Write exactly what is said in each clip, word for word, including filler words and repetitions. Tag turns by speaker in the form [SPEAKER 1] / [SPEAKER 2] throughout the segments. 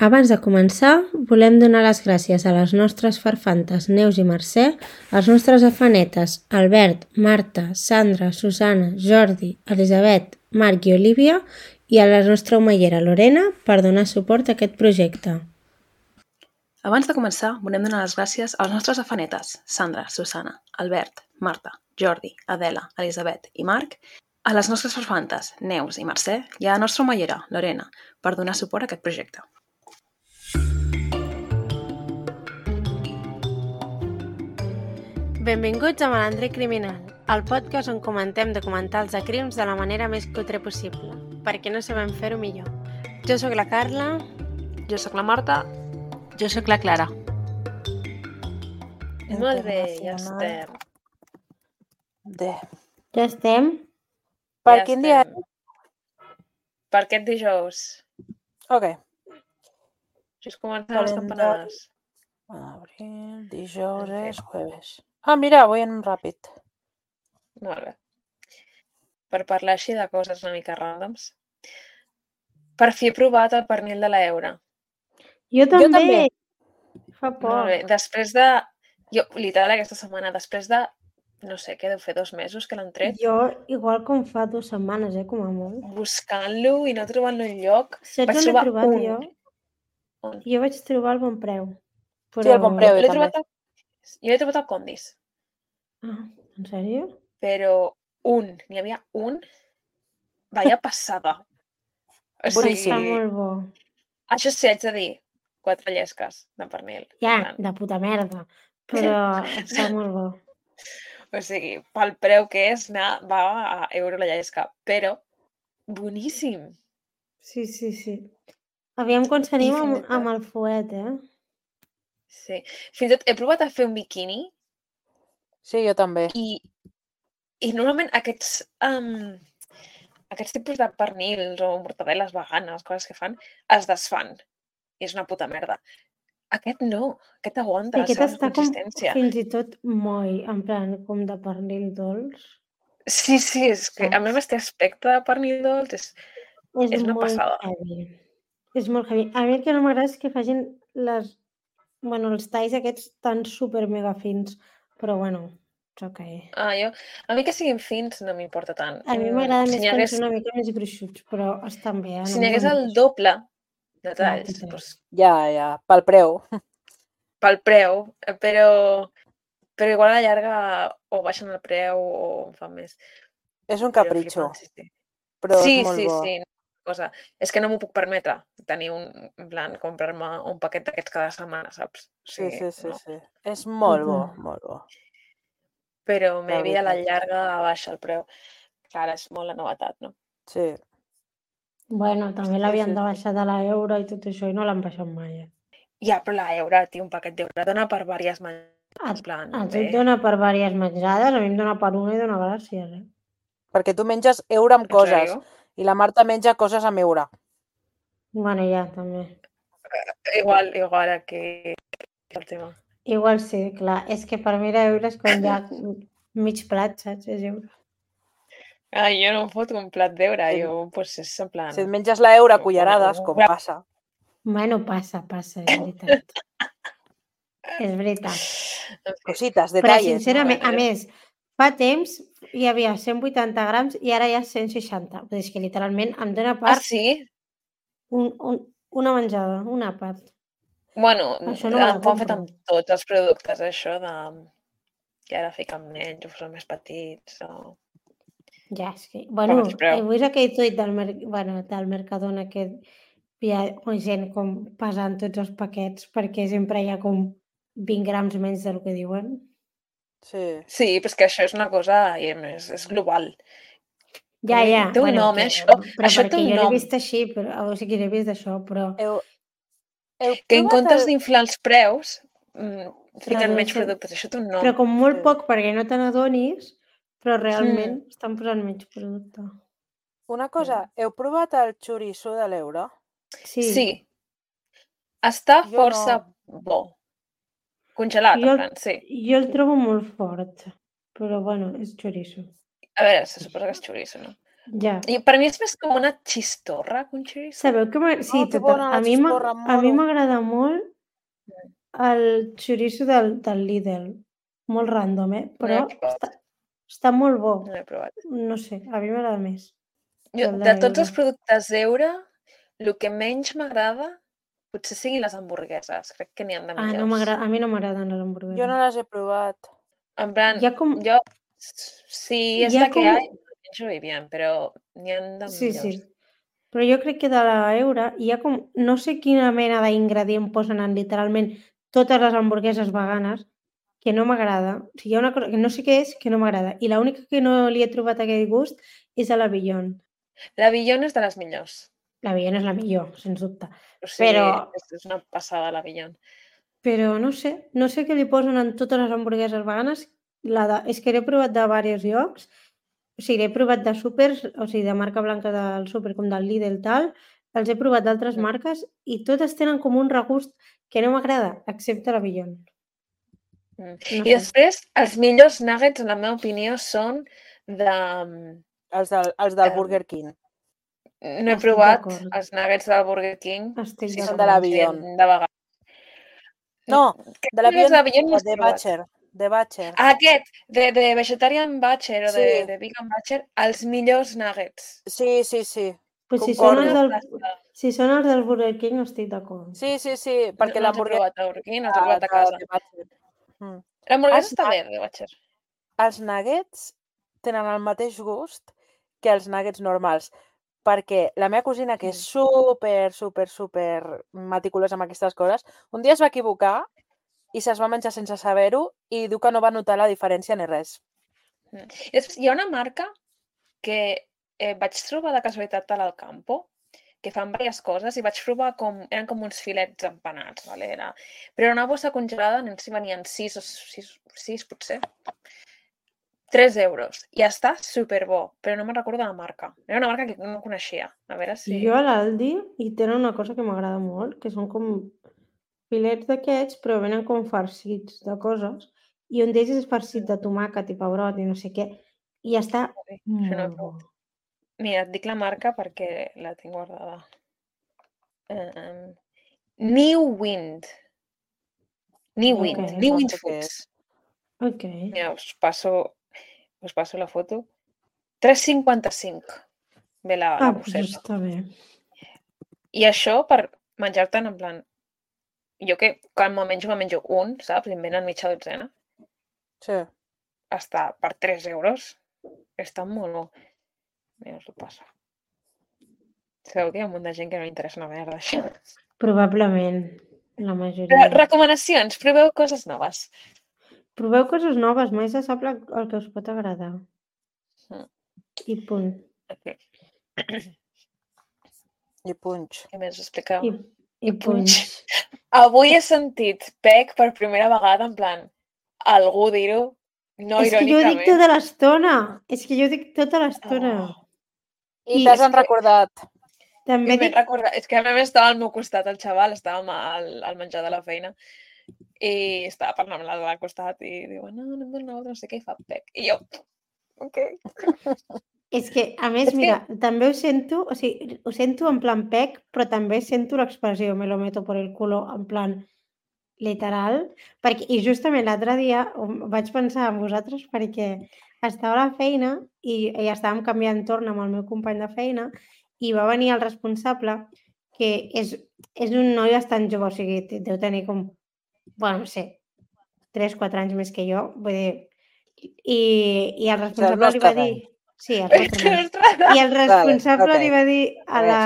[SPEAKER 1] Abans de començar, volem donar les gràcies a les nostres farfantes Neus i Mercè, als nostres afanetes Albert, Marta, Sandra, Susana, Jordi, Elisabet, Marc i Olívia i a la nostra omellera Lorena per donar suport a aquest projecte.
[SPEAKER 2] Abans de començar, volem donar les gràcies als nostres afanetes Sandra, Susana, Albert, Marta, Jordi, Adela, Elisabet i Marc, a les nostres farfantes Neus i Mercè i a la nostra omellera Lorena per donar suport a aquest projecte.
[SPEAKER 1] Benvinguts a Malandrer Criminal, el podcast on comentem documentals de crims de la manera més cutre possible, perquè no sabem fer-ho millor. Jo sóc la Carla.
[SPEAKER 2] Jo sóc la Marta.
[SPEAKER 3] Jo sóc la Clara.
[SPEAKER 2] Molt bé, ja estem.
[SPEAKER 3] De.
[SPEAKER 1] Ja estem?
[SPEAKER 3] Per
[SPEAKER 2] Ja
[SPEAKER 3] quin dia?
[SPEAKER 2] estem. Per aquest dijous.
[SPEAKER 3] Ok.
[SPEAKER 2] Just comencem les campanades.
[SPEAKER 3] Abril, dijous és jueves. Ah, mira, avui anem ràpid.
[SPEAKER 2] Molt bé. Per parlar així de coses una mica ràndoms. Per fi he provat el pernil de l'Eura.
[SPEAKER 1] Jo també.
[SPEAKER 3] Jo també.
[SPEAKER 1] Fa poc.
[SPEAKER 2] Molt bé. Després de... Jo, literal, aquesta setmana, després de... No sé, què deu fer, dos mesos que l'han tret?
[SPEAKER 1] Jo, igual com fa dues setmanes, eh, com a molt.
[SPEAKER 2] Buscant-lo i no trobant-lo enlloc.
[SPEAKER 1] Saps
[SPEAKER 2] Vaig
[SPEAKER 1] on l'he
[SPEAKER 2] trobar
[SPEAKER 1] trobat
[SPEAKER 2] un.
[SPEAKER 1] jo?
[SPEAKER 2] On?
[SPEAKER 1] Jo vaig trobar el Bon Preu. Però...
[SPEAKER 3] Sí, el Bon Preu, jo
[SPEAKER 2] L'he
[SPEAKER 3] també.
[SPEAKER 2] trobat a... Jo l'he trobat al Condis.
[SPEAKER 1] Ah, en sèrio?
[SPEAKER 2] Però un, n'hi havia un, vaya passada. O sigui,
[SPEAKER 1] Està molt bo.
[SPEAKER 2] això sí, haig de dir, quatre llesques de pernil.
[SPEAKER 1] Ja,
[SPEAKER 2] En plan,
[SPEAKER 1] de puta merda. Però està molt bo.
[SPEAKER 2] O sigui, pel preu que és, anar, va a euro la llesca, però boníssim.
[SPEAKER 1] Sí, sí, sí. Aviam quan
[SPEAKER 2] I
[SPEAKER 1] s'anima
[SPEAKER 2] fins i
[SPEAKER 1] amb,
[SPEAKER 2] tot,
[SPEAKER 1] amb el fuet, eh?
[SPEAKER 2] sí. Fins i tot he provat a fer un biquini
[SPEAKER 3] Sí, jo també.
[SPEAKER 2] i, i normalment aquests, um, aquests tipus de pernils o mortadeles veganes, coses que fan, es desfan. I és una puta merda. Aquest no, aquest aguanta la
[SPEAKER 1] Aquest
[SPEAKER 2] seva
[SPEAKER 1] està com
[SPEAKER 2] consistència.
[SPEAKER 1] fins i tot moll, en plan, com de pernil dolç.
[SPEAKER 2] Sí, sí, és que a més
[SPEAKER 1] Saps?
[SPEAKER 2] este aspecte de pernil dolç és,
[SPEAKER 1] És
[SPEAKER 2] és una
[SPEAKER 1] molt
[SPEAKER 2] passada.
[SPEAKER 1] heavy. És molt heavy. A mi el que no m'agrada és que facin les... Bueno, els talls aquests tan super mega fins. Però bueno, és ok.
[SPEAKER 2] Ah, jo, a mi que siguin fins no m'importa tant.
[SPEAKER 1] A mi
[SPEAKER 2] Mm,
[SPEAKER 1] m'agrada
[SPEAKER 2] si
[SPEAKER 1] més
[SPEAKER 2] n'hi
[SPEAKER 1] quan
[SPEAKER 2] hagués,
[SPEAKER 1] són una mica més gruixuts, però estan bé, eh?
[SPEAKER 2] si
[SPEAKER 1] No
[SPEAKER 2] n'hi
[SPEAKER 1] em
[SPEAKER 2] hagués el
[SPEAKER 1] queixo.
[SPEAKER 2] doble de
[SPEAKER 1] Clar,
[SPEAKER 2] talls,
[SPEAKER 1] total.
[SPEAKER 2] doncs,
[SPEAKER 3] Ja, ja, pel preu.
[SPEAKER 2] pel preu, eh, però, però igual a la llarga o baixen el preu o en fan més.
[SPEAKER 3] És un
[SPEAKER 2] Però
[SPEAKER 3] capritxo,
[SPEAKER 2] flipant, sí, sí.
[SPEAKER 3] però és
[SPEAKER 2] Sí,
[SPEAKER 3] molt
[SPEAKER 2] sí,
[SPEAKER 3] bo.
[SPEAKER 2] sí. Cosa. És que no m'ho puc permetre, tenir un, en plan, comprar-me un paquet d'aquests cada setmana, saps? O
[SPEAKER 3] Sí,
[SPEAKER 2] sigui,
[SPEAKER 3] sí, sí,
[SPEAKER 2] no.
[SPEAKER 3] sí. És molt bo,
[SPEAKER 1] Total.
[SPEAKER 3] molt bo,
[SPEAKER 2] Però
[SPEAKER 3] la
[SPEAKER 2] maybe a la
[SPEAKER 3] veritat.
[SPEAKER 2] llarga baixa el preu. Clar, és molt la novetat, no?
[SPEAKER 3] Sí,
[SPEAKER 1] Bueno, també
[SPEAKER 3] sí,
[SPEAKER 1] l'havien
[SPEAKER 3] sí,
[SPEAKER 1] de
[SPEAKER 3] sí.
[SPEAKER 1] baixar de l'euro i tot això i no l'han baixat mai. Eh?
[SPEAKER 2] Ja, però la euro, tio, un paquet d'euro dona per diverses menjades,
[SPEAKER 1] A,
[SPEAKER 2] en plan,
[SPEAKER 1] a tu
[SPEAKER 2] bé.
[SPEAKER 1] et dona per diverses menjades, a mi em dona per una i dona gràcies, eh?
[SPEAKER 3] Perquè tu menges euro amb
[SPEAKER 2] En
[SPEAKER 3] coses
[SPEAKER 2] sèrio?
[SPEAKER 3] i la Marta menja coses amb euro.
[SPEAKER 1] Bueno, ja, també.
[SPEAKER 2] Igual, igual aquí el tema.
[SPEAKER 1] Igual sí, clar. És que per mi l'euro és quan ja mig plat, saps? És euro.
[SPEAKER 2] Ah, jo no em foto un plat d'euro,
[SPEAKER 3] Si,
[SPEAKER 2] jo, pues, és en plan...
[SPEAKER 3] si et menges la euro a
[SPEAKER 2] una-
[SPEAKER 3] cullerades, com
[SPEAKER 2] una-
[SPEAKER 3] passa.
[SPEAKER 1] Bueno, passa, passa, és veritat. És veritat.
[SPEAKER 2] En fi,
[SPEAKER 3] Cosites,
[SPEAKER 1] Però
[SPEAKER 3] detalles.
[SPEAKER 1] sincerament,
[SPEAKER 2] bueno,
[SPEAKER 1] a
[SPEAKER 2] jo-
[SPEAKER 1] més, fa temps hi havia cent vuitanta grams i ara hi ha cent seixanta. Vull dir, és que literalment em dona
[SPEAKER 2] Ah,
[SPEAKER 1] per
[SPEAKER 2] sí?
[SPEAKER 1] un, un, una menjada, un àpat.
[SPEAKER 2] Bueno,
[SPEAKER 1] Això no me la
[SPEAKER 2] ho han fet
[SPEAKER 1] compro.
[SPEAKER 2] amb tots els productes, això de... que ara fiquen menys o són més petits o...
[SPEAKER 1] Ja, és que...
[SPEAKER 2] Com
[SPEAKER 1] Bueno,
[SPEAKER 2] els preu.
[SPEAKER 1] he vist aquell tuit del, mer... bueno, del Mercadona que hi ha gent com pesant tots els paquets perquè sempre hi ha com vint grams menys del que diuen.
[SPEAKER 3] Sí.
[SPEAKER 2] Sí, però és que això és una cosa i a més, és global.
[SPEAKER 1] Ja,
[SPEAKER 2] Com li-
[SPEAKER 1] ja,
[SPEAKER 2] Té un
[SPEAKER 1] bueno,
[SPEAKER 2] nom,
[SPEAKER 1] que,
[SPEAKER 2] eh, això.
[SPEAKER 1] però
[SPEAKER 2] Això té
[SPEAKER 1] perquè
[SPEAKER 2] un
[SPEAKER 1] jo l'he
[SPEAKER 2] nom.
[SPEAKER 1] vist així, però, o sigui, l'he vist això, però
[SPEAKER 3] Heu, heu
[SPEAKER 2] Que en
[SPEAKER 3] provat
[SPEAKER 2] comptes
[SPEAKER 3] el...
[SPEAKER 2] d'inflar els preus, mm, fiquen menys
[SPEAKER 1] redueixen,
[SPEAKER 2] productes. Això té un
[SPEAKER 1] però
[SPEAKER 2] nom.
[SPEAKER 1] com molt
[SPEAKER 3] Sí.
[SPEAKER 1] poc perquè no te n'adonis, però realment
[SPEAKER 2] Mm.
[SPEAKER 1] estan posant menys producte.
[SPEAKER 3] Una cosa, heu provat el xoriço de l'euro?
[SPEAKER 1] Sí,
[SPEAKER 2] Sí, està
[SPEAKER 3] Jo
[SPEAKER 2] força
[SPEAKER 3] no.
[SPEAKER 2] bo. Congelat,
[SPEAKER 1] jo,
[SPEAKER 2] en plan, sí.
[SPEAKER 1] jo el trobo molt fort, però bueno, és chorizo.
[SPEAKER 2] A veure, se suposa que és xoriço, no?
[SPEAKER 1] Ja.
[SPEAKER 2] I per mi és més com una xistorra que un xoriço.
[SPEAKER 1] Sabeu que m'agrada... Sí,
[SPEAKER 3] Oh, que
[SPEAKER 1] total.
[SPEAKER 3] bona
[SPEAKER 1] A
[SPEAKER 3] la
[SPEAKER 1] mi m'a-
[SPEAKER 3] xistorra,
[SPEAKER 1] a mi
[SPEAKER 3] moro.
[SPEAKER 1] m'agrada molt el xoriço del, del Lidl. Molt random, eh?
[SPEAKER 2] No l'he
[SPEAKER 1] Però
[SPEAKER 2] provat.
[SPEAKER 1] està, està molt bo.
[SPEAKER 2] No l'he provat.
[SPEAKER 1] No sé, a mi m'agrada més.
[SPEAKER 2] Jo,
[SPEAKER 1] El
[SPEAKER 2] de
[SPEAKER 1] de
[SPEAKER 2] tots els
[SPEAKER 1] Euro.
[SPEAKER 2] productes Euro, el que menys m'agrada potser siguin les hamburgueses. Crec que n'hi ha de
[SPEAKER 1] Ah, no
[SPEAKER 2] millors.
[SPEAKER 1] m'agrada. A mi no m'agraden les hamburgueses.
[SPEAKER 3] Jo no les he provat.
[SPEAKER 2] En plan,
[SPEAKER 1] Hi ha com...
[SPEAKER 2] jo, si és
[SPEAKER 1] Hi ha
[SPEAKER 2] la que
[SPEAKER 1] com...
[SPEAKER 2] hay, menjo muy bien, però n'hi ha de
[SPEAKER 1] Sí,
[SPEAKER 2] millors.
[SPEAKER 1] sí. Però jo crec que de l'Euro hi ha com... No sé quina mena d'ingredient posen en literalment totes les hamburgueses veganes que no m'agrada. O sigui, hi ha una cosa que no sé què és que no m'agrada. I l'única que no li he trobat aquell gust és a la Beyond.
[SPEAKER 2] La Beyond és de les millors.
[SPEAKER 1] La Beyond és la millor, sens dubte.
[SPEAKER 2] O sigui,
[SPEAKER 1] Però,
[SPEAKER 2] és, és una passada la Beyond.
[SPEAKER 1] però no sé, no sé què li posen en totes les hamburgueses veganes. La de, és que l'he provat de diversos llocs. O sigui, l'he provat de súpers, o sigui, de marca blanca del súper, com del Lidl, tal. Els he provat d'altres
[SPEAKER 2] Mm.
[SPEAKER 1] marques i totes tenen com un regust que no m'agrada, excepte la Beyond.
[SPEAKER 2] Mm.
[SPEAKER 1] No
[SPEAKER 2] I
[SPEAKER 1] sé.
[SPEAKER 2] després, els millors nuggets, en la meva opinió, són de...
[SPEAKER 3] Els del, els del
[SPEAKER 2] Em,
[SPEAKER 3] Burger King.
[SPEAKER 2] No he
[SPEAKER 1] Estic
[SPEAKER 2] provat
[SPEAKER 1] d'acord.
[SPEAKER 2] els nuggets del Burger King.
[SPEAKER 1] Estic
[SPEAKER 2] Sí,
[SPEAKER 3] Són
[SPEAKER 2] són
[SPEAKER 3] de la
[SPEAKER 1] d'acord.
[SPEAKER 3] Beyond.
[SPEAKER 2] de vegades.
[SPEAKER 3] No,
[SPEAKER 2] Crec
[SPEAKER 3] de la
[SPEAKER 2] que els
[SPEAKER 3] Beyond,
[SPEAKER 2] de Beyond no els he
[SPEAKER 3] de
[SPEAKER 2] provat.
[SPEAKER 3] Butcher. De Butcher.
[SPEAKER 2] Ah, aquest, de, de Vegetarian Butcher o de,
[SPEAKER 3] Sí.
[SPEAKER 2] de Vegan Butcher, els millors nuggets.
[SPEAKER 3] Sí, sí, sí.
[SPEAKER 1] Pues si són, els
[SPEAKER 3] Concordo.
[SPEAKER 1] del, si són els del Burger King, estic d'acord.
[SPEAKER 3] Sí, sí, sí,
[SPEAKER 2] No,
[SPEAKER 3] perquè
[SPEAKER 2] no els he
[SPEAKER 3] l'hamburguesa
[SPEAKER 2] provat a Burger King, no els he provat a
[SPEAKER 3] de,
[SPEAKER 2] casa.
[SPEAKER 3] de Butcher. Mm.
[SPEAKER 2] L'hamburguesa
[SPEAKER 3] Els
[SPEAKER 2] està
[SPEAKER 3] nu-
[SPEAKER 2] bé, de Butcher.
[SPEAKER 3] Els nuggets tenen el mateix gust que els nuggets normals, perquè la meva cosina, que és super, super, super meticulosa amb aquestes coses, un dia es va equivocar i se'ls va menjar sense saber-ho i diu que no va notar la diferència ni res.
[SPEAKER 2] Mm. I després hi ha una marca que eh, vaig trobar de casualitat a l'Alcampo, que fan diverses coses i vaig provar com... Eren com uns filets empanats, vale? Era, però era una bossa congelada, no sé si venien sis o sis, sis potser. tres euros. I està superbo, però no me'n recordo de la marca. Era una marca que no coneixia. A veure si...
[SPEAKER 1] Jo a l'Aldi hi tenen una cosa que m'agrada molt, que són com filets d'aquests, però venen com farcits de coses, i un d'ells és farcit de tomàquet i pebrot i no sé què, i està
[SPEAKER 2] Això no he
[SPEAKER 1] molt bo.
[SPEAKER 2] provat. Mira, et dic la marca perquè la tinc guardada. Um, New Wind. New
[SPEAKER 1] Ok.
[SPEAKER 2] Wind. New
[SPEAKER 3] No
[SPEAKER 2] Wind
[SPEAKER 3] sé què
[SPEAKER 2] Foods.
[SPEAKER 3] és.
[SPEAKER 1] Ok.
[SPEAKER 2] Mira, us passo, us passo la foto. tres cinquanta-cinc. Ve la, la
[SPEAKER 1] Ah, doncs
[SPEAKER 2] bosseta.
[SPEAKER 1] està bé.
[SPEAKER 2] I això per menjar-te'n en plan... Jo que quan me menjo, me menjo un, saps? I em venen mitja dotzena.
[SPEAKER 3] Sí.
[SPEAKER 2] Està per tres euros. Està molt bo. Mira, us ho passo. Sabeu que hi ha un munt de gent que no li interessa una merda, això.
[SPEAKER 1] Probablement, la
[SPEAKER 2] Però,
[SPEAKER 1] majoria.
[SPEAKER 2] recomanacions, proveu coses noves.
[SPEAKER 1] Proveu coses noves, mai se sap la- el que us pot agradar.
[SPEAKER 2] Mm.
[SPEAKER 1] I punt.
[SPEAKER 2] Okay.
[SPEAKER 3] I punx.
[SPEAKER 2] Què més us expliqueu?
[SPEAKER 1] I, i punx.
[SPEAKER 2] Avui he sentit Pec per primera vegada, en plan, algú dir-ho, no
[SPEAKER 1] És que jo ho dic
[SPEAKER 2] irònicament.
[SPEAKER 1] tota l'estona. És que jo ho dic tota l'estona.
[SPEAKER 2] Oh.
[SPEAKER 3] I
[SPEAKER 1] I
[SPEAKER 3] t'has
[SPEAKER 2] és que-
[SPEAKER 3] recordat.
[SPEAKER 1] També
[SPEAKER 2] I m'he
[SPEAKER 1] dic...
[SPEAKER 2] recordat, és que a més estava al meu costat el xaval, estàvem al, al menjar de la feina i estava parlant amb l'altre al costat i diu, no, no em dona no sé què, i fa Pec. I jo, ok.
[SPEAKER 1] És que, a més,
[SPEAKER 2] És que-
[SPEAKER 1] mira, també ho sento, o sigui, ho sento en plan pec, però també sento l'expressió me lo meto por el culo, en plan literal, perquè, i justament l'altre dia um, vaig pensar en vosaltres perquè estava a la feina i, i estàvem canviant torn amb el meu company de feina i va venir el responsable, que és, és un noi bastant jove, o sigui, te- deu tenir com, bueno, no sé, tres quatre anys més que jo, vull dir, i, i el responsable li va
[SPEAKER 3] nostre
[SPEAKER 1] dir...
[SPEAKER 3] any.
[SPEAKER 1] Sí, el nostre any.
[SPEAKER 2] Nostre-
[SPEAKER 1] I el responsable
[SPEAKER 3] ok.
[SPEAKER 1] li va dir a
[SPEAKER 3] A
[SPEAKER 1] la...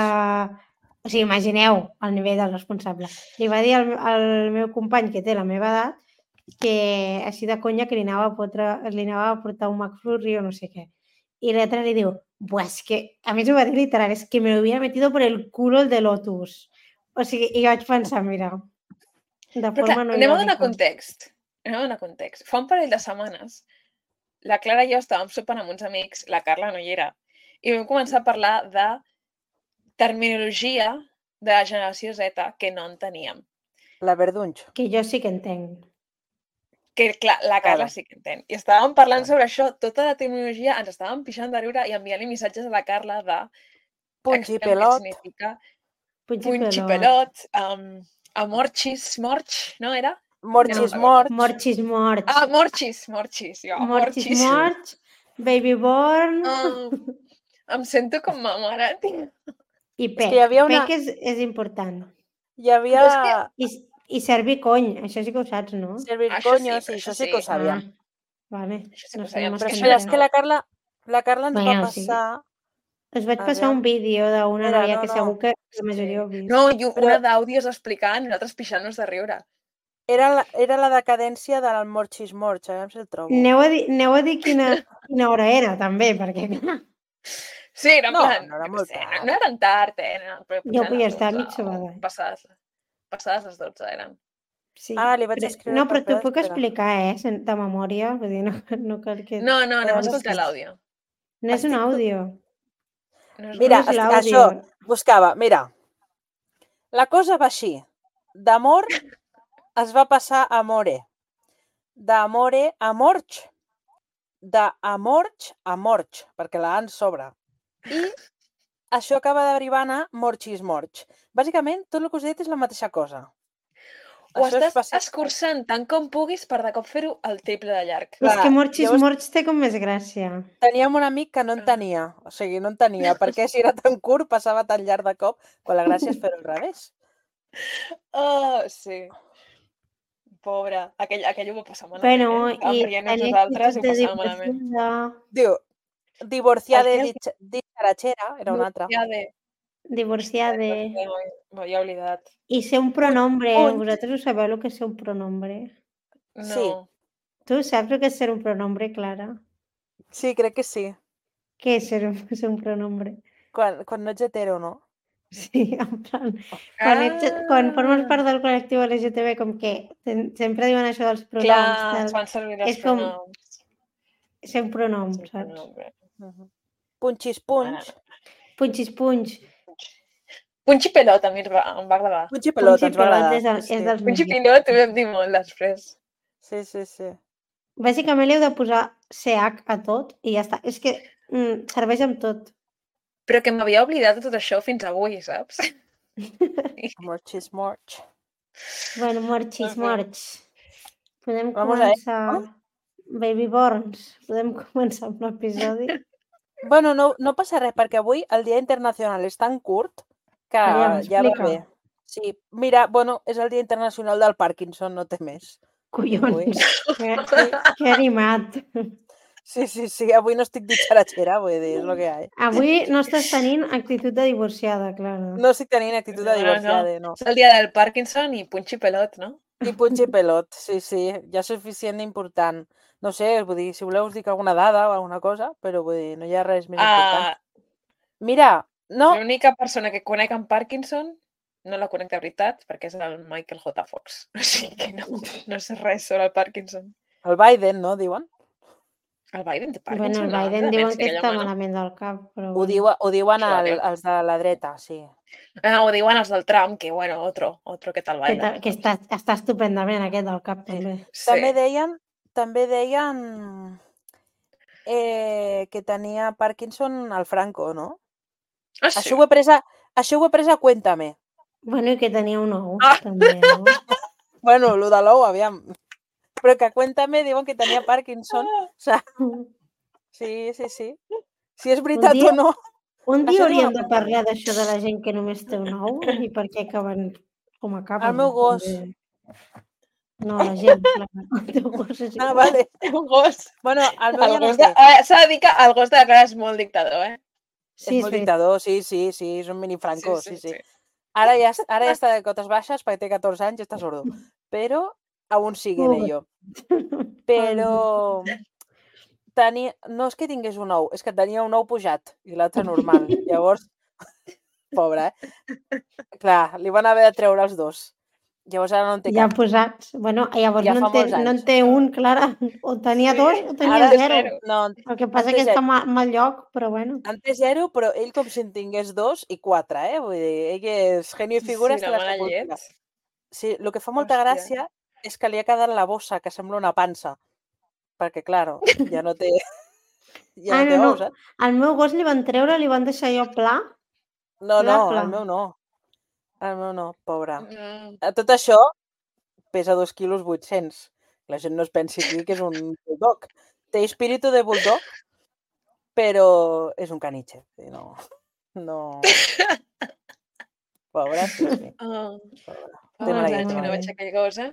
[SPEAKER 1] O sigui, imagineu el nivell del responsable. Li va dir al, al meu company, que té la meva edat, que així de conya que li anava a, fotre, li anava a portar un McFlurry o no sé què. I l'altre li diu, buah, és que... A més ho va dir literal, és que me lo hubiera metido por el culo el de Lotus. O sigui, i vaig pensar, mira, de
[SPEAKER 2] Però clar,
[SPEAKER 1] forma no
[SPEAKER 2] anem a donar
[SPEAKER 1] irònica.
[SPEAKER 2] context. Anem a donar context. Fa un parell de setmanes, la Clara i jo estàvem sopant amb uns amics, la Carla no hi era, i vam començar a parlar de terminologia de la generació Z que no en teníem.
[SPEAKER 3] La verdunx.
[SPEAKER 1] Que jo sí que entenc.
[SPEAKER 2] que clar, la Carla sí que entén. I estàvem parlant sobre això, tota la tecnologia, ens estàvem pixant de riure i enviant-li missatges a la Carla de...
[SPEAKER 3] Punch i
[SPEAKER 2] explica'm què
[SPEAKER 3] pelot.
[SPEAKER 2] significa
[SPEAKER 1] Punch i
[SPEAKER 2] punch i
[SPEAKER 1] pelot.
[SPEAKER 2] pelot, um, amorchis, morch, no era?
[SPEAKER 3] Morchis
[SPEAKER 2] Ja no me'n recordo.
[SPEAKER 3] morch.
[SPEAKER 1] Morchis morch.
[SPEAKER 2] Ah, morchis, morchis, jo,
[SPEAKER 1] Morchis
[SPEAKER 2] morchis.
[SPEAKER 1] morch. Baby born.
[SPEAKER 2] Ah, em sento com ma mare, tio.
[SPEAKER 1] I
[SPEAKER 3] És
[SPEAKER 1] pec.
[SPEAKER 3] que hi havia una...
[SPEAKER 1] Pec és, és important.
[SPEAKER 3] Hi havia...
[SPEAKER 2] És que-
[SPEAKER 1] I, i servir cony, això sí que ho saps, no?
[SPEAKER 3] Servir
[SPEAKER 2] Això sí,
[SPEAKER 3] coño, sí,
[SPEAKER 2] però
[SPEAKER 3] això
[SPEAKER 2] això
[SPEAKER 3] sí que ho
[SPEAKER 2] sí.
[SPEAKER 3] sabíem.
[SPEAKER 1] Ah, vale.
[SPEAKER 2] Això sí que
[SPEAKER 1] No
[SPEAKER 2] ho
[SPEAKER 1] sé,
[SPEAKER 2] sabíem,
[SPEAKER 1] només
[SPEAKER 2] però
[SPEAKER 1] que
[SPEAKER 2] això
[SPEAKER 1] no
[SPEAKER 3] Però
[SPEAKER 2] ja
[SPEAKER 3] és
[SPEAKER 1] sé.
[SPEAKER 3] que la Carla, la Carla ens va
[SPEAKER 1] Bueno, sí.
[SPEAKER 3] passar...
[SPEAKER 1] Us vaig
[SPEAKER 3] A
[SPEAKER 1] passar un
[SPEAKER 3] veure.
[SPEAKER 1] vídeo d'una
[SPEAKER 3] Mira,
[SPEAKER 1] noia
[SPEAKER 3] no,
[SPEAKER 1] que
[SPEAKER 3] no.
[SPEAKER 1] segur que la majoria
[SPEAKER 2] Sí.
[SPEAKER 1] heu vist.
[SPEAKER 2] No, i
[SPEAKER 3] Però-
[SPEAKER 2] una d'àudios explicant i nosaltres pixant-nos de riure.
[SPEAKER 3] Era la, era la decadència del morchis morch, a veure si el trobo.
[SPEAKER 1] Aneu a dir, aneu a dir quina, quina hora era, també, perquè clar,
[SPEAKER 2] Sí, era en
[SPEAKER 3] No,
[SPEAKER 2] plan,
[SPEAKER 3] no era
[SPEAKER 2] jo què
[SPEAKER 3] molt
[SPEAKER 2] sé, no,
[SPEAKER 3] tard.
[SPEAKER 2] no eren tard, eh? Eren, però
[SPEAKER 1] jo
[SPEAKER 2] potser
[SPEAKER 1] vull
[SPEAKER 2] eren
[SPEAKER 1] estar
[SPEAKER 2] dotze
[SPEAKER 1] mig sobada.
[SPEAKER 2] o Passades, passades les dotze eren.
[SPEAKER 1] Sí.
[SPEAKER 3] Ah, li vaig
[SPEAKER 1] Però-
[SPEAKER 3] escriure
[SPEAKER 1] No,
[SPEAKER 3] per
[SPEAKER 1] però t'ho
[SPEAKER 3] espera,
[SPEAKER 1] puc
[SPEAKER 3] espera.
[SPEAKER 1] explicar, eh, sen- de memòria, vull dir, no, no cal que...
[SPEAKER 2] No, no, anem a
[SPEAKER 3] Però
[SPEAKER 2] escoltar
[SPEAKER 3] estic-
[SPEAKER 2] l'àudio.
[SPEAKER 1] No és un
[SPEAKER 3] estic-
[SPEAKER 1] àudio.
[SPEAKER 2] No és
[SPEAKER 3] Mira,
[SPEAKER 1] No és
[SPEAKER 3] est-
[SPEAKER 1] l'àudio.
[SPEAKER 3] això, buscava, mira. La cosa va així. D'amor es va passar a amore. D'amore a morch. D'amorch a morch, perquè la A ens sobra. I això acaba derivant a morchis morch. Bàsicament, tot el que us he dit és la mateixa cosa.
[SPEAKER 2] Ho
[SPEAKER 3] Això és
[SPEAKER 2] estàs
[SPEAKER 3] bàsic-
[SPEAKER 2] escurçant tant com puguis per de cop fer-ho el triple de llarg.
[SPEAKER 1] És
[SPEAKER 3] Clar,
[SPEAKER 1] que Morchis
[SPEAKER 3] llavors-
[SPEAKER 1] Morch té com més gràcia.
[SPEAKER 3] Teníem un amic que no en tenia, o sigui, no en tenia, perquè si era tan curt passava tan llarg de cop, quan la gràcia és fer-ho al revés.
[SPEAKER 2] Oh, sí. Pobre. Aquell, aquell ho va passar malament,
[SPEAKER 1] Bueno,
[SPEAKER 2] eh? Estàvem
[SPEAKER 1] i
[SPEAKER 2] rient
[SPEAKER 1] tenia
[SPEAKER 2] nosaltres i ho
[SPEAKER 1] actitud de
[SPEAKER 2] passàvem malament.
[SPEAKER 1] divorciada,
[SPEAKER 3] Diu, divorciada
[SPEAKER 2] El
[SPEAKER 3] de
[SPEAKER 2] què?
[SPEAKER 3] dicharachera, era una altra.
[SPEAKER 2] Ja de...
[SPEAKER 1] divorciada,
[SPEAKER 2] M'havia oblidat.
[SPEAKER 1] i ser un pronombre.
[SPEAKER 3] Punt.
[SPEAKER 1] Vosaltres ho sabeu el que és ser un pronombre?
[SPEAKER 2] No.
[SPEAKER 3] Sí.
[SPEAKER 1] Tu saps el que és ser un pronombre, Clara?
[SPEAKER 3] Sí, crec que sí.
[SPEAKER 1] Què és ser un, ser un pronombre?
[SPEAKER 3] Quan, quan no ets hetero, no?
[SPEAKER 1] Sí, en plan, quan, ets, quan formes part del col·lectiu L G T B, com que ten, sempre diuen això dels pronoms,
[SPEAKER 2] Clar,
[SPEAKER 1] tal,
[SPEAKER 2] es fan servir els
[SPEAKER 1] és com
[SPEAKER 2] pronoms.
[SPEAKER 1] ser un pronom,
[SPEAKER 2] Sí,
[SPEAKER 1] saps?
[SPEAKER 2] pronombre.
[SPEAKER 3] Uh -huh. Punxis punx.
[SPEAKER 1] Punxis punx.
[SPEAKER 2] Punxi pelot a mi em va, em va agradar.
[SPEAKER 3] Punxi pelot,
[SPEAKER 1] Punxi
[SPEAKER 3] ens va
[SPEAKER 1] pelot
[SPEAKER 3] agradar.
[SPEAKER 1] és, el,
[SPEAKER 3] Sí,
[SPEAKER 1] és
[SPEAKER 3] sí.
[SPEAKER 1] dels
[SPEAKER 2] Punxi
[SPEAKER 1] millors.
[SPEAKER 2] pilot ho vam dir molt després.
[SPEAKER 3] Sí, sí, sí.
[SPEAKER 1] Bàsicament li heu de posar C H a tot i ja està. És que mm, serveix amb tot.
[SPEAKER 2] Però que m'havia oblidat de tot això fins avui, saps?
[SPEAKER 3] Morchis morch.
[SPEAKER 1] Bueno, morxis,
[SPEAKER 2] En fi.
[SPEAKER 1] morx. Podem
[SPEAKER 3] Vamos a
[SPEAKER 1] començar... Baby Borns. Podem començar amb l'episodi.
[SPEAKER 3] Bueno, no, no passa res, perquè avui el Dia Internacional és tan curt que
[SPEAKER 1] Aviam,
[SPEAKER 3] ja va
[SPEAKER 1] explica.
[SPEAKER 3] bé. Sí, mira, bueno, és el Dia Internacional del Parkinson, no té més. Avui.
[SPEAKER 1] Collons. Que, que animat.
[SPEAKER 3] Sí, sí, sí, avui no estic ditxaratxera, vull dir, és el que hi ha.
[SPEAKER 1] Avui no estàs tenint actitud de divorciada, Clara.
[SPEAKER 3] No estic tenint actitud de divorciada, no.
[SPEAKER 2] És el dia del Parkinson i punxi pelot, no?
[SPEAKER 3] I punxi pelot, sí, sí, ja és suficient important. No sé, vull dir, si voleu us dic alguna dada o alguna cosa, però vull dir, no hi ha res més important.
[SPEAKER 2] Uh,
[SPEAKER 3] Mira, no,
[SPEAKER 2] L'única persona que conec amb Parkinson no la conec de veritat perquè és el Michael J. Fox. O sigui que no, no sé res sobre el Parkinson.
[SPEAKER 3] el Biden, no, diuen?
[SPEAKER 2] El Biden té
[SPEAKER 1] Bueno,
[SPEAKER 2] Parkinson?
[SPEAKER 1] el
[SPEAKER 2] no?
[SPEAKER 1] Biden
[SPEAKER 2] Té
[SPEAKER 1] diuen
[SPEAKER 2] demència,
[SPEAKER 1] que
[SPEAKER 2] aquell
[SPEAKER 1] està
[SPEAKER 2] home, no?
[SPEAKER 1] malament del cap, però
[SPEAKER 3] Ho,
[SPEAKER 1] bueno.
[SPEAKER 3] diu, ho diuen
[SPEAKER 2] Això
[SPEAKER 3] el,
[SPEAKER 2] diu.
[SPEAKER 3] els de la dreta, sí.
[SPEAKER 2] Ah, ho diuen els del Trump, que bueno, otro, otro que tal
[SPEAKER 1] Que,
[SPEAKER 2] Biden.
[SPEAKER 1] ta- que està, està estupendament aquest del cap,
[SPEAKER 3] Sí.
[SPEAKER 1] també.
[SPEAKER 2] Sí.
[SPEAKER 3] També deien, també deien eh, que tenia Parkinson al Franco, no?
[SPEAKER 2] Ah, sí?
[SPEAKER 3] Això ho he pres a, això ho he pres a Cuéntame.
[SPEAKER 1] Bueno, i que tenia un ou,
[SPEAKER 2] Ah.
[SPEAKER 1] també, no?
[SPEAKER 3] Bueno, el de l'ou, aviam. Però que a Cuéntame diuen que tenia Parkinson. O sea, sí, sí, sí. Si és veritat
[SPEAKER 1] dia-
[SPEAKER 3] o no.
[SPEAKER 1] Un
[SPEAKER 3] Això
[SPEAKER 1] dia
[SPEAKER 3] diu
[SPEAKER 1] hauríem
[SPEAKER 3] una
[SPEAKER 1] de parlar d'això de la gent que només té un ou i per què acaben com acaben.
[SPEAKER 3] El meu gos.
[SPEAKER 1] també. No, la gent, clar. El teu gos és
[SPEAKER 3] Ah,
[SPEAKER 1] igual.
[SPEAKER 3] vale.
[SPEAKER 2] Un gos.
[SPEAKER 3] Bueno, el meu
[SPEAKER 2] El
[SPEAKER 3] ja no
[SPEAKER 2] gos de...
[SPEAKER 3] sé.
[SPEAKER 2] eh, S'ha de dir que el gos de la Clara és molt dictador, eh?
[SPEAKER 1] Sí,
[SPEAKER 3] és molt
[SPEAKER 1] veritat.
[SPEAKER 3] dictador, sí, sí, sí, és un mini Franco, sí, sí.
[SPEAKER 2] sí.
[SPEAKER 3] Ara ja, ara ja està de cotes baixes perquè té catorze anys i està sordo. Però aún sigue en
[SPEAKER 1] Ui.
[SPEAKER 3] ello. Però tenia... no és que tingués un ou, és que tenia un ou pujat i l'altre normal. Llavors, pobre, eh? Clar, li van haver de treure els dos. Llavors ara no en té
[SPEAKER 1] Ja
[SPEAKER 3] cap.
[SPEAKER 1] posats. Bueno, llavors
[SPEAKER 3] Ja
[SPEAKER 1] no,
[SPEAKER 3] fa
[SPEAKER 1] en té,
[SPEAKER 3] molts
[SPEAKER 1] no en
[SPEAKER 3] anys.
[SPEAKER 1] té un, Clara. O tenia
[SPEAKER 2] Sí.
[SPEAKER 1] dos o tenia
[SPEAKER 3] Ara
[SPEAKER 1] zero.
[SPEAKER 2] zero.
[SPEAKER 3] No,
[SPEAKER 1] El que passa
[SPEAKER 3] en té
[SPEAKER 1] que està
[SPEAKER 3] zero.
[SPEAKER 1] a mal, mal lloc, però bueno.
[SPEAKER 3] En té zero, però ell com si en tingués dos i quatre, eh? Vull dir, ell és genio i
[SPEAKER 2] Sí,
[SPEAKER 3] figura
[SPEAKER 2] sí,
[SPEAKER 3] hasta
[SPEAKER 2] la
[SPEAKER 3] la
[SPEAKER 2] mala
[SPEAKER 3] sepultura.
[SPEAKER 2] llet.
[SPEAKER 3] Sí, el que fa molta
[SPEAKER 2] Hòstia.
[SPEAKER 3] gràcia és que li ha quedat la bossa, que sembla una pansa. Perquè, claro, ja no té... Ja
[SPEAKER 1] Ah,
[SPEAKER 3] no té
[SPEAKER 1] no,
[SPEAKER 3] ous,
[SPEAKER 1] no.
[SPEAKER 3] eh?
[SPEAKER 1] Al meu gos li van treure, li van deixar allò pla.
[SPEAKER 3] No,
[SPEAKER 1] Pla,
[SPEAKER 3] no,
[SPEAKER 1] pla.
[SPEAKER 3] el meu no. El meu no, pobre.
[SPEAKER 2] Mm.
[SPEAKER 3] A tot això pesa dos quilos vuit-cents. La gent no es pensi aquí que és un bulldog. Té espíritu de bulldog, però és un caniche. Sí, no, no... Pobre, sí, sí.
[SPEAKER 2] Oh,
[SPEAKER 3] Pobre.
[SPEAKER 2] fa
[SPEAKER 3] Té
[SPEAKER 1] Molt
[SPEAKER 2] molts
[SPEAKER 3] mala
[SPEAKER 1] bé,
[SPEAKER 2] anys que
[SPEAKER 3] llet,
[SPEAKER 2] no
[SPEAKER 1] molt
[SPEAKER 3] mare.
[SPEAKER 2] veig
[SPEAKER 1] bé.
[SPEAKER 2] aquell gos, eh?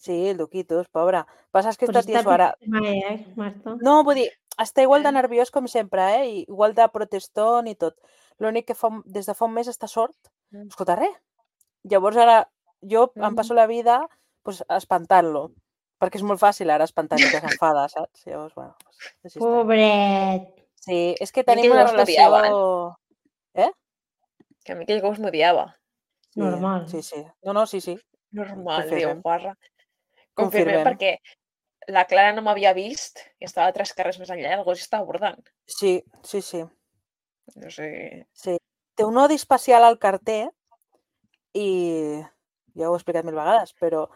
[SPEAKER 3] Sí, el Duquitos, pobre. Passa és que
[SPEAKER 1] Però
[SPEAKER 3] està
[SPEAKER 1] està
[SPEAKER 3] tieso ara.
[SPEAKER 1] mai, eh, Marta?
[SPEAKER 3] No, vull dir, està igual de
[SPEAKER 2] Eh?
[SPEAKER 3] nerviós com sempre, eh? I igual de protestón i tot. L'únic que fa, un- des de fa un mes està sord.
[SPEAKER 2] Mm.
[SPEAKER 3] Escolta res. Llavors ara jo em
[SPEAKER 2] Mm.
[SPEAKER 3] passo la vida pues, espantant-lo. Perquè és molt fàcil ara espantar-lo que s'enfada, saps? Llavors, bueno, pues, així estem.
[SPEAKER 1] Pobret.
[SPEAKER 3] Sí, és que
[SPEAKER 2] A mi
[SPEAKER 3] tenim
[SPEAKER 2] aquell
[SPEAKER 3] una
[SPEAKER 2] gos
[SPEAKER 3] relació...
[SPEAKER 2] m'odiava,
[SPEAKER 3] Eh?
[SPEAKER 2] Que a mi aquell gos m'odiava.
[SPEAKER 3] Sí,
[SPEAKER 1] Normal.
[SPEAKER 3] sí, sí. No, no, sí, sí.
[SPEAKER 2] Normal, diu
[SPEAKER 3] Confirmem.
[SPEAKER 2] Guarra. Confirmem
[SPEAKER 3] Confirmem.
[SPEAKER 2] perquè la Clara no m'havia vist i estava tres carrers més enllà i el gos estava bordant.
[SPEAKER 3] Sí, sí, sí.
[SPEAKER 2] No sé...
[SPEAKER 3] Sí. Té un odi especial al carter i ja ho he explicat mil vegades, però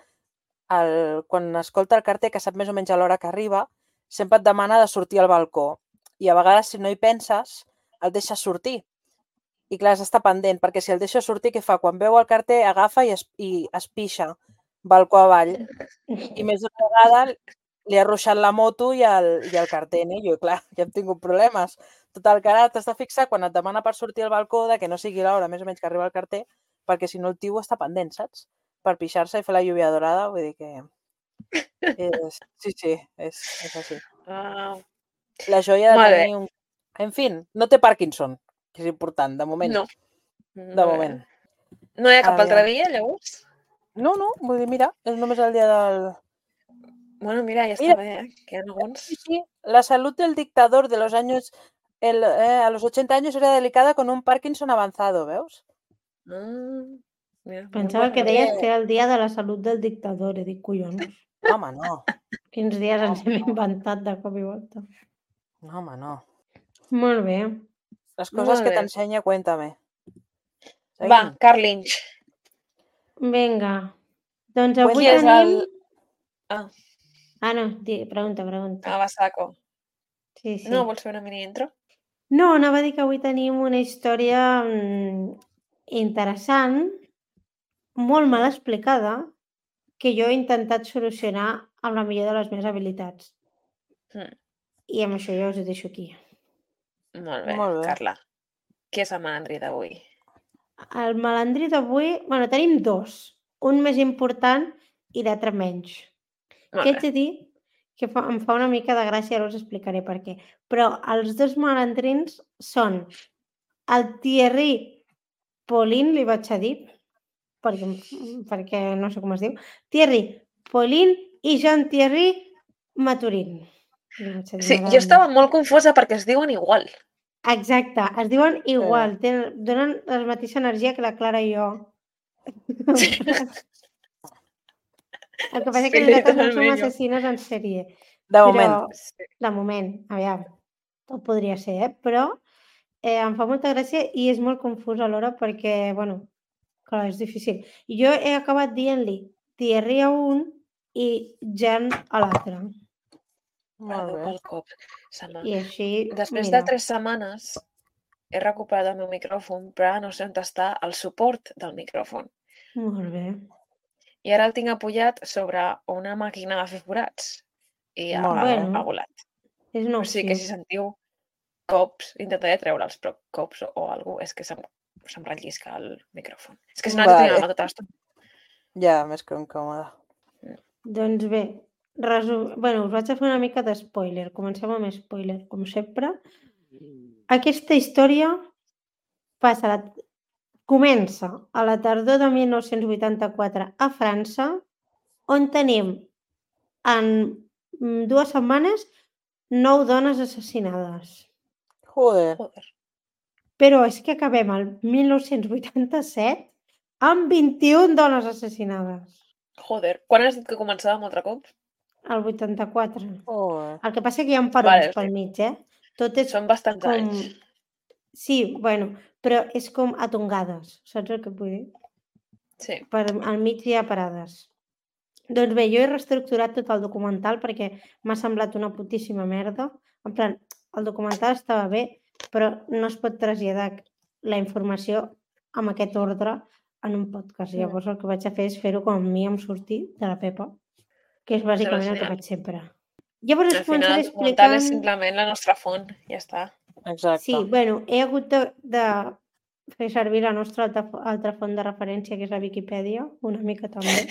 [SPEAKER 3] el, quan escolta el carter, que sap més o menys a l'hora que arriba, sempre et demana de sortir al balcó. I a vegades, si no hi penses, el deixes sortir. I clar, has d'estar pendent, perquè si el deixes sortir, què fa? Quan veu el carter, agafa i es, i es pixa balcó avall. I més d'una vegada li ha ruixat la moto i el, i el carter, no? I jo, clar, ja hem tingut problemes. Total, que ara t'has de fixar quan et demana per sortir al balcó de que no sigui l'hora més o menys que arriba el carter, perquè si no el tio està pendent, saps? Per pixar-se i fer la lluvia dorada, vull dir que... És... Sí, sí, és, és així.
[SPEAKER 2] Ah,
[SPEAKER 3] La joia de
[SPEAKER 2] molt bé.
[SPEAKER 3] tenir un... En fi, no té Parkinson, que és important, de moment.
[SPEAKER 2] No.
[SPEAKER 3] De
[SPEAKER 2] Molt bé.
[SPEAKER 3] moment.
[SPEAKER 2] No hi ha cap altre
[SPEAKER 3] Aviam.
[SPEAKER 2] dia, llavors?
[SPEAKER 3] No, no, vull dir, mira, és només el dia del...
[SPEAKER 2] Bueno, mira, ja
[SPEAKER 3] Mira.
[SPEAKER 2] està bé, eh? Que hi ha alguns...
[SPEAKER 3] Sí, sí, la salud del dictador de los años... El, eh, a los ochenta años era delicada con un Parkinson avanzado, veus?
[SPEAKER 2] Ah, mira,
[SPEAKER 1] Pensava
[SPEAKER 2] molt
[SPEAKER 1] que
[SPEAKER 2] bé.
[SPEAKER 1] deies que era el dia de la salut del dictador. I dic, collons,
[SPEAKER 3] No, home, no.
[SPEAKER 1] quins dies ens
[SPEAKER 3] Home,
[SPEAKER 1] hem
[SPEAKER 3] no.
[SPEAKER 1] inventat de cop i volta.
[SPEAKER 3] No, home, no.
[SPEAKER 1] Molt bé.
[SPEAKER 3] Les coses
[SPEAKER 2] Molt
[SPEAKER 3] que
[SPEAKER 2] bé.
[SPEAKER 3] t'ensenya, cuéntame.
[SPEAKER 2] Va,
[SPEAKER 3] Seguim.
[SPEAKER 2] Carl Lynch.
[SPEAKER 1] Vinga. Doncs avui
[SPEAKER 2] Qui és
[SPEAKER 1] tenim...
[SPEAKER 2] el... Ah,
[SPEAKER 1] Ah, no, di, pregunta, pregunta.
[SPEAKER 2] ah, va, saco.
[SPEAKER 1] Sí, sí.
[SPEAKER 2] No, vols fer una mini intro?
[SPEAKER 1] No, anava a dir que avui tenim una història mm, interessant, molt mal explicada, que jo he intentat solucionar amb la millor de les meves habilitats.
[SPEAKER 2] Mm,
[SPEAKER 1] I amb això ja us ho deixo aquí.
[SPEAKER 2] molt bé,
[SPEAKER 3] Molt bé.
[SPEAKER 2] Carla. Qui és el malandrí d'avui?
[SPEAKER 1] El malandrí d'avui... Bueno, tenim dos. Un més important i l'altre menys.
[SPEAKER 2] Molt
[SPEAKER 1] Que haig
[SPEAKER 2] bé.
[SPEAKER 1] de dir que fa, em fa una mica de gràcia, ara us explicaré per què. Però els dos malandrins són el Thierry Paulin, li vaig a dir, perquè, perquè no sé com es diu, Thierry Paulin i Jean-Thierry Maturin. Li vaig a dir,
[SPEAKER 2] Sí, jo
[SPEAKER 1] m'agrada
[SPEAKER 2] estava
[SPEAKER 1] més.
[SPEAKER 2] molt confosa perquè es diuen igual.
[SPEAKER 1] Exacte, es diuen igual, tenen, donen la mateixa energia que la Clara i jo. El que passa és que
[SPEAKER 2] Sí,
[SPEAKER 1] nosaltres no som
[SPEAKER 2] totalment, jo.
[SPEAKER 1] assassines en sèrie.
[SPEAKER 3] De
[SPEAKER 1] Però,
[SPEAKER 3] moment.
[SPEAKER 2] Sí.
[SPEAKER 1] de moment, aviam, tot podria ser, eh? Però eh, em fa molta gràcia i és molt confús alhora perquè, bueno, clar, és difícil. Jo he acabat dient-li Thierry a un i Jan a l'altre.
[SPEAKER 3] Molt
[SPEAKER 2] Perdó
[SPEAKER 3] bé.
[SPEAKER 2] pel cop. Se m'ha-
[SPEAKER 1] I així,
[SPEAKER 2] Després
[SPEAKER 1] mira,
[SPEAKER 2] de tres setmanes he recuperat el meu micròfon, però ara no sé on està el suport del micròfon.
[SPEAKER 1] molt bé.
[SPEAKER 2] I ara el tinc apujat sobre una màquina de fer forats. I ha,
[SPEAKER 3] Molt
[SPEAKER 2] ha,
[SPEAKER 3] bé.
[SPEAKER 1] Bueno,
[SPEAKER 2] ha volat.
[SPEAKER 1] és una
[SPEAKER 2] O sigui que
[SPEAKER 1] opció.
[SPEAKER 2] si sentiu cops, intentaré treure'ls, però cops o, o alguna cosa, és que se'm, se'm rellisca el micròfon. És que si no haig de tenir
[SPEAKER 3] Vale.
[SPEAKER 2] la mà tota l'estona.
[SPEAKER 3] Ja, més que incòmode.
[SPEAKER 1] Doncs bé, resum... bueno, us vaig a fer una mica de spoiler. Comencem amb spoiler, com sempre. Aquesta història passa a la... comença a la tardor de mil nou-cents vuitanta-quatre a França, on tenim en mm, dues setmanes nou dones assassinades.
[SPEAKER 3] Joder.
[SPEAKER 2] Joder.
[SPEAKER 1] Però és que acabem el mil nou-cents vuitanta-set amb vint-i-una dones assassinades.
[SPEAKER 2] Joder. Quan has dit que començàvem altre cop?
[SPEAKER 1] El vuitanta-quatre.
[SPEAKER 3] Joder.
[SPEAKER 1] El que passa que hi ha parons
[SPEAKER 2] Vale, o
[SPEAKER 1] pel
[SPEAKER 2] sigui,
[SPEAKER 1] mig, eh? Tot és
[SPEAKER 2] són bastants
[SPEAKER 1] com...
[SPEAKER 2] anys.
[SPEAKER 1] Sí, bueno, però és com a tongades, saps el que vull dir?
[SPEAKER 2] Sí.
[SPEAKER 1] Per, al mig hi ha parades. Doncs bé, jo he reestructurat tot el documental perquè m'ha semblat una putíssima merda. En plan, el documental estava bé, però no es pot traslladar la informació amb aquest ordre en un podcast.
[SPEAKER 3] Mm.
[SPEAKER 1] Llavors el que vaig a fer és fer-ho com a mi em surti de la pepa, que és
[SPEAKER 2] Sembla
[SPEAKER 1] bàsicament el que
[SPEAKER 2] genial.
[SPEAKER 1] faig sempre. Llavors
[SPEAKER 2] Al
[SPEAKER 1] us
[SPEAKER 2] final
[SPEAKER 1] començaré
[SPEAKER 2] el documental és
[SPEAKER 1] explicant...
[SPEAKER 2] simplement la nostra font, ja està.
[SPEAKER 3] Exacte.
[SPEAKER 1] Sí, bueno, he hagut de, de fer servir la nostra altra, altra font de referència, que és la Viquipèdia, una mica també,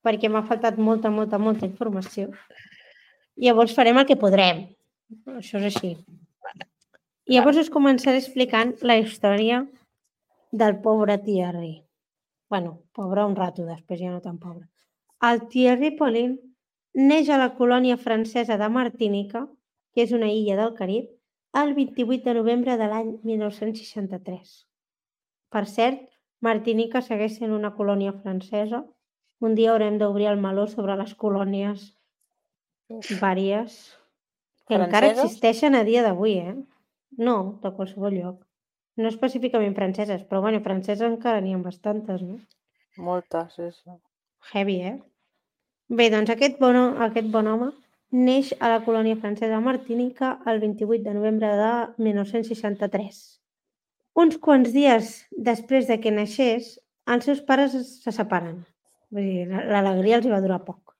[SPEAKER 1] perquè m'ha faltat molta, molta, molta informació. Llavors farem el que podrem. Això és així. I llavors us començaré explicant la història del pobre Thierry. Bueno, pobre un rato, després ja no tan pobre. El Thierry Paulin neix a la colònia francesa de Martinica, que és una illa del Carib, el vint-i-vuit de novembre de l'any mil nou-cents seixanta-tres. Per cert, Martinica segueix sent una colònia francesa. Un dia haurem d'obrir el meló sobre les colònies vàries que encara
[SPEAKER 3] Franceses?
[SPEAKER 1] existeixen a dia d'avui, eh? No, de qualsevol lloc. No específicament franceses, però bueno, franceses encara n'hi ha bastantes, no?
[SPEAKER 3] Moltes, sí, sí.
[SPEAKER 1] Heavy, eh? Bé, doncs aquest bon, aquest bon home neix a la colònia francesa de Martinica el vint-i-vuit de novembre de mil nou-cents seixanta-tres. Uns quants dies després de que naixés, els seus pares se separen. Vull dir, l'alegria els hi va durar poc.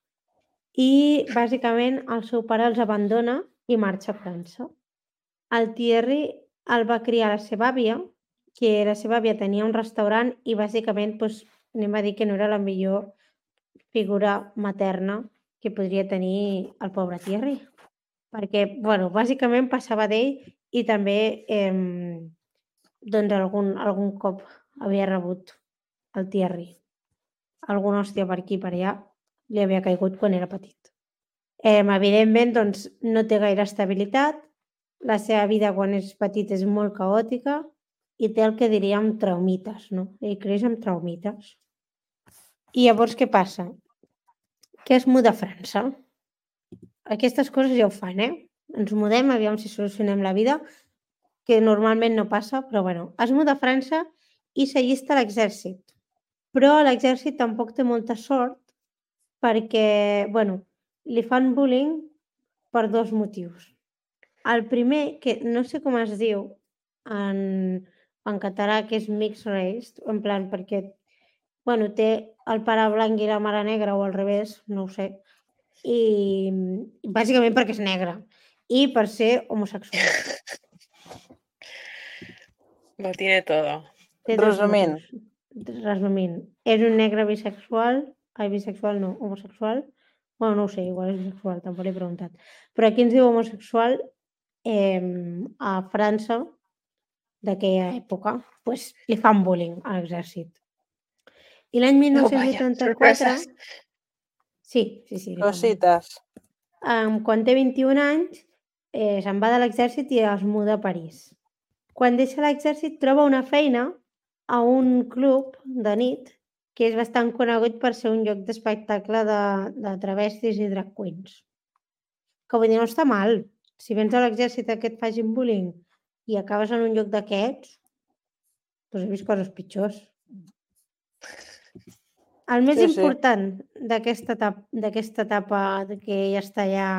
[SPEAKER 1] I, bàsicament, el seu pare els abandona i marxa a França. El Thierry el va criar la seva àvia, que la seva àvia tenia un restaurant i, bàsicament, doncs, anem a dir que no era la millor figura materna que podria tenir el pobre Thierry. Perquè, bueno, bàsicament passava d'ell i també eh, doncs algun, algun cop havia rebut el Thierry. Alguna hòstia per aquí per allà li havia caigut quan era petit. Eh, evidentment, doncs, no té gaire estabilitat, la seva vida quan és petit és molt caòtica i té el que diríem traumites, no? Ell creix amb traumites. I llavors què passa? Que es muda a França. Aquestes coses ja ho fan, eh? Ens mudem, aviam si solucionem la vida, que normalment no passa, però bueno, es muda a França i s'allista a l'exèrcit. Però l'exèrcit tampoc té molta sort perquè, bueno, li fan bullying per dos motius. El primer, que no sé com es diu en, en català, que és mixed race, en plan perquè, bueno, té el pare blanc i la mare negra o al revés, no ho sé, i bàsicament perquè és negre i per ser homosexual.
[SPEAKER 2] Lo tiene todo.
[SPEAKER 1] Té dos
[SPEAKER 3] Resumint.
[SPEAKER 1] motius. Resumint. És un negre bisexual, ai, bisexual no, homosexual. Bueno, no ho sé, igual és bisexual, tampoc l'he preguntat. Però aquí ens diu homosexual eh, a França d'aquella època, pues, li fan bullying a l'exèrcit. I l'any mil nou-cents vuitanta-quatre...
[SPEAKER 2] sorpreses.
[SPEAKER 1] Sí, sí, sí. li fan bullying.
[SPEAKER 3] Cosites.
[SPEAKER 1] Um, quan té vint-i-un anys, eh, se'n va de l'exèrcit i es muda a París. Quan deixa l'exèrcit troba una feina a un club de nit que és bastant conegut per ser un lloc d'espectacle de, de travestis i drag queens. Que vull dir, no està mal. Si vens a l'exèrcit que et facin bullying i acabes en un lloc d'aquests, doncs he vist coses pitjors. El més
[SPEAKER 3] Sí, sí.
[SPEAKER 1] important d'aquesta etapa, d'aquesta etapa que ella està allà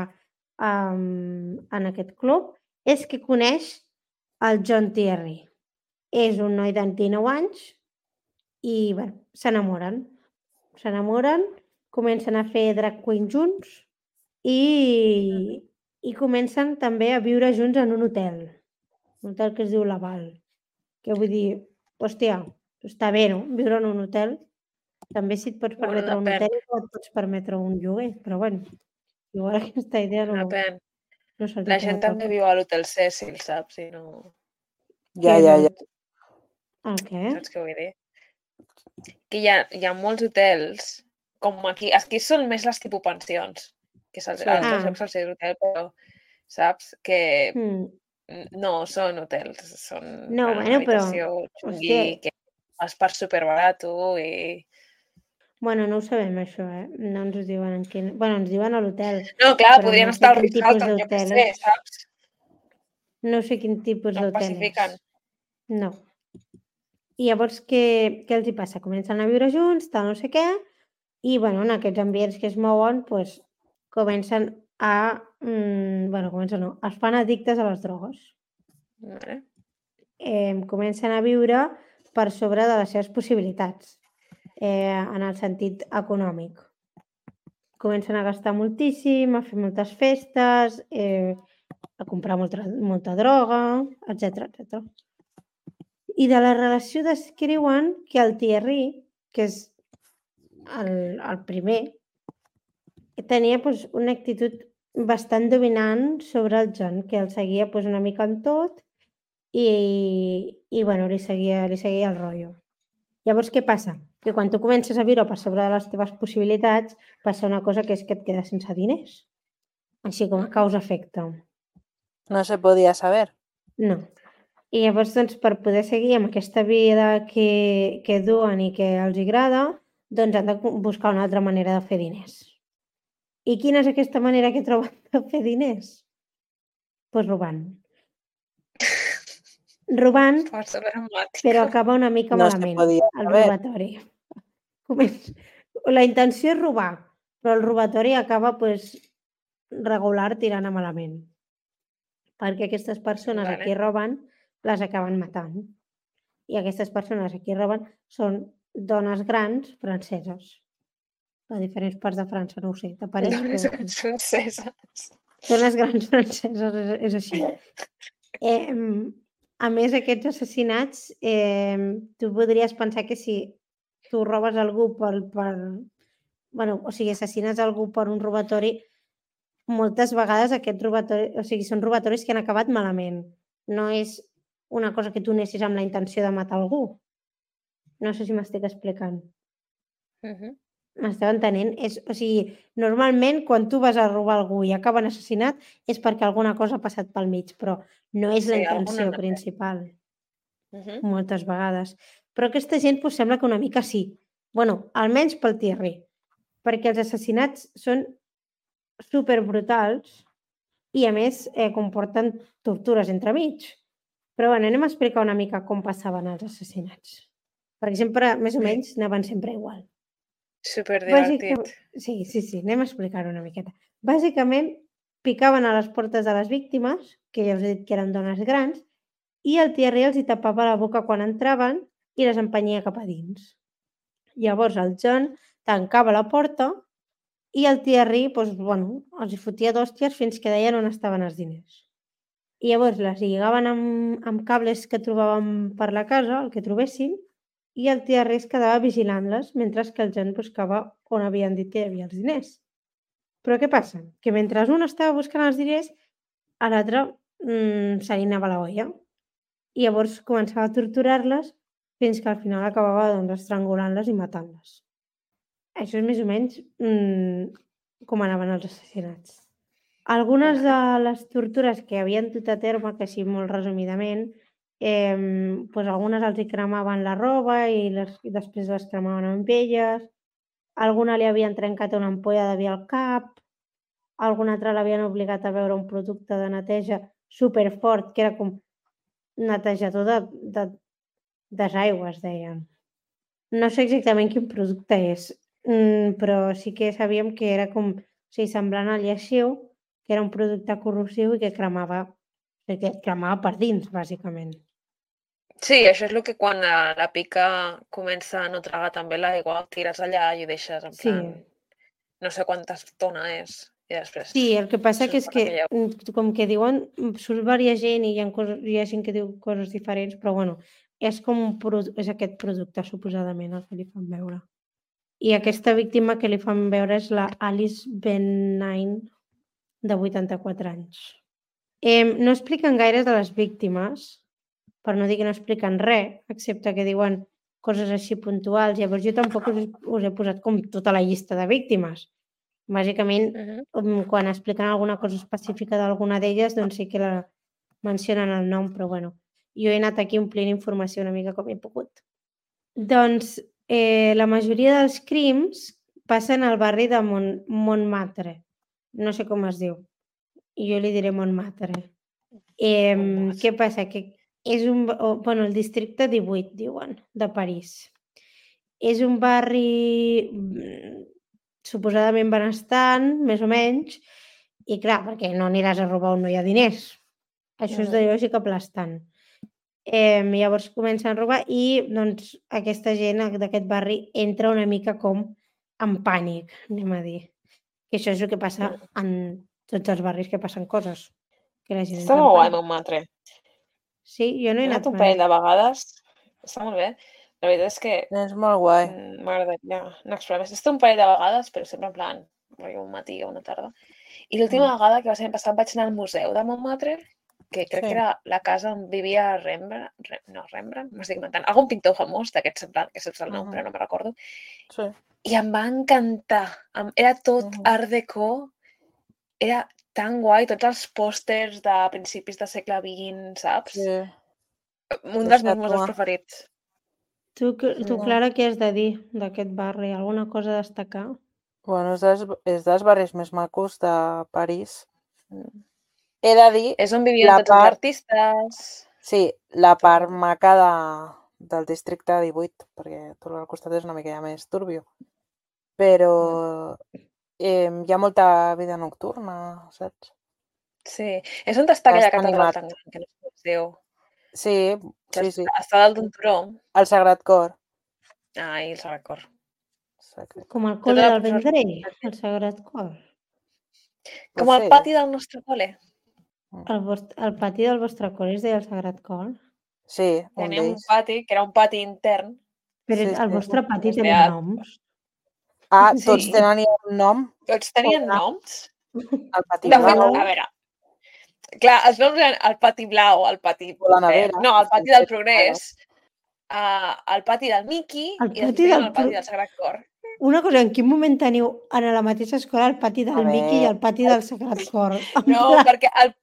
[SPEAKER 1] um, en aquest club és que coneix el John Thierry. És un noi de dinou anys i bueno, s'enamoren. S'enamoren, comencen a fer drag queen junts i, i comencen també a viure junts en un hotel. Un hotel que es diu Laval. Que vull dir, hòstia, està bé, no? Viure en un hotel. També si et pots
[SPEAKER 2] Bueno,
[SPEAKER 1] permetre un
[SPEAKER 2] depèn.
[SPEAKER 1] hotel, et pots permetre un lloguer, però bueno, igual aquesta idea no,
[SPEAKER 2] Depèn.
[SPEAKER 1] no se'ls
[SPEAKER 2] La
[SPEAKER 1] queda
[SPEAKER 2] gent
[SPEAKER 1] pel
[SPEAKER 2] també
[SPEAKER 1] cap.
[SPEAKER 2] viu a l'Hotel Cecil, saps? I no...
[SPEAKER 3] Ja,
[SPEAKER 1] Què és
[SPEAKER 3] ja,
[SPEAKER 1] el-
[SPEAKER 3] ja.
[SPEAKER 1] El què?
[SPEAKER 2] Saps què vull dir? Que hi ha, hi ha molts hotels, com aquí. Aquí són més les tipus pensions, que se'ls,
[SPEAKER 3] Sí.
[SPEAKER 2] a altres
[SPEAKER 1] Ah.
[SPEAKER 2] llocs se'ls diu hotel, però saps? Que
[SPEAKER 1] Mm.
[SPEAKER 2] no són hotels, són
[SPEAKER 1] No,
[SPEAKER 2] una
[SPEAKER 1] bueno, però,
[SPEAKER 2] habitació xungui,
[SPEAKER 1] hòstia.
[SPEAKER 2] que vas per superbarato i...
[SPEAKER 1] Bueno, no ho sabem, això, eh? No ens ho diuen en quin... Bueno, ens diuen a l'hotel.
[SPEAKER 2] No, clar,
[SPEAKER 1] Però
[SPEAKER 2] podrien
[SPEAKER 1] no sé
[SPEAKER 2] estar al
[SPEAKER 1] quin tipus
[SPEAKER 2] Ritz-Carlton, jo què
[SPEAKER 1] d'hotel
[SPEAKER 2] sé,
[SPEAKER 1] és.
[SPEAKER 2] saps?
[SPEAKER 1] No sé quin tipus
[SPEAKER 2] No
[SPEAKER 1] d'hotel
[SPEAKER 2] especifiquen.
[SPEAKER 1] és. No. I llavors, què, què els hi passa? Comencen a viure junts, tal, no sé què, I bueno, en aquests ambients que es mouen doncs, comencen a... Mm, bueno, comencen no, es fan addictes a les drogues.
[SPEAKER 2] Vale.
[SPEAKER 1] Eh, comencen a viure per sobre de les seves possibilitats, eh, en el sentit econòmic. Comencen a gastar moltíssim, a fer moltes festes, eh, a comprar molta, molta droga, etcètera, etcètera. I de la relació descriuen que el Thierry, que és el, el primer, tenia doncs, una actitud bastant dominant sobre el John, que el seguia doncs, una mica en tot i, i bueno, li seguia, li seguia el rotllo. Llavors, què passa? Que quan tu comences a viure per sobre de les teves possibilitats, passa una cosa que és que et quedes sense diners. Així com a causa-efecte.
[SPEAKER 3] No se podia saber.
[SPEAKER 1] No. I llavors, doncs, per poder seguir amb aquesta vida que, que duen i que els agrada, doncs han de buscar una altra manera de fer diners. I quina és aquesta manera que troben de fer diners? Doncs pues robant. Robant,
[SPEAKER 2] Força dramàtica.
[SPEAKER 1] però acaba una mica
[SPEAKER 3] No
[SPEAKER 1] malament,
[SPEAKER 3] se podia
[SPEAKER 1] el
[SPEAKER 3] saber.
[SPEAKER 1] robatori. La intenció és robar, però el robatori acaba pues, regular tirant a malament. Perquè aquestes persones
[SPEAKER 2] Vale.
[SPEAKER 1] a qui roben les acaben matant. I aquestes persones a qui roben són dones grans franceses. De diferents parts de França, no ho sé, de París,
[SPEAKER 2] Dones
[SPEAKER 1] però...
[SPEAKER 2] grans franceses.
[SPEAKER 1] Dones grans franceses, és, és així. Eh, a més, aquests assassinats, eh, tu podries pensar que si tu robes algú per, per... Bueno, o sigui, assassines algú per un robatori, moltes vegades aquests robatoris, o sigui, són robatoris que han acabat malament. No és una cosa que tu anessis amb la intenció de matar algú. No sé si m'estic explicant.
[SPEAKER 2] Uh -huh.
[SPEAKER 1] M'esteu entenent? És, o sigui, normalment quan tu vas a robar algú i acaben assassinat és perquè alguna cosa ha passat pel mig, però no és
[SPEAKER 2] Sí,
[SPEAKER 1] la
[SPEAKER 2] alguna
[SPEAKER 1] intenció
[SPEAKER 2] no.
[SPEAKER 1] principal.
[SPEAKER 2] Uh -huh.
[SPEAKER 1] Moltes vegades. Però aquesta gent pues, sembla que una mica sí. Bueno, almenys pel Thierry. Perquè els assassinats són superbrutals i a més eh, comporten tortures entremig. Però bueno, anem a explicar una mica com passaven els assassinats. Perquè sempre, més o menys, anaven sempre igual.
[SPEAKER 2] Superdivertit.
[SPEAKER 1] Bàsicament, sí, sí, sí, anem a explicar-ho una miqueta. Bàsicament, picaven a les portes de les víctimes, que ja us he dit que eren dones grans, i el Thierry els hi tapava la boca quan entraven i les empenyia cap a dins. Llavors el John tancava la porta i el Thierry doncs, bueno, els hi fotia d'hòsties fins que deien on estaven els diners. I llavors les lligaven amb, amb cables que trobàvem per la casa, el que trobessin, i el Thierry es quedava vigilant-les mentre que el John buscava on havien dit que hi havia els diners. Però què passa? Que mentre un estava buscant els diners, a l'altre mmm, se li anava la olla. I llavors començava a torturar-les fins que al final acabava doncs, estrangulant-les i matant-les. Això és més o menys mmm, com anaven els assassinats. Algunes de les tortures que havien dut a terme, que així molt resumidament, eh, doncs algunes els hi cremaven la roba i, les, i després les cremaven amb elles, alguna li havien trencat una ampolla de vi al cap, alguna altra l'havien obligat a beure un producte de neteja superfort, que era com netejador de, de, desaigües, deien. No sé exactament quin producte és, però sí que sabíem que era com, o sigui, semblant al lleixiu, que era un producte corrosiu i que cremava, que cremava per dins, bàsicament.
[SPEAKER 2] Sí, això és el que quan la, la pica comença a no tragar també l'aigua, el tires allà i ho deixes en
[SPEAKER 1] Sí.
[SPEAKER 2] plan... No sé quanta estona és. I després...
[SPEAKER 1] Sí, el que passa que és que,
[SPEAKER 2] aquella...
[SPEAKER 1] com que diuen, surt varia gent i hi ha, coses, hi ha gent que diu coses diferents, però bueno, és com un és aquest producte, suposadament, el que li fan veure. I aquesta víctima que li fan veure és la Alice Benign, de vuitanta-quatre anys. Eh, no expliquen gaire de les víctimes, per no dir que no expliquen res, excepte que diuen coses així puntuals. Llavors jo tampoc us, us he posat com tota la llista de víctimes. Bàsicament, uh -huh. quan expliquen alguna cosa específica d'alguna d'elles, doncs sí que la mencionen el nom, però bueno, jo he anat aquí omplint informació una mica com he pogut. Doncs eh, la majoria dels crims passen al barri de Mont Montmartre. No sé com es diu. Jo li diré Montmartre. Eh, què passa? Que és un... Oh, bueno, el districte divuit, diuen, de París. És un barri suposadament benestant, més o menys, i clar, perquè no aniràs a robar on no hi ha diners. Això és de lògica aplastant. Eh, llavors comencen a robar i doncs aquesta gent d'aquest barri entra una mica com en pànic, anem a dir. Que això és el que passa en tots els barris que passen coses. Que la gent
[SPEAKER 2] Està
[SPEAKER 1] entra en
[SPEAKER 2] molt guai,
[SPEAKER 1] pànic.
[SPEAKER 2] Montmartre.
[SPEAKER 1] Sí, jo no he
[SPEAKER 2] He
[SPEAKER 1] anat
[SPEAKER 2] anat un
[SPEAKER 1] mai.
[SPEAKER 2] parell de vegades. Està molt bé. La veritat és que
[SPEAKER 3] És molt guai.
[SPEAKER 2] mm, m'agradaria anar a explorar més. He estat un parell de vegades, però sempre en plan, rotllo un matí o una tarda. I l'última vegada que va ser l'any passat vaig anar al museu de Montmartre, que crec
[SPEAKER 3] Sí.
[SPEAKER 2] que era la casa on vivia Rembrandt, Rem- no, Rembrandt, m'estic inventant, algun pintor famós d'aquest semblant, que saps el nom,
[SPEAKER 3] Mhm.
[SPEAKER 2] però no me'n recordo.
[SPEAKER 3] Sí.
[SPEAKER 2] I em va encantar. Em- Era tot
[SPEAKER 3] Mhm.
[SPEAKER 2] art déco, era tan guai, tots els pòsters de principis del segle vint, saps?
[SPEAKER 3] Sí.
[SPEAKER 2] Un dels meus
[SPEAKER 3] Deixa-t'ho.
[SPEAKER 2] museus preferits.
[SPEAKER 1] Tu, tu,
[SPEAKER 3] Sí.
[SPEAKER 1] Clara, què has de dir d'aquest barri? Alguna cosa a destacar?
[SPEAKER 3] Bueno, és dels, és dels barris més macos de París.
[SPEAKER 2] Mm.
[SPEAKER 3] He de dir,
[SPEAKER 2] És on vivien
[SPEAKER 3] la
[SPEAKER 2] tots els
[SPEAKER 3] part,
[SPEAKER 2] artistes.
[SPEAKER 3] sí, la part
[SPEAKER 2] Tot.
[SPEAKER 3] maca de, del districte divuit, perquè tot al costat és una mica ja més turbio. Però eh, hi ha molta vida nocturna, saps?
[SPEAKER 2] Sí. És on està aquella
[SPEAKER 3] Està
[SPEAKER 2] catedral
[SPEAKER 3] animat.
[SPEAKER 2] tan gran, que no sé com es diu.
[SPEAKER 3] Sí,
[SPEAKER 2] Que
[SPEAKER 3] sí, sí.
[SPEAKER 2] està- Està dalt d'un turó.
[SPEAKER 3] El Sagrat Cor.
[SPEAKER 2] Ai, el Sagrat Cor.
[SPEAKER 3] Sacre.
[SPEAKER 1] Com el
[SPEAKER 2] Tota
[SPEAKER 1] col·le
[SPEAKER 2] la
[SPEAKER 1] del
[SPEAKER 2] professora-
[SPEAKER 1] Vendrell, el Sagrat Cor.
[SPEAKER 2] Com
[SPEAKER 3] Pot
[SPEAKER 2] el
[SPEAKER 3] ser.
[SPEAKER 2] pati del nostre col·le.
[SPEAKER 1] El, vostre, el pati del vostre col·le es deia el Sagrat Cor.
[SPEAKER 3] Sí, un
[SPEAKER 2] Tenia un
[SPEAKER 3] d'ells.
[SPEAKER 2] pati, que era un pati intern.
[SPEAKER 1] Però
[SPEAKER 3] Sí,
[SPEAKER 1] el
[SPEAKER 3] sí.
[SPEAKER 1] vostre pati
[SPEAKER 2] Es
[SPEAKER 1] tenia
[SPEAKER 2] deia-
[SPEAKER 1] noms.
[SPEAKER 3] Ah,
[SPEAKER 2] Sí.
[SPEAKER 3] tots tenen un nom.
[SPEAKER 2] Tots tenien
[SPEAKER 3] Hola.
[SPEAKER 2] noms.
[SPEAKER 3] El Pati
[SPEAKER 2] De fet,
[SPEAKER 3] Blau,
[SPEAKER 2] a veure, clar, els noms eren el pati blau, el pati...
[SPEAKER 3] o la
[SPEAKER 2] eh,
[SPEAKER 3] nevera.
[SPEAKER 2] no, el pati del progrés, uh, el pati del Mickey
[SPEAKER 1] El
[SPEAKER 2] i després
[SPEAKER 1] pati
[SPEAKER 2] tenien
[SPEAKER 1] del
[SPEAKER 2] el pati
[SPEAKER 1] pro-
[SPEAKER 2] del Sagrat Cor.
[SPEAKER 1] Una cosa, en quin moment teniu en la mateixa escola el pati
[SPEAKER 3] A
[SPEAKER 1] del Mickey i
[SPEAKER 3] veure.
[SPEAKER 1] el pati del Sagrat Cor? En
[SPEAKER 2] No,
[SPEAKER 1] plan,
[SPEAKER 2] perquè el,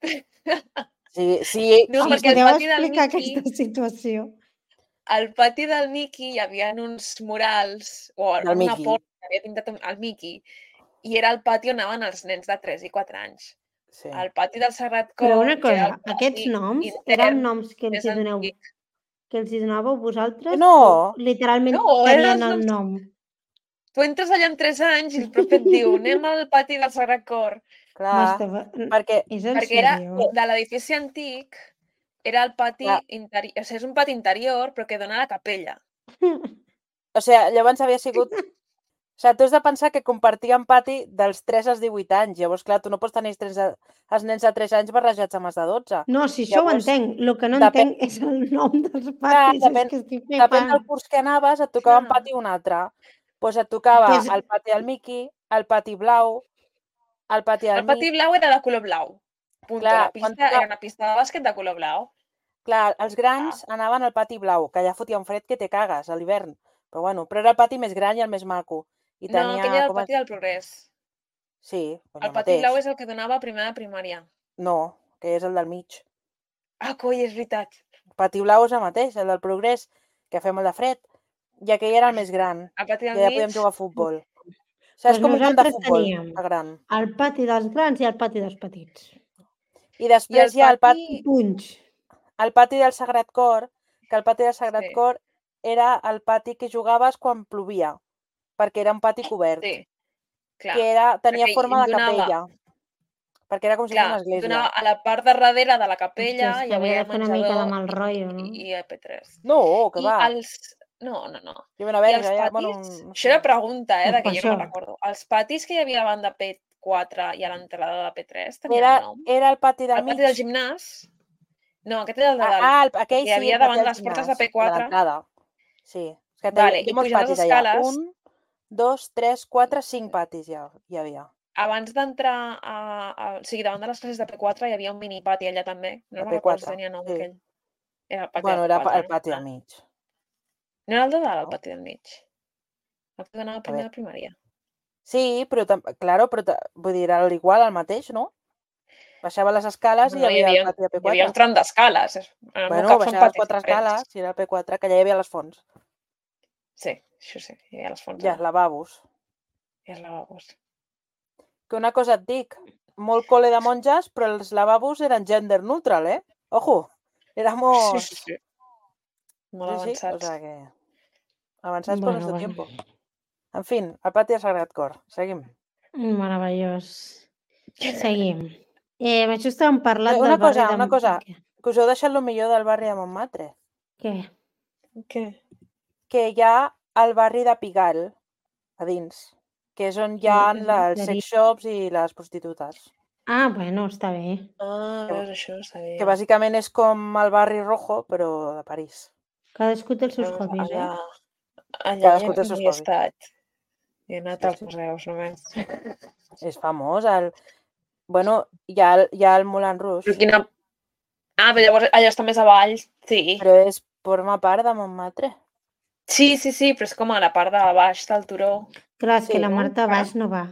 [SPEAKER 3] Sí, sí,
[SPEAKER 2] no,
[SPEAKER 1] em
[SPEAKER 2] perquè el
[SPEAKER 1] podeu
[SPEAKER 2] pati del
[SPEAKER 1] explicar
[SPEAKER 2] Mickey,
[SPEAKER 1] aquesta situació?
[SPEAKER 2] al pati del Mickey hi havia uns murals, o
[SPEAKER 3] Del
[SPEAKER 2] una
[SPEAKER 3] Mickey.
[SPEAKER 2] porta que havia pintat un- el Mickey, i era el pati on anaven els nens de tres i quatre anys.
[SPEAKER 3] sí.
[SPEAKER 2] El pati del Sagrat Cor,
[SPEAKER 1] Però una
[SPEAKER 2] que era
[SPEAKER 1] cosa,
[SPEAKER 2] el pati
[SPEAKER 1] aquests noms
[SPEAKER 2] intern
[SPEAKER 1] eren noms que els
[SPEAKER 2] més
[SPEAKER 1] hi doneu,
[SPEAKER 2] antic.
[SPEAKER 1] que els hi donàveu vosaltres
[SPEAKER 3] No.
[SPEAKER 1] o literalment
[SPEAKER 2] No, eren
[SPEAKER 1] tenien
[SPEAKER 2] els
[SPEAKER 1] el
[SPEAKER 2] noms-
[SPEAKER 1] nom?
[SPEAKER 2] Tu entres allà amb tres anys i el profe et diu anem al pati del Sagrat Cor,
[SPEAKER 3] Clar,
[SPEAKER 1] M'estava...
[SPEAKER 3] perquè
[SPEAKER 1] És en
[SPEAKER 2] perquè era
[SPEAKER 1] sèrio?
[SPEAKER 2] de l'edifici antic, era el pati
[SPEAKER 3] Clar.
[SPEAKER 2] interior, o sigui, és un pati interior però que dona a la capella.
[SPEAKER 3] o sigui, llavors havia sigut... O sigui, tu has de pensar que compartien pati dels tres als divuit anys. Llavors, clar, tu no pots tenir els, tres, de- els nens de tres anys barrejats amb els de dotze.
[SPEAKER 1] No, si això
[SPEAKER 3] Llavors,
[SPEAKER 1] ho entenc. El que no
[SPEAKER 3] depèn-
[SPEAKER 1] entenc és el nom dels
[SPEAKER 3] Clar,
[SPEAKER 1] patis.
[SPEAKER 3] depèn,
[SPEAKER 1] és que estic
[SPEAKER 3] depèn
[SPEAKER 1] flipant.
[SPEAKER 3] del curs que anaves, et tocava un
[SPEAKER 2] Clar.
[SPEAKER 3] pati o un altre. Doncs et tocava
[SPEAKER 1] Pues-
[SPEAKER 3] el pati del Mickey, el pati blau, el pati del
[SPEAKER 2] El pati
[SPEAKER 3] mig.
[SPEAKER 2] blau era de color blau. Punto.
[SPEAKER 3] Clar,
[SPEAKER 2] la
[SPEAKER 3] quan
[SPEAKER 2] pista
[SPEAKER 3] toca-
[SPEAKER 2] era una pista de bàsquet de color blau.
[SPEAKER 3] Clar, els grans anaven al pati blau, que ja fotia un fred que te cagues a l'hivern. Però bueno, però era el pati més gran i el més maco. I
[SPEAKER 2] No,
[SPEAKER 3] tenia,
[SPEAKER 2] aquell era el
[SPEAKER 3] com es-
[SPEAKER 2] pati del progrés.
[SPEAKER 3] Sí, doncs
[SPEAKER 2] El
[SPEAKER 3] el
[SPEAKER 2] pati
[SPEAKER 3] mateix.
[SPEAKER 2] blau és el que donava a primera de primària.
[SPEAKER 3] No, que és el del mig.
[SPEAKER 2] Ah, coi, és veritat.
[SPEAKER 3] El pati blau és el mateix, el del progrés, que fem el de fred. I aquell era el més gran.
[SPEAKER 2] El pati
[SPEAKER 3] I
[SPEAKER 2] del
[SPEAKER 3] allà
[SPEAKER 2] mig...
[SPEAKER 3] podíem jugar a futbol. O sigui,
[SPEAKER 1] Pues
[SPEAKER 3] és com un camp de
[SPEAKER 1] nosaltres
[SPEAKER 3] futbol,
[SPEAKER 1] teníem
[SPEAKER 3] el gran.
[SPEAKER 1] el pati dels grans i el pati dels petits.
[SPEAKER 3] I després
[SPEAKER 2] I el
[SPEAKER 3] hi ha el pati,
[SPEAKER 2] pati...
[SPEAKER 1] Punys.
[SPEAKER 3] el pati del Sagrat Cor, que el pati del Sagrat
[SPEAKER 2] Sí.
[SPEAKER 3] Cor era el pati que jugaves quan plovia, perquè era un pati cobert,
[SPEAKER 2] Sí, clar.
[SPEAKER 3] que era, tenia
[SPEAKER 2] perquè
[SPEAKER 3] forma de
[SPEAKER 2] donava-
[SPEAKER 3] capella, perquè era com si fos
[SPEAKER 2] Clar,
[SPEAKER 3] una església.
[SPEAKER 2] donava a la part de darrere de la capella,
[SPEAKER 1] Hòstia, és
[SPEAKER 2] hi
[SPEAKER 1] que
[SPEAKER 2] havia
[SPEAKER 1] havia
[SPEAKER 2] el
[SPEAKER 1] de fer una mica de
[SPEAKER 2] menjador
[SPEAKER 1] mal rotllo, no?
[SPEAKER 2] i, i E P tres.
[SPEAKER 3] No, que
[SPEAKER 2] I
[SPEAKER 3] va.
[SPEAKER 2] els... No, no, no.
[SPEAKER 3] Hi havia una
[SPEAKER 2] I
[SPEAKER 3] verge,
[SPEAKER 2] els
[SPEAKER 3] ja,
[SPEAKER 2] patis...
[SPEAKER 3] bueno, un- no
[SPEAKER 2] Això era
[SPEAKER 3] sé.
[SPEAKER 2] pregunta, eh,
[SPEAKER 1] Doncs
[SPEAKER 2] de que
[SPEAKER 1] per
[SPEAKER 2] jo no me'n
[SPEAKER 1] això.
[SPEAKER 2] recordo. Els patis que hi havia davant de P quatre i a l'entrada de P tres tenien
[SPEAKER 3] Era,
[SPEAKER 2] nom?
[SPEAKER 3] era el pati del
[SPEAKER 2] El
[SPEAKER 3] mig.
[SPEAKER 2] pati del gimnàs? No, aquest era el de
[SPEAKER 3] Ah,
[SPEAKER 2] dalt.
[SPEAKER 3] ah, el, aquell
[SPEAKER 2] que hi
[SPEAKER 3] sí,
[SPEAKER 2] havia
[SPEAKER 3] el pati
[SPEAKER 2] davant
[SPEAKER 3] del
[SPEAKER 2] de les portes de
[SPEAKER 3] gimnàs,
[SPEAKER 2] P quatre.
[SPEAKER 3] l'entrada. Sí. És que
[SPEAKER 2] Vale,
[SPEAKER 3] hi
[SPEAKER 2] i
[SPEAKER 3] ha molts
[SPEAKER 2] pujant les
[SPEAKER 3] patis allà.
[SPEAKER 2] escales-
[SPEAKER 3] Un, dos, tres, quatre, cinc patis ja hi havia.
[SPEAKER 2] Abans d'entrar a, a... O sigui, davant de les classes de P quatre hi havia un mini pati allà també. No
[SPEAKER 3] De
[SPEAKER 2] me'n recordo si
[SPEAKER 3] P quatre,
[SPEAKER 2] tenia nom
[SPEAKER 3] sí.
[SPEAKER 2] aquell. Era el pati
[SPEAKER 3] Bueno,
[SPEAKER 2] de
[SPEAKER 3] era
[SPEAKER 2] P quatre,
[SPEAKER 3] el pati
[SPEAKER 2] no?
[SPEAKER 3] del mig.
[SPEAKER 2] No era el de dalt, el
[SPEAKER 3] No.
[SPEAKER 2] pati del mig. El que donava
[SPEAKER 3] A
[SPEAKER 2] primer
[SPEAKER 3] veure.
[SPEAKER 2] de primària.
[SPEAKER 3] Sí, però, tam- claro, però ta- vull dir, era igual, el mateix, no? Baixava les escales i hi
[SPEAKER 2] No, hi
[SPEAKER 3] havia
[SPEAKER 2] havia,
[SPEAKER 3] el pati de P
[SPEAKER 2] hi havia un
[SPEAKER 3] quatre.
[SPEAKER 2] tram d'escales. En el meu
[SPEAKER 3] Bueno,
[SPEAKER 2] cap són
[SPEAKER 3] baixava les
[SPEAKER 2] patis
[SPEAKER 3] quatre
[SPEAKER 2] diferents.
[SPEAKER 3] escales, si era el P quatre, que allà hi havia les fonts.
[SPEAKER 2] Sí, això sí, hi havia les fonts.
[SPEAKER 3] I els lavabos.
[SPEAKER 2] I els lavabos.
[SPEAKER 3] Que una cosa et dic, molt col·le de monges, però els lavabos eren gender neutral, eh? Ojo, éramos...
[SPEAKER 2] Sí, sí, sí. Molt
[SPEAKER 3] Sí, sí, o
[SPEAKER 2] avançats.
[SPEAKER 3] sea que... Avançats por
[SPEAKER 1] Bueno,
[SPEAKER 3] nuestro
[SPEAKER 1] bueno.
[SPEAKER 3] tiempo. En fi, el pati del Sagrat Cor. Seguim.
[SPEAKER 1] Meravellós. Seguim. Eh, això estàvem parlant
[SPEAKER 3] Una
[SPEAKER 1] del barri
[SPEAKER 3] cosa,
[SPEAKER 1] de...
[SPEAKER 3] una cosa,
[SPEAKER 1] Què?
[SPEAKER 3] que us heu deixat el millor del barri de Montmartre.
[SPEAKER 1] Què?
[SPEAKER 2] Què?
[SPEAKER 3] Que hi ha el barri de Pigalle, a dins, que és on hi ha
[SPEAKER 1] És-
[SPEAKER 3] els
[SPEAKER 1] seria-
[SPEAKER 3] sex shops i les prostitutes.
[SPEAKER 1] Ah, bueno, està bé.
[SPEAKER 2] Ah, veus, això no sabia.
[SPEAKER 3] Que bàsicament és com el barri rojo, però de París.
[SPEAKER 1] Cadascú té els seus
[SPEAKER 2] Veus,
[SPEAKER 1] hobbies,
[SPEAKER 2] allà,
[SPEAKER 1] eh?
[SPEAKER 2] allà
[SPEAKER 3] Cadascú
[SPEAKER 2] ja
[SPEAKER 3] té els seus
[SPEAKER 2] no hi he
[SPEAKER 3] hobbies.
[SPEAKER 2] estat. He anat
[SPEAKER 3] Sí,
[SPEAKER 2] als
[SPEAKER 3] sí.
[SPEAKER 2] museus només.
[SPEAKER 3] És famós. El... Bueno, hi ha, el- hi ha el Moulin Rouge,
[SPEAKER 2] Però quina... Ah, però llavors allò està més avall, sí.
[SPEAKER 3] però és, forma part de Montmartre.
[SPEAKER 2] Sí, sí, sí, però és com a la part de baix del turó.
[SPEAKER 1] Clar, és
[SPEAKER 3] Sí,
[SPEAKER 1] que la
[SPEAKER 3] no?
[SPEAKER 1] Marta baix no va.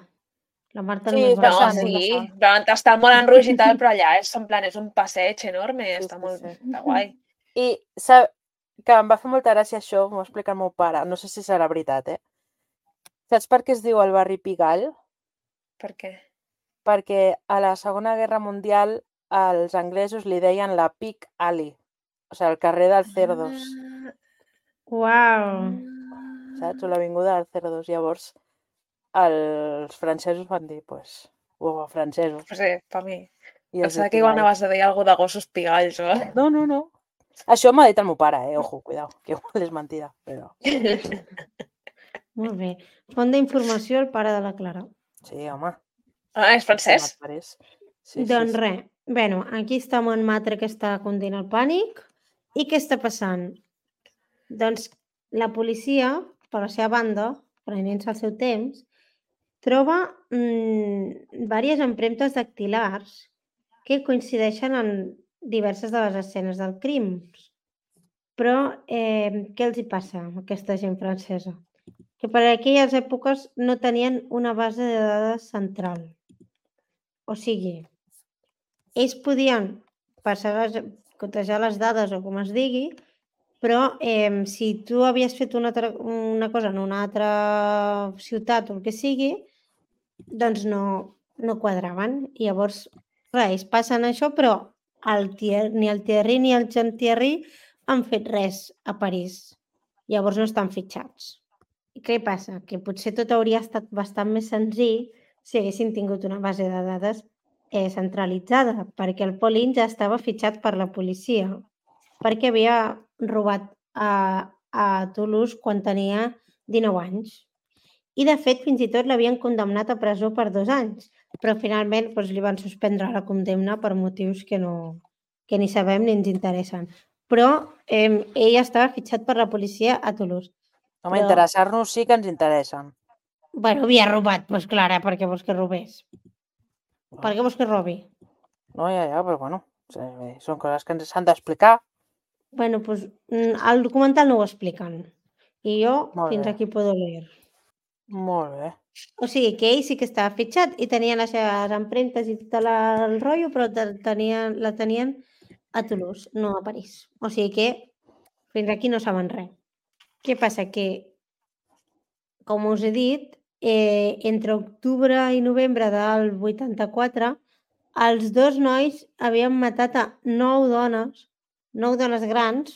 [SPEAKER 1] La Marta
[SPEAKER 3] Sí,
[SPEAKER 1] només
[SPEAKER 3] és
[SPEAKER 1] va
[SPEAKER 2] No,
[SPEAKER 1] al
[SPEAKER 3] bastant, és
[SPEAKER 1] damunt.
[SPEAKER 2] sí,
[SPEAKER 3] bastant.
[SPEAKER 2] però està el Moulin Rouge i tal, però allà és en plan, és un passeig enorme,
[SPEAKER 3] Sí,
[SPEAKER 2] està
[SPEAKER 3] sí,
[SPEAKER 2] molt
[SPEAKER 3] sí.
[SPEAKER 2] està guai.
[SPEAKER 3] I sap que em va fer molta gràcia això, m'ho explica el meu pare, no sé si serà veritat, eh? Saps per què es diu el barri Pigalle?
[SPEAKER 2] Per què?
[SPEAKER 3] Perquè a la Segona Guerra Mundial els anglesos li deien la Pig Alley, o sigui, el carrer dels cerdos,
[SPEAKER 2] Ah,
[SPEAKER 1] Uau!
[SPEAKER 3] saps? O l'avinguda dels cerdos. Llavors, els francesos van dir, pues, o francesos.
[SPEAKER 2] no sé, per mi.
[SPEAKER 3] I es diu
[SPEAKER 2] Pensava que igual
[SPEAKER 3] Pigalle.
[SPEAKER 2] anaves a dir alguna de gossos pigalls, o...
[SPEAKER 3] No, no, no. Això m'ha dit el meu pare, eh? Ojo, cuidao, que igual és mentida, però...
[SPEAKER 1] Molt bé. Font d'informació, el pare de la Clara.
[SPEAKER 3] Sí, home.
[SPEAKER 2] Ah, és francès?
[SPEAKER 3] Format París. Sí,
[SPEAKER 1] Doncs
[SPEAKER 3] sí, sí.
[SPEAKER 1] res, bueno, aquí està Montmartre que està continent el pànic. I què està passant? Doncs la policia, per la seva banda, prenent-se el seu temps, troba mmm, diverses empremtes dactilars que coincideixen en diverses de les escenes del crim. Però eh, què els hi passa a aquesta gent francesa? Que per aquelles èpoques no tenien una base de dades central. O sigui, ells podien passar les, cotejar les dades o com es digui, però eh, si tu havies fet una, altra, una cosa en una altra ciutat o el que sigui, doncs no, no quadraven. I llavors, clar, ells passen això, però el Thier, ni el Thierry ni el Jean Thierry han fet res a París. Llavors no estan fitxats. I què passa? Que potser tot hauria estat bastant més senzill si haguessin tingut una base de dades eh, centralitzada, perquè el Paulin ja estava fitxat per la policia, perquè havia robat a, a Toulouse quan tenia dinou anys. I, de fet, fins i tot l'havien condemnat a presó per dos anys, però finalment doncs, li van suspendre la condemna per motius que, no, que ni sabem ni ens interessen. Però eh, ell estava fitxat per la policia a Toulouse.
[SPEAKER 3] Home,
[SPEAKER 1] Però-
[SPEAKER 3] interessar-nos sí que ens interessen.
[SPEAKER 1] Bueno, havia robat, doncs Clara, per què vols que robés? Per què vols que robi?
[SPEAKER 3] No, ja, ja, però bueno, sí, són coses que ens s'han d'explicar.
[SPEAKER 1] Bueno, doncs mm, el documental no ho expliquen. I jo
[SPEAKER 3] Molt
[SPEAKER 1] fins
[SPEAKER 3] bé.
[SPEAKER 1] aquí puedo leer.
[SPEAKER 3] Molt bé.
[SPEAKER 1] O sigui, que ell sí que estava fitxat i tenia les seves empremtes i tot la, el rotllo, però te- tenien, la tenien a Toulouse, no a París. O sigui que fins aquí no saben res. Què passa? Que, com us he dit, eh, entre octubre i novembre del vuitanta-quatre, els dos nois havien matat a nou dones, nou dones grans,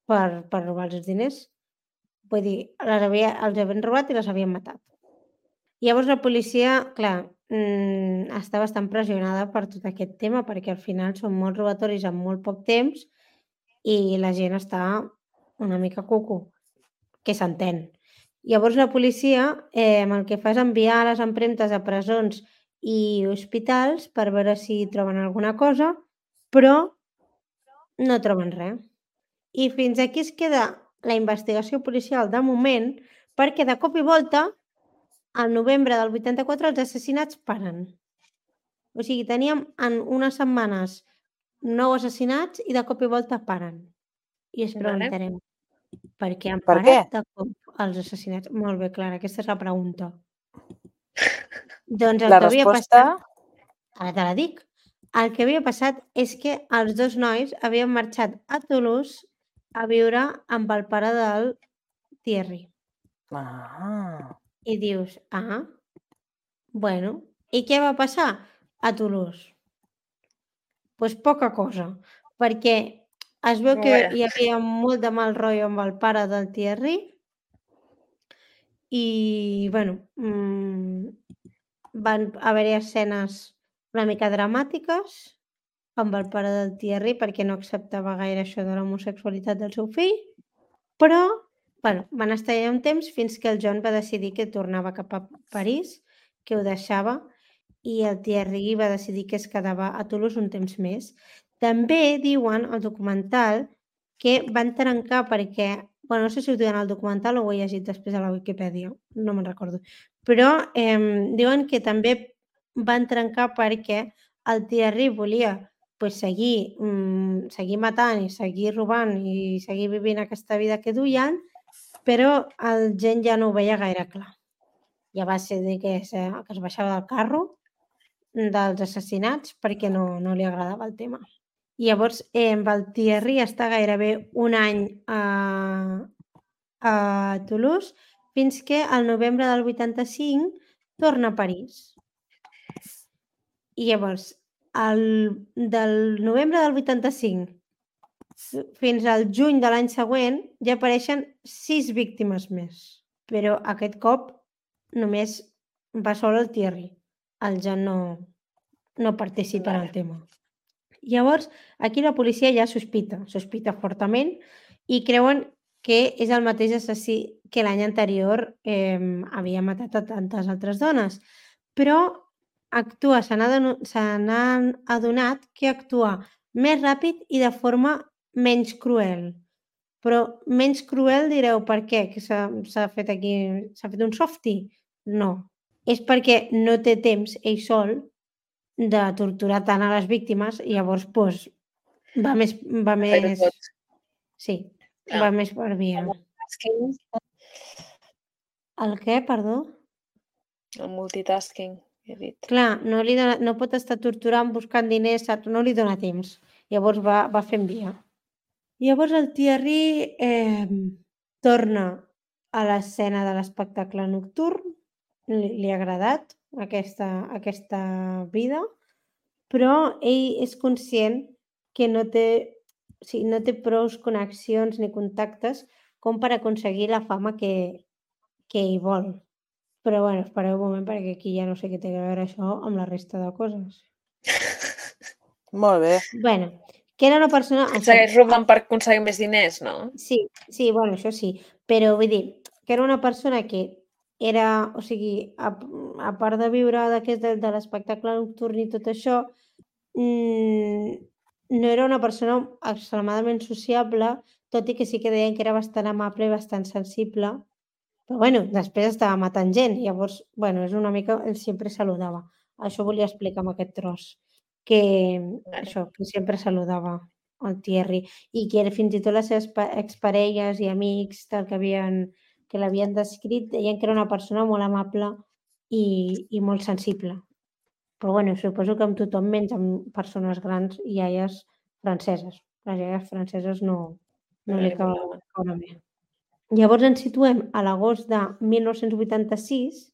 [SPEAKER 1] per, per robar els diners. Vull dir, les havia, els havien robat i les havien matat. Llavors la policia, clar, mmm, està bastant pressionada per tot aquest tema, perquè al final són molts robatoris en molt poc temps i la gent està una mica cucu, que s'entén. Llavors la policia eh, el que fa és enviar les empremtes a presons i hospitals per veure si troben alguna cosa, però no troben res. I fins aquí es queda la investigació policial de moment, perquè de cop i volta, al novembre del vuitanta-quatre, els assassinats paren. O sigui, teníem en unes setmanes nou assassinats i de cop i volta paren. I ens
[SPEAKER 2] Vale.
[SPEAKER 1] preguntarem, per què han
[SPEAKER 3] Per
[SPEAKER 1] parat
[SPEAKER 3] què?
[SPEAKER 1] de cop els assassinats? Molt bé, Clara, aquesta és la pregunta. Doncs el
[SPEAKER 3] La
[SPEAKER 1] que havia
[SPEAKER 3] resposta...
[SPEAKER 1] passat, ara te la dic, el que havia passat és que els dos nois havien marxat a Toulouse a viure amb el pare del Thierry.
[SPEAKER 3] Ah,
[SPEAKER 1] I dius, ah, bueno, i què va passar a Toulouse? Doncs pues poca cosa, perquè es veu que
[SPEAKER 2] Vaja.
[SPEAKER 1] hi havia molt de mal rotllo amb el pare del Thierry i, bueno, mmm, van haver-hi escenes una mica dramàtiques amb el pare del Thierry perquè no acceptava gaire això de l'homosexualitat del seu fill, però, bueno, van estar allà un temps fins que el John va decidir que tornava cap a París, que ho deixava, i el Thierry va decidir que es quedava a Toulouse un temps més. També diuen al documental que van trencar perquè, bueno, no sé si ho diuen al documental o ho he llegit després a la Wikipedia, no me'n recordo, però eh, diuen que també van trencar perquè el Thierry volia pues, seguir, mmm, seguir matant i seguir robant i seguir vivint aquesta vida que duien, però el gent ja no ho veia gaire clar. Ja va ser dir que, que es baixava del carro dels assassinats perquè no, no li agradava el tema. I llavors eh, el Thierry està gairebé un any a, a Toulouse fins que al novembre del vuitanta-cinc torna a París. I llavors, el, del novembre del vuitanta-cinc fins al juny de l'any següent ja apareixen sis víctimes més. Però aquest cop només va sol el Thierry. El John no, no participa en el tema. Llavors, aquí la policia ja sospita, sospita fortament i creuen que és el mateix assassí que l'any anterior eh, havia matat a tantes altres dones. Però actua, se n'han adonat que actua més ràpid i de forma menys cruel. Però menys cruel direu per què? Que s'ha fet aquí, s'ha fet un softie? No. És perquè no té temps ell sol de torturar tant a les víctimes i llavors pues, va més... Va més... Sí, ah. va més per via. El què, perdó?
[SPEAKER 2] El multitasking, he dit.
[SPEAKER 1] Clar, no, li dona, no pot estar torturant, buscant diners, no li dona temps. Llavors va, va fent via. Llavors el Thierry eh, torna a l'escena de l'espectacle nocturn, li, li ha agradat aquesta, aquesta vida, però ell és conscient que no té, o sigui, no té prous connexions ni contactes com per aconseguir la fama que, que ell vol. Però bueno, espereu un moment perquè aquí ja no sé què té a veure això amb la resta de coses.
[SPEAKER 3] Molt bé.
[SPEAKER 1] Bueno, que era una persona...
[SPEAKER 2] Segueix robant per aconseguir més diners, no?
[SPEAKER 1] Sí, sí, bueno, això sí. Però vull dir, que era una persona que era, o sigui, a, a part de viure d'aquest de, de l'espectacle nocturn i tot això, mmm, no era una persona extremadament sociable, tot i que sí que deien que era bastant amable i bastant sensible. Però bueno, després estava matant gent, llavors, bueno, és una mica... Ell sempre saludava. Això volia explicar amb aquest tros. Que, vale. Això, que sempre saludava el Thierry. I que fins i tot les seves exparelles i amics tal, que, havien, que l'havien descrit deien que era una persona molt amable i, i molt sensible. Però bueno, suposo que amb tothom menys amb persones grans i iaies franceses. Les iaies franceses no, no li cauen bé. Llavors ens situem a l'agost de mil nou-cents vuitanta-sis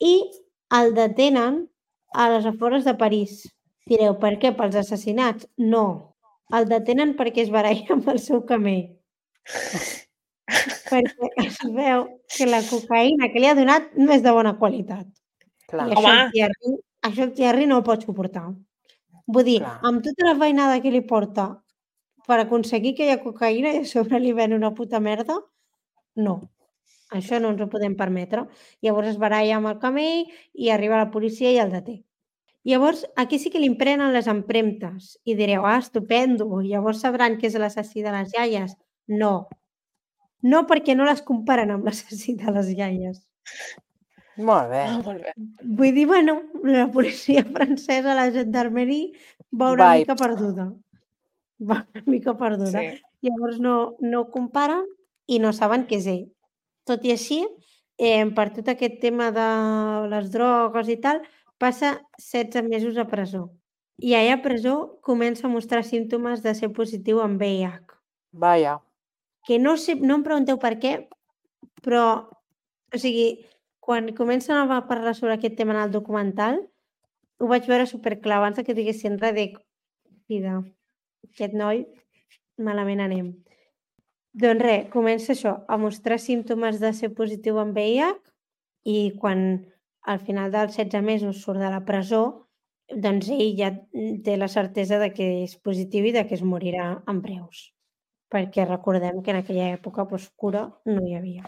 [SPEAKER 1] i el detenen a les afores de París. Direu, per què? Pels assassinats? No. El detenen perquè es baralla amb el seu camell. Perquè es veu que la cocaïna que li ha donat no és de bona qualitat.
[SPEAKER 3] Clar.
[SPEAKER 1] I això el, Thierry, això el Thierry no ho pot suportar. Vull dir, Clar. amb tota la feinada que li porta per aconseguir que hi ha cocaïna i a sobre li ven una puta merda, no, això no ens ho podem permetre. Llavors es baralla amb el camell i arriba la policia i el deté. Llavors, aquí sí que li emprenen les empremtes i direu, ah, estupendo, llavors sabran que és l'assassí de les iaies. No. No, perquè no les comparen amb l'assassí de les iaies.
[SPEAKER 3] Molt bé.
[SPEAKER 2] Oh, molt bé.
[SPEAKER 1] Vull dir, bueno, la policia francesa, la gendarmerie, va una Vibes. mica perduda. Va una mica perduda. Sí. Llavors no, no ho comparen i no saben què és ell. Tot i així, eh, per tot aquest tema de les drogues i tal, passa setze mesos a presó. I allà a presó comença a mostrar símptomes de ser positiu amb V I H.
[SPEAKER 3] Vaja.
[SPEAKER 1] Que no sé, no em pregunteu per què, però, o sigui, quan comencen a parlar sobre aquest tema en el documental, ho vaig veure superclar abans que diguessin res de vida. Aquest noi, malament anem. Doncs res, comença això, a mostrar símptomes de ser positiu amb V I H i quan al final dels setze mesos surt de la presó, doncs ell ja té la certesa de que és positiu i de que es morirà en breus. Perquè recordem que en aquella època doncs, cura no hi havia.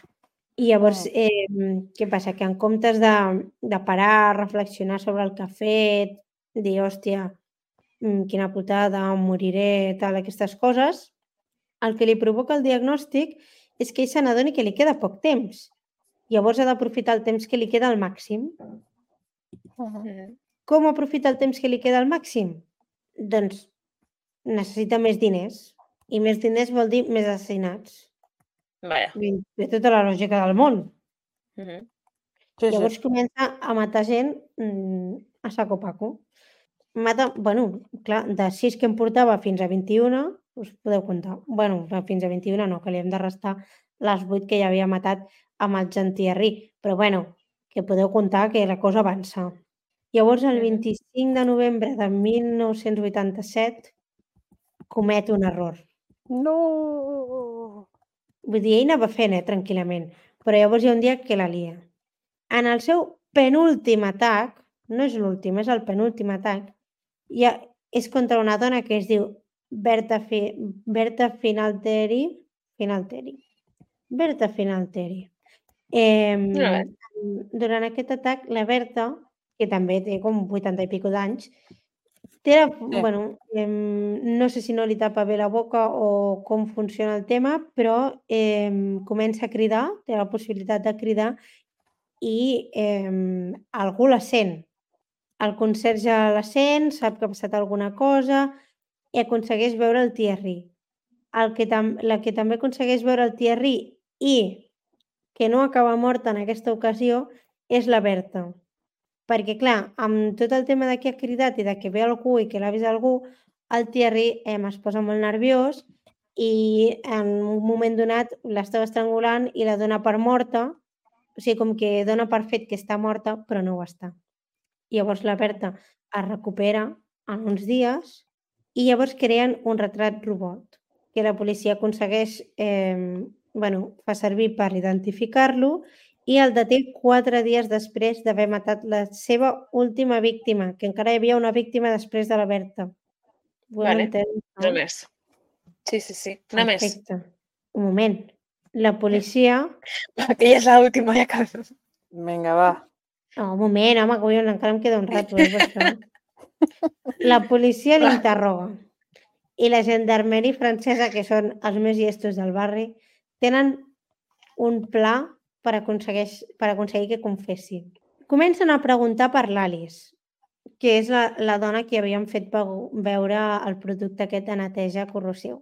[SPEAKER 1] I llavors,
[SPEAKER 3] Mm.
[SPEAKER 1] eh, què passa? Que en comptes de, de parar, reflexionar sobre el que ha fet, dir, hòstia, mm, quina putada, em moriré, tal, aquestes coses, el que li provoca el diagnòstic és que ell se n'adoni que li queda poc temps. Llavors ha d'aprofitar el temps que li queda al màxim.
[SPEAKER 3] Mhm.
[SPEAKER 2] Mhm.
[SPEAKER 1] Com aprofita el temps que li queda al màxim? Doncs necessita més diners. I més diners vol dir més assassinats.
[SPEAKER 2] Vaja.
[SPEAKER 1] I té tota la lògica del món.
[SPEAKER 2] Mhm.
[SPEAKER 3] Sí, sí.
[SPEAKER 1] Llavors comença a matar gent mm, a saco paco. Mata, bueno, clar, de sis que em portava fins a vint-i-una, us podeu comptar. Bueno, fins a vint-i-una no, que li hem de restar les vuit que ja havia matat amb el Jean-Thierry. Però bueno, que podeu comptar que la cosa avança. Llavors, el
[SPEAKER 2] Mhm.
[SPEAKER 1] vint-i-cinc de novembre de mil nou-cents vuitanta-set, comet un error.
[SPEAKER 3] No!
[SPEAKER 1] Vull dir, ell anava fent, eh, tranquil·lament. Però llavors hi ha un dia que la lia. En el seu penúltim atac, no és l'últim, és el penúltim atac, ja és contra una dona que es diu Berta, Fi, Berta Finalteri. Finalteri. Berta Finalteri. Eh,
[SPEAKER 2] Molt
[SPEAKER 1] durant aquest atac, la Berta, que també té com vuitanta i pico d'anys, té la, bueno, eh, no sé si no li tapa bé la boca o com funciona el tema, però eh, comença a cridar, té la possibilitat de cridar i eh, algú la sent. El conserge la sent, sap que ha passat alguna cosa i aconsegueix veure el Thierry. El que tam la que també aconsegueix veure el Thierry i que no acaba morta en aquesta ocasió és la Berta. Perquè, clar, amb tot el tema de que ha cridat i de que ve algú i que l'ha vist algú, el Thierry eh, es posa molt nerviós i en un moment donat l'estava estrangulant i la dona per morta, o sigui, com que dona per fet que està morta, però no ho està. I llavors la Berta es recupera en uns dies i llavors creen un retrat robot que la policia aconsegueix, eh, bueno, fa servir per identificar-lo i el deté quatre dies després d'haver matat la seva última víctima, que encara hi havia una víctima després de la Berta. Ho hem
[SPEAKER 2] Vale.
[SPEAKER 1] entès,
[SPEAKER 2] No
[SPEAKER 1] no?
[SPEAKER 2] més. Sí, sí, sí. No més.
[SPEAKER 1] Perfecte. Un moment. La policia...
[SPEAKER 2] Que ja és l'última, ja acabem.
[SPEAKER 3] Vinga, va.
[SPEAKER 1] Oh, un moment, home, collons, encara em queda un rato, eh, per això. La policia l'interroga i la gendarmeria francesa, que són els més llestos del barri, tenen un pla per aconseguir, per aconseguir que confessi. Comencen a preguntar per l'Alice, que és la, la dona que havien fet veure el producte aquest de neteja corrosiu.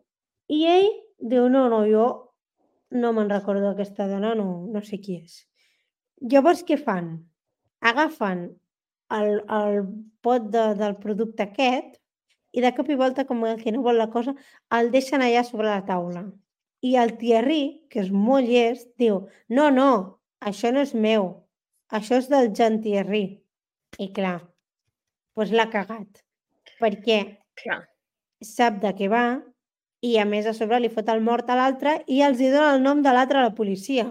[SPEAKER 1] I ell diu, no, no, jo no me'n recordo d'aquesta dona, no, no sé qui és. Llavors, què fan? Agafen el, el pot de, del producte aquest i de cop i volta, com el que no vol la cosa, el deixen allà sobre la taula. I el Thierry, que és molt llest, diu, no, no, això no és meu, això és del Jean-Thierry. I clar, doncs l'ha cagat, perquè
[SPEAKER 2] Clar.
[SPEAKER 1] sap de què va i a més a sobre li fot el mort a l'altre i els hi dona el nom de l'altre a la policia.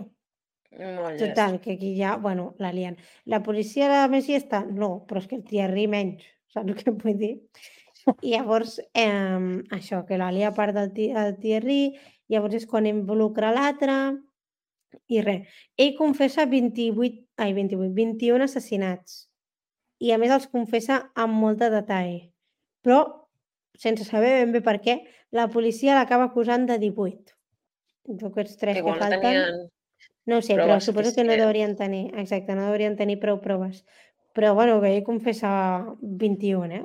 [SPEAKER 2] Molt llest.
[SPEAKER 1] Total, que aquí ja, bueno, la lien. La policia la més llesta? No, però és que el Thierry menys, saps el que vull dir? I llavors, eh, això, que la lia a part del el Thierry, llavors és quan involucra l'altre i res. Ell confessa vint-i-vuit, ai, vint-i-vuit, vint-i-un assassinats i a més els confessa amb molt de detall. Però, sense saber ben bé per què, la policia l'acaba acusant de divuit. Aquests tres que,
[SPEAKER 2] Igual no
[SPEAKER 1] falten...
[SPEAKER 2] tenien
[SPEAKER 1] No ho sé, però
[SPEAKER 2] proves
[SPEAKER 1] suposo que no
[SPEAKER 2] suficients.
[SPEAKER 1] deurien tenir, exacte, no deurien tenir prou proves. Però, bueno, que ell confessa vint-i-un, eh?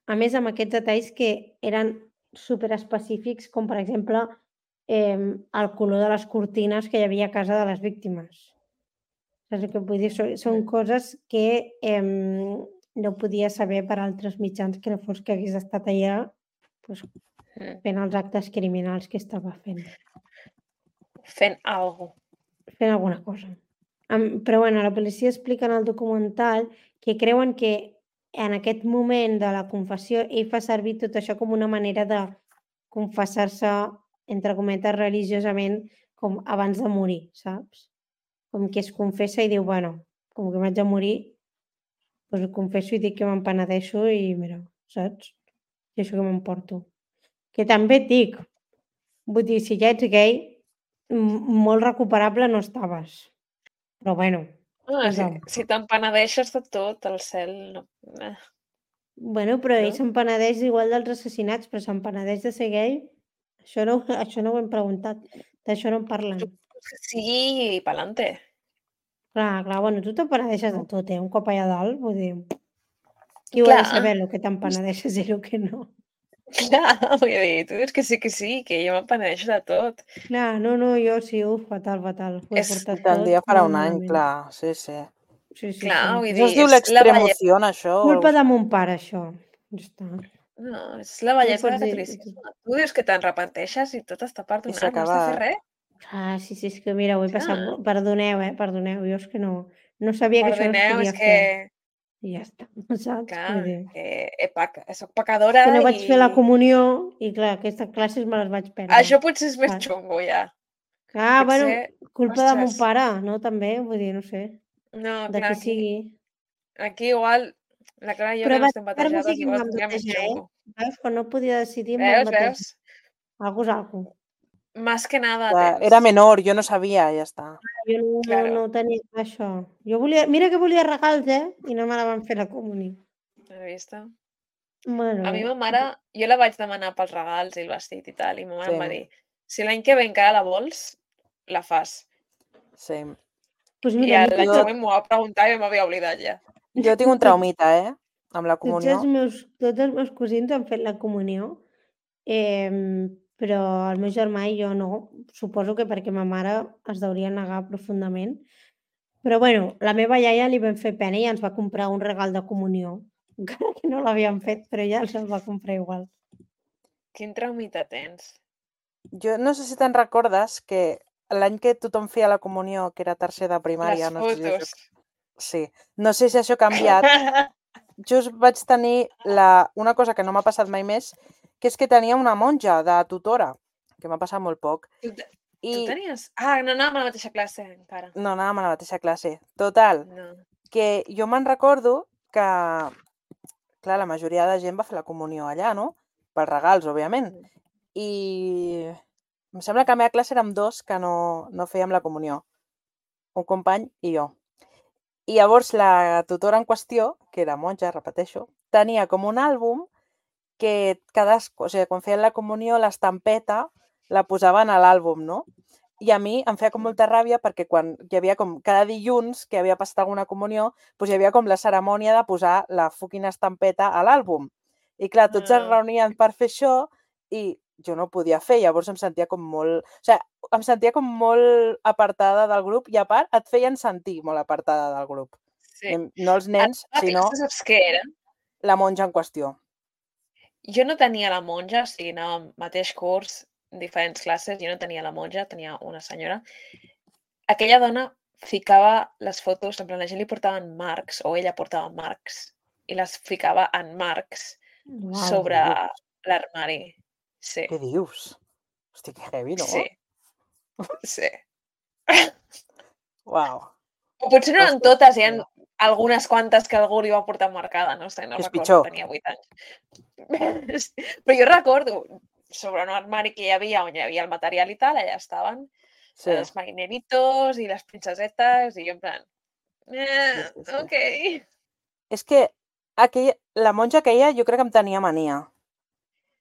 [SPEAKER 1] A més, amb aquests detalls que eren superespecífics, com per exemple eh, el color de les cortines que hi havia a casa de les víctimes. Saps el que vull dir? Són, són
[SPEAKER 2] Mm.
[SPEAKER 1] coses que eh, no podia saber per altres mitjans que no fos que hagués estat allà pues,
[SPEAKER 2] Mm.
[SPEAKER 1] fent els actes criminals que estava fent.
[SPEAKER 2] Fent alguna cosa.
[SPEAKER 1] Fent alguna cosa. Am- Però bueno, la policia explica en el documental que creuen que en aquest moment de la confessió ell fa servir tot això com una manera de confessar-se entre cometes, religiosament, com abans de morir, saps? Com que es confessa i diu, bueno, com que m'haig de morir, doncs ho confesso i dic que me'n penedeixo i mira, saps? I això que m'emporto. Que també et dic, vull dir, si ja ets gay, molt recuperable no estaves. Però bueno,
[SPEAKER 2] Ah, si,
[SPEAKER 1] posa'm.
[SPEAKER 2] si te'n penedeixes de tot, el cel... No. Eh.
[SPEAKER 1] Bueno, però ell
[SPEAKER 2] No?
[SPEAKER 1] se'n penedeix igual dels assassinats, però se'n penedeix de ser gay? Això no, això no ho hem preguntat. D'això no en parlen.
[SPEAKER 2] Sí, i pa'lante.
[SPEAKER 1] Clar, clar, bueno, tu te'n penedeixes de tot, eh? Un cop allà dalt, vull dir... Qui ho ha
[SPEAKER 2] Clar,
[SPEAKER 1] de saber, el que te'n penedeixes i el que no?
[SPEAKER 2] clar, vull dir, tu dius que sí que sí, que jo me'n penedeixo de tot.
[SPEAKER 1] Clar, no, no, jo sí, uf, fatal, fatal. Ho he
[SPEAKER 2] És-
[SPEAKER 1] portat
[SPEAKER 3] Tant
[SPEAKER 1] tot
[SPEAKER 3] dia farà
[SPEAKER 1] molt
[SPEAKER 3] un any,
[SPEAKER 1] malament.
[SPEAKER 3] clar, sí, sí.
[SPEAKER 1] Sí, sí,
[SPEAKER 2] Clar,
[SPEAKER 1] sí.
[SPEAKER 2] vull
[SPEAKER 3] Això
[SPEAKER 2] dir,
[SPEAKER 3] es diu
[SPEAKER 2] és la
[SPEAKER 3] l'extremoció, això? o
[SPEAKER 1] Culpa
[SPEAKER 3] algo
[SPEAKER 1] de
[SPEAKER 3] així?
[SPEAKER 1] mon pare, això. Ja està.
[SPEAKER 2] No, és la
[SPEAKER 1] No
[SPEAKER 2] bellesa
[SPEAKER 1] pots
[SPEAKER 2] del
[SPEAKER 1] dir...
[SPEAKER 2] catolicisme. Tu dius que te'n repenteixes i tot està
[SPEAKER 3] I
[SPEAKER 2] perdonat,
[SPEAKER 3] s'ha
[SPEAKER 2] no has de fer
[SPEAKER 3] acabat.
[SPEAKER 2] res.
[SPEAKER 1] Ah, sí, sí, és que mira, ho he passat...
[SPEAKER 2] Clar.
[SPEAKER 1] Perdoneu, eh? Perdoneu, jo és que no... No sabia que això no es
[SPEAKER 2] Perdoneu,
[SPEAKER 1] podia
[SPEAKER 2] és que,
[SPEAKER 1] fer. I ja està, saps?
[SPEAKER 2] clar,
[SPEAKER 1] Vull dir...
[SPEAKER 2] que he pac... soc
[SPEAKER 1] És
[SPEAKER 2] pecadora
[SPEAKER 1] que no
[SPEAKER 2] i
[SPEAKER 1] vaig fer la comunió i, clar, aquestes classes me les vaig perdre.
[SPEAKER 2] això potser és més
[SPEAKER 1] Clar,
[SPEAKER 2] xungo, ja.
[SPEAKER 1] clar bueno,
[SPEAKER 2] Potser,
[SPEAKER 1] culpa de mon
[SPEAKER 2] ostres,
[SPEAKER 1] pare, no? També, vull dir, no sé,
[SPEAKER 2] no,
[SPEAKER 1] de
[SPEAKER 2] clar,
[SPEAKER 1] qui
[SPEAKER 2] aquí,
[SPEAKER 1] sigui.
[SPEAKER 2] aquí igual, la Clara i jo
[SPEAKER 1] Però
[SPEAKER 2] que no estem
[SPEAKER 1] batejar-me sí
[SPEAKER 2] batejades,
[SPEAKER 1] que em
[SPEAKER 2] igual
[SPEAKER 1] van
[SPEAKER 2] tindria més
[SPEAKER 1] batejar, eh?
[SPEAKER 2] xungo.
[SPEAKER 1] Veus? Quan no podia decidir em van
[SPEAKER 2] Veus,
[SPEAKER 1] batejar.
[SPEAKER 2] veus?
[SPEAKER 1] Algo és algo.
[SPEAKER 2] Más que nada
[SPEAKER 3] Clar,
[SPEAKER 2] tens.
[SPEAKER 3] Era menor, jo no sabia, ja està.
[SPEAKER 1] Jo no, no,
[SPEAKER 2] Claro,
[SPEAKER 1] no tenia clar això. Jo volia... Mira que volia regals, eh? I no me la van fer la comunió.
[SPEAKER 2] has vist?
[SPEAKER 1] Bueno,
[SPEAKER 2] A mi ma mare, jo la vaig demanar pels regals i el vestit i tal, i ma mare
[SPEAKER 3] Sí,
[SPEAKER 2] em va dir, si l'any que ve encara la vols, la fas.
[SPEAKER 3] sí.
[SPEAKER 1] doncs
[SPEAKER 2] I
[SPEAKER 1] mira, a mi
[SPEAKER 2] l'any
[SPEAKER 3] Jo,
[SPEAKER 2] següent m'ho va preguntar i m'havia oblidat ja.
[SPEAKER 3] jo tinc un
[SPEAKER 1] tots,
[SPEAKER 3] traumita, eh? Amb la
[SPEAKER 1] tots,
[SPEAKER 3] comunió.
[SPEAKER 1] els meus, tots els meus cosins han fet la comunió, eh, però el meu germà i jo no. Suposo que perquè ma mare es deuria negar profundament. Però bueno, la meva iaia li vam fer pena i ens va comprar un regal de comunió. Encara que no l'havíem fet, però ja ens el va comprar igual.
[SPEAKER 2] Quin traumita tens?
[SPEAKER 3] Jo no sé si te'n recordes que l'any que tothom feia la comunió, que era tercer de
[SPEAKER 2] Les
[SPEAKER 3] primària, no sé si això...
[SPEAKER 2] fotos.
[SPEAKER 3] Sí, no sé si això ha canviat. Just vaig tenir la... una cosa que no m'ha passat mai més, que és que tenia una monja de tutora, que m'ha passat molt poc.
[SPEAKER 2] Tu, te- tu
[SPEAKER 3] I
[SPEAKER 2] tenies... Ah, no anàvem a la mateixa classe encara.
[SPEAKER 3] no anàvem a la mateixa classe. Total,
[SPEAKER 2] No.
[SPEAKER 3] que jo me'n recordo que, clar, la majoria de gent va fer la comunió allà, no? Pels regals, òbviament. I em sembla que a la meva classe érem dos que no, no fèiem la comunió. Un company i jo. I llavors la tutora en qüestió, que era monja, repeteixo, tenia com un àlbum que cadascú, o sigui, quan feien la comunió, l'estampeta la posaven a l'àlbum, no? I a mi em feia com molta ràbia perquè quan hi havia com cada dilluns que havia passat alguna comunió, doncs hi havia com la cerimònia de posar la fucking estampeta a l'àlbum. I clar, tots es
[SPEAKER 2] Ah.
[SPEAKER 3] reunien per fer això i jo no ho podia fer, llavors em sentia com molt... O sigui, em sentia com molt apartada del grup i a part et feien sentir molt apartada del grup.
[SPEAKER 2] Sí.
[SPEAKER 3] I no els
[SPEAKER 2] A
[SPEAKER 3] nens,
[SPEAKER 2] la
[SPEAKER 3] sinó
[SPEAKER 2] classe saps què era?
[SPEAKER 3] la monja en qüestió.
[SPEAKER 2] Jo no tenia la monja, o sigui, anàvem mateix curs, diferents classes, jo no tenia la monja, tenia una senyora. Aquella dona ficava les fotos, en plan, la gent li portaven marcs, o ella portava marcs, i les ficava en marcs
[SPEAKER 1] Uau.
[SPEAKER 2] sobre l'armari. Sí,
[SPEAKER 3] Què dius? Hosti, que heavy, no?
[SPEAKER 2] sí, sí.
[SPEAKER 3] Uau.
[SPEAKER 2] O potser no eren
[SPEAKER 3] Ostres,
[SPEAKER 2] totes, hi ha
[SPEAKER 3] mira.
[SPEAKER 2] algunes quantes que algú li va portar marcada, no sé, no
[SPEAKER 3] És
[SPEAKER 2] recordo,
[SPEAKER 3] pitjor.
[SPEAKER 2] tenia vuit anys. Però jo recordo, sobre un armari que hi havia, on hi havia el material i tal, allà estaven
[SPEAKER 3] Sí,
[SPEAKER 2] els marineritos i les princesetes, i jo en plan,
[SPEAKER 3] sí,
[SPEAKER 2] eh,
[SPEAKER 3] sí, sí.
[SPEAKER 2] ok.
[SPEAKER 3] És que aquella, la monja aquella jo crec que em tenia mania,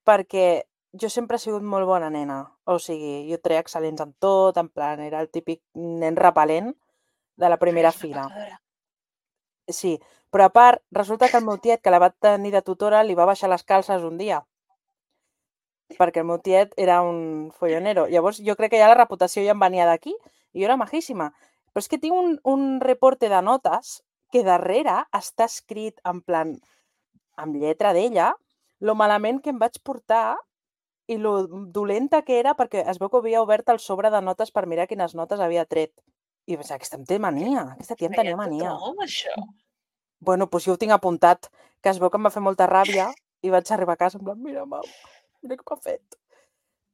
[SPEAKER 3] perquè jo sempre he sigut molt bona nena. O sigui, jo treia excel·lents en tot, en plan, era el típic nen repel·lent de la primera
[SPEAKER 2] Eres una
[SPEAKER 3] fila.
[SPEAKER 2] pecadora.
[SPEAKER 3] Sí, però a part, resulta que el meu tiet, que la va tenir de tutora, li va baixar les calces un dia. Perquè el meu tiet era un follonero. Llavors, jo crec que ja la reputació ja em venia d'aquí i jo era majíssima. Però és que tinc un, un reporte de notes que darrere està escrit en plan, amb lletra d'ella, lo malament que em vaig portar i lo dolenta que era perquè es veu que havia obert el sobre de notes per mirar quines notes havia tret. I vaig dir, aquesta em té mania, aquesta tia em
[SPEAKER 2] Feia
[SPEAKER 3] tenia mania.
[SPEAKER 2] tothom, això.
[SPEAKER 3] Bueno, doncs jo ho tinc apuntat, que es veu que em va fer molta ràbia i vaig arribar a casa en plan, mira, mam, mira què m'ha fet.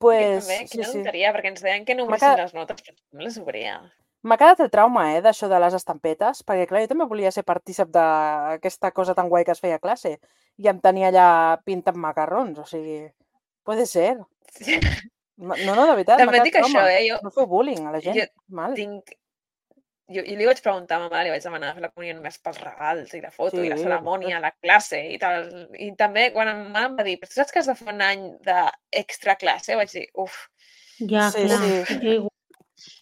[SPEAKER 3] Pues,
[SPEAKER 2] també,
[SPEAKER 3] sí,
[SPEAKER 2] quina
[SPEAKER 3] sí.
[SPEAKER 2] tonteria, perquè ens deien que no
[SPEAKER 3] M'ha
[SPEAKER 2] obrissin
[SPEAKER 3] quedat-
[SPEAKER 2] les notes, però no les obria.
[SPEAKER 3] M'ha quedat el trauma, eh, d'això de les estampetes, perquè, clar, jo també volia ser partícip d'aquesta cosa tan guai que es feia a classe i em tenia allà pintant macarrons, o sigui, puede ser.
[SPEAKER 2] Sí.
[SPEAKER 3] No, no, de veritat, m'ha
[SPEAKER 2] També et
[SPEAKER 3] quedat
[SPEAKER 2] dic això,
[SPEAKER 3] trauma.
[SPEAKER 2] eh? Jo,
[SPEAKER 3] No feu bullying a la gent,
[SPEAKER 2] jo
[SPEAKER 3] mal.
[SPEAKER 2] tinc... Jo, jo li vaig preguntar a ma mare, li vaig demanar fer la comunió només pels regals i la foto
[SPEAKER 3] Sí,
[SPEAKER 2] i la
[SPEAKER 3] per
[SPEAKER 2] cerimònia,
[SPEAKER 3] supuesto.
[SPEAKER 2] la classe i tal. I també quan ma mare em va dir, però tu saps que has de fer un any d'extra classe? Vaig dir, uf,
[SPEAKER 1] Ja,
[SPEAKER 3] Sí,
[SPEAKER 1] clar.
[SPEAKER 3] sí.
[SPEAKER 1] Jo, igual.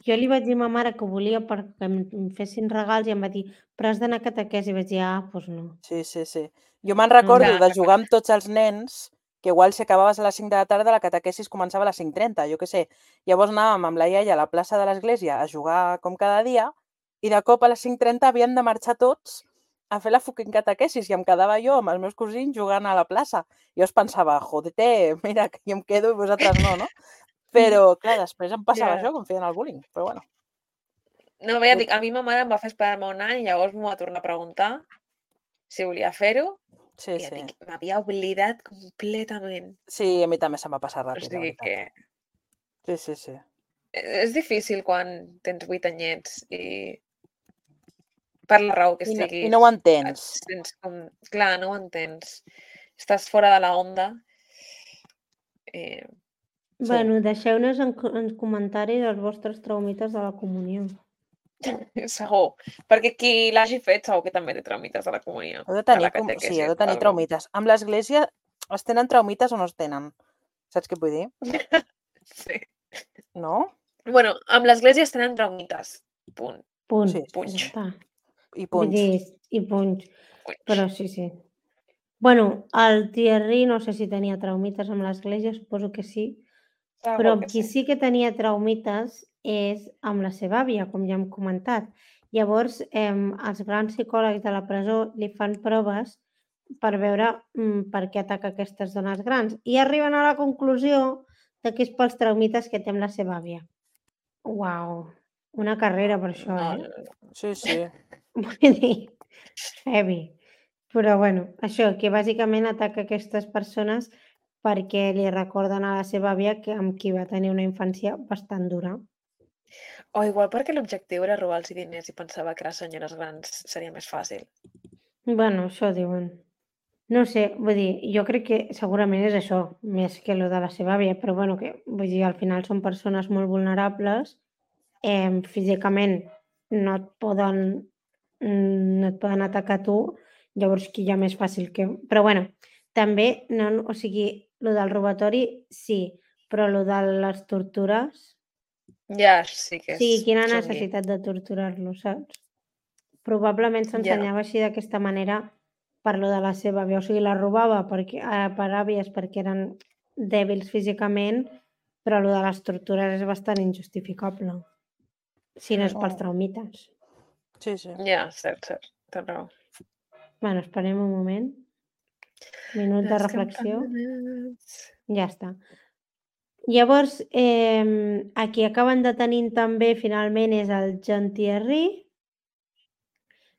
[SPEAKER 1] Jo li vaig dir a ma mare que volia perquè em em fessin regals i em va dir, però has d'anar a catequesi. I vaig dir, ah, doncs no.
[SPEAKER 3] Sí, sí, sí. Jo me'n
[SPEAKER 1] No,
[SPEAKER 3] recordo
[SPEAKER 2] Clar,
[SPEAKER 3] de
[SPEAKER 2] clar.
[SPEAKER 3] jugar amb tots els nens, que igual si acabaves a les cinc de la tarda, la catequesis començava a les cinc trenta, jo què sé. Llavors anàvem amb la iaia a la plaça de l'església a jugar com cada dia i de cop a les cinc trenta havien de marxar tots a fer la fucking catequesis i em quedava jo amb els meus cosins jugant a la plaça. Jo es pensava, jodete, mira, que jo em quedo i vosaltres no, no? Però, clar, després em passava
[SPEAKER 2] Ja.
[SPEAKER 3] això, que em feien el bullying, però bueno.
[SPEAKER 2] No, bé, ja dic, a mi ma mare em va fer esperar-me un any i llavors m'ho va tornar a preguntar si volia fer-ho
[SPEAKER 3] Sí,
[SPEAKER 2] i ja
[SPEAKER 3] sí.
[SPEAKER 2] dic, m'havia oblidat completament.
[SPEAKER 3] Sí, a mi també se'm va passar
[SPEAKER 2] O
[SPEAKER 3] ràpid, la
[SPEAKER 2] sigui
[SPEAKER 3] veritat.
[SPEAKER 2] que
[SPEAKER 3] Sí, sí, sí.
[SPEAKER 2] és difícil quan tens vuit anyets i per la raó que
[SPEAKER 3] I no,
[SPEAKER 2] siguis,
[SPEAKER 3] I no ho
[SPEAKER 2] et
[SPEAKER 3] entens.
[SPEAKER 2] sents com... Clar, no ho entens. Estàs fora de la onda. Eh,
[SPEAKER 3] Sí.
[SPEAKER 1] Bueno, deixeu-nos en, co- en comentaris els vostres traumites de la comunió.
[SPEAKER 2] segur. Perquè qui l'hagi fet segur que també té traumites de la comunió.
[SPEAKER 3] Heu de
[SPEAKER 2] De
[SPEAKER 3] tenir,
[SPEAKER 2] la
[SPEAKER 3] com... sí,
[SPEAKER 2] catequesi.
[SPEAKER 3] heu de tenir
[SPEAKER 2] algo.
[SPEAKER 3] traumites. Amb l'església es tenen traumites o no es tenen? Saps què vull dir?
[SPEAKER 2] Sí.
[SPEAKER 3] No?
[SPEAKER 2] Bueno, amb l'església es tenen traumites. Punt.
[SPEAKER 1] Punt.
[SPEAKER 3] Sí,
[SPEAKER 1] Ja
[SPEAKER 2] Punx.
[SPEAKER 1] està.
[SPEAKER 3] I
[SPEAKER 1] Vull
[SPEAKER 3] punx.
[SPEAKER 1] dir, i punts.
[SPEAKER 2] Punx.
[SPEAKER 1] Però sí, sí. Bueno, el Thierry no sé si tenia traumites amb l'església, suposo que sí,
[SPEAKER 2] Segur
[SPEAKER 1] però amb
[SPEAKER 2] que
[SPEAKER 1] qui
[SPEAKER 2] sí.
[SPEAKER 1] sí que tenia traumites és amb la seva àvia, com ja hem comentat. Llavors, eh, els grans psicòlegs de la presó li fan proves per veure mm, per què ataca aquestes dones grans i arriben a la conclusió de que és pels traumites que té amb la seva àvia. Uau, una carrera per això,
[SPEAKER 2] No,
[SPEAKER 1] eh?
[SPEAKER 2] no, no.
[SPEAKER 3] Sí, sí.
[SPEAKER 1] Vull dir, heavy. Però bueno, això, que bàsicament ataca aquestes persones perquè li recorden a la seva àvia que amb qui va tenir una infància bastant dura.
[SPEAKER 2] O igual perquè l'objectiu era robar-los diners i pensava que les senyores grans seria més fàcil.
[SPEAKER 1] Bueno, això diuen. No sé, vull dir, jo crec que segurament és això, més que lo de la seva àvia, però bueno, que vull dir, al final són persones molt vulnerables, eh, físicament no et poden no et poden atacar a tu, llavors qui hi ha més fàcil que... Però bueno, també, no, o sigui, lo del robatori sí, però lo de les tortures...
[SPEAKER 2] Ja, sí que
[SPEAKER 1] O
[SPEAKER 2] és
[SPEAKER 1] sigui, quina
[SPEAKER 2] xungui.
[SPEAKER 1] necessitat de torturar-lo, saps? Probablement
[SPEAKER 2] Ja.
[SPEAKER 1] s'ensenyava així d'aquesta manera per lo de la seva àvia. O sigui, la robava perquè, eh, per àvies perquè eren dèbils físicament, però lo de les tortures és bastant injustificable. Si no és pels
[SPEAKER 3] Oh.
[SPEAKER 1] traumites.
[SPEAKER 3] Sí, sí.
[SPEAKER 2] Ja, cert, cert. Tens raó.
[SPEAKER 1] Bueno, esperem un moment. Minut de
[SPEAKER 2] Les
[SPEAKER 1] reflexió.
[SPEAKER 2] campanes.
[SPEAKER 1] Ja està. Llavors, eh, a qui acaben detenint també finalment és el John Thierry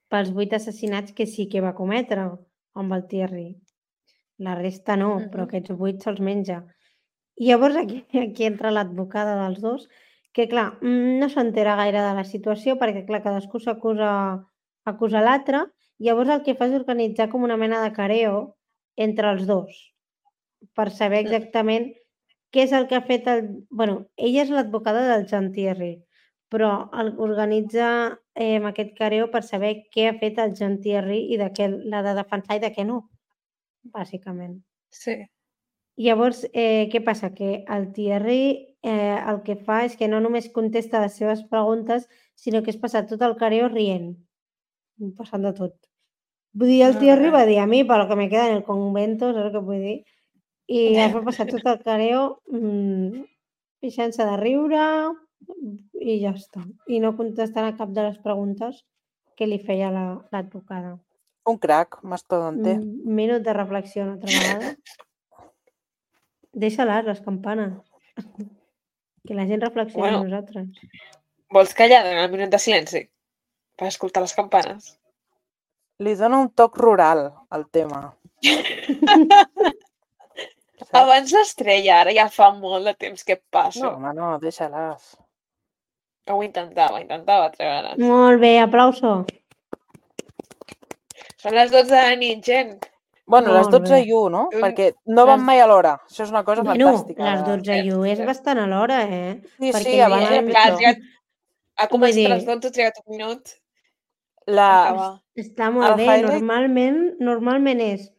[SPEAKER 1] pels vuit assassinats que sí que va cometre amb el Thierry. La resta no,
[SPEAKER 2] Mhm.
[SPEAKER 1] però aquests vuit se'ls menja. I llavors aquí, aquí entra l'advocada dels dos, que clar, mm, no s'entera gaire de la situació perquè clar, cadascú s'acusa acusa l'altre, llavors el que fa és organitzar com una mena de careo entre els dos per saber
[SPEAKER 2] Mm.
[SPEAKER 1] exactament què és el que ha fet el... bueno, ella és l'advocada del John Thierry, però el, organitza eh, aquest careo per saber què ha fet el John Thierry i de què l'ha de defensar i de què no, bàsicament.
[SPEAKER 2] Sí.
[SPEAKER 1] Llavors, eh, què passa? Que el Thierry eh, el que fa és que no només contesta les seves preguntes, sinó que es passa tot el careo rient, passant de tot. Vull dir, el Thierry va dir a mi, per lo que me queda en el convento, saps què vull dir? I es va passar tot el careo mmm, pixant-se de riure i ja està. I no contestant a cap de les preguntes que li feia l'advocada.
[SPEAKER 3] Un crac, mastodonte.
[SPEAKER 1] Un minut de reflexió una altra vegada. Deixa-les, les campanes. Que la gent reflexioni
[SPEAKER 2] Bueno.
[SPEAKER 1] amb nosaltres.
[SPEAKER 2] Vols callar durant el minut de silenci? Per escoltar les campanes?
[SPEAKER 3] Li dona un toc rural al tema. veritat.
[SPEAKER 2] Abans l'estrella, ara ja fa molt de temps que passo.
[SPEAKER 3] No, home, no, deixa-les.
[SPEAKER 2] Ho intentava, intentava treure'les.
[SPEAKER 1] Molt bé, aplauso.
[SPEAKER 2] Són les dotze de la nit, gent.
[SPEAKER 3] Bueno, les
[SPEAKER 1] Molt
[SPEAKER 3] dotze
[SPEAKER 1] bé.
[SPEAKER 3] i u, no?
[SPEAKER 2] Un-
[SPEAKER 3] Perquè no van
[SPEAKER 1] les-
[SPEAKER 3] mai a l'hora. Això és una cosa
[SPEAKER 1] Bueno,
[SPEAKER 3] fantàstica.
[SPEAKER 1] les dotze i u és bastant a l'hora, eh?
[SPEAKER 3] Sí, sí,
[SPEAKER 1] Perquè
[SPEAKER 3] abans
[SPEAKER 1] normalment-
[SPEAKER 3] era
[SPEAKER 2] Clar, ha
[SPEAKER 3] pitjor.
[SPEAKER 2] trigat... Ha
[SPEAKER 1] Vull
[SPEAKER 2] començat
[SPEAKER 1] dir-
[SPEAKER 2] a les dotze, ha trigat un minut a
[SPEAKER 3] La...
[SPEAKER 2] acabar.
[SPEAKER 1] Està molt
[SPEAKER 3] El
[SPEAKER 1] bé.
[SPEAKER 3] highlight-
[SPEAKER 1] Normalment, normalment és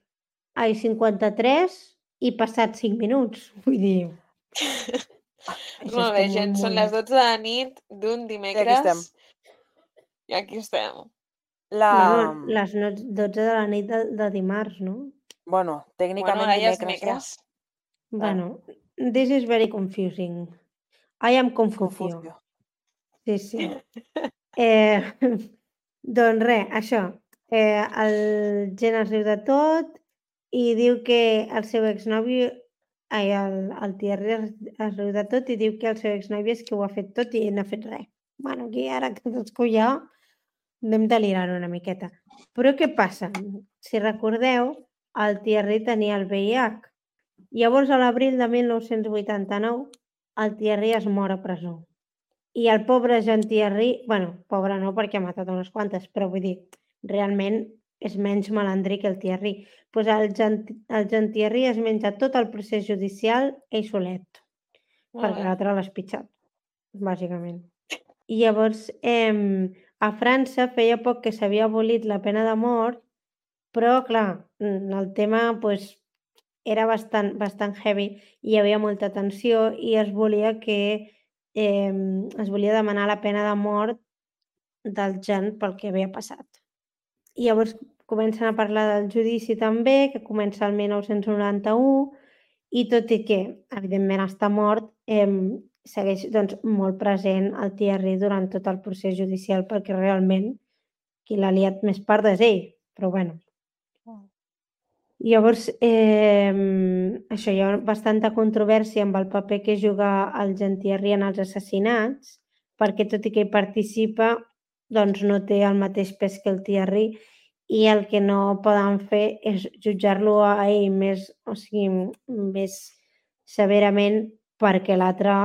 [SPEAKER 1] ai, cinquanta-tres i passat cinc minuts. Vull dir... això
[SPEAKER 2] Molt bé,
[SPEAKER 1] està
[SPEAKER 2] gent, són
[SPEAKER 1] molt
[SPEAKER 2] les
[SPEAKER 1] bé.
[SPEAKER 2] dotze de la nit d'un dimecres.
[SPEAKER 3] estem.
[SPEAKER 2] I aquí estem.
[SPEAKER 3] La...
[SPEAKER 1] Bueno, les no- dotze de la nit de, de dimarts, no?
[SPEAKER 3] Bueno,
[SPEAKER 2] Bueno,
[SPEAKER 3] tècnicament
[SPEAKER 2] ara ja és
[SPEAKER 3] dimecres ja.
[SPEAKER 2] dimecres.
[SPEAKER 1] Bueno, this is very confusing. I am confusió.
[SPEAKER 3] Confusió.
[SPEAKER 1] Sí, sí. Eh, doncs res, això. Eh, el Gen es riu de tot i diu que el seu exnòvio... Ai, el, el Thierry es, es riu de tot i diu que el seu exnòvio és que ho ha fet tot i no ha fet res. Bueno, aquí ara que cadascú ja anem delirant una miqueta. Però què passa? Si recordeu, el Thierry tenia el V I H. Llavors, a l'abril de mil nou-cents vuitanta-nou, el Thierry es mor a presó. I el pobre Jean Thierry, bueno, pobre no perquè ha matat unes quantes, però vull dir, realment és menys malandrí que el Thierry. Pues el Jean, el Jean Thierry es menja tot el procés judicial ell solet,
[SPEAKER 2] Molt
[SPEAKER 1] perquè
[SPEAKER 2] bé.
[SPEAKER 1] l'altre l'ha espitxat, bàsicament. I llavors, eh, a França feia poc que s'havia abolit la pena de mort, però, clar, el tema pues, era bastant, bastant heavy i hi havia molta tensió i es volia que eh, es volia demanar la pena de mort del Jean pel que havia passat. I llavors comencen a parlar del judici també, que comença el mil nou-cents noranta-u, i tot i que, evidentment, està mort, eh, segueix doncs, molt present el Thierry durant tot el procés judicial perquè realment qui l'ha liat més part és ell, però bueno. Llavors, eh, això, hi ha bastanta controvèrsia amb el paper que juga el Jean Thierry en els assassinats, perquè tot i que hi participa, doncs no té el mateix pes que el Thierry i el que no poden fer és jutjar-lo a ell més, o sigui, més severament perquè l'altre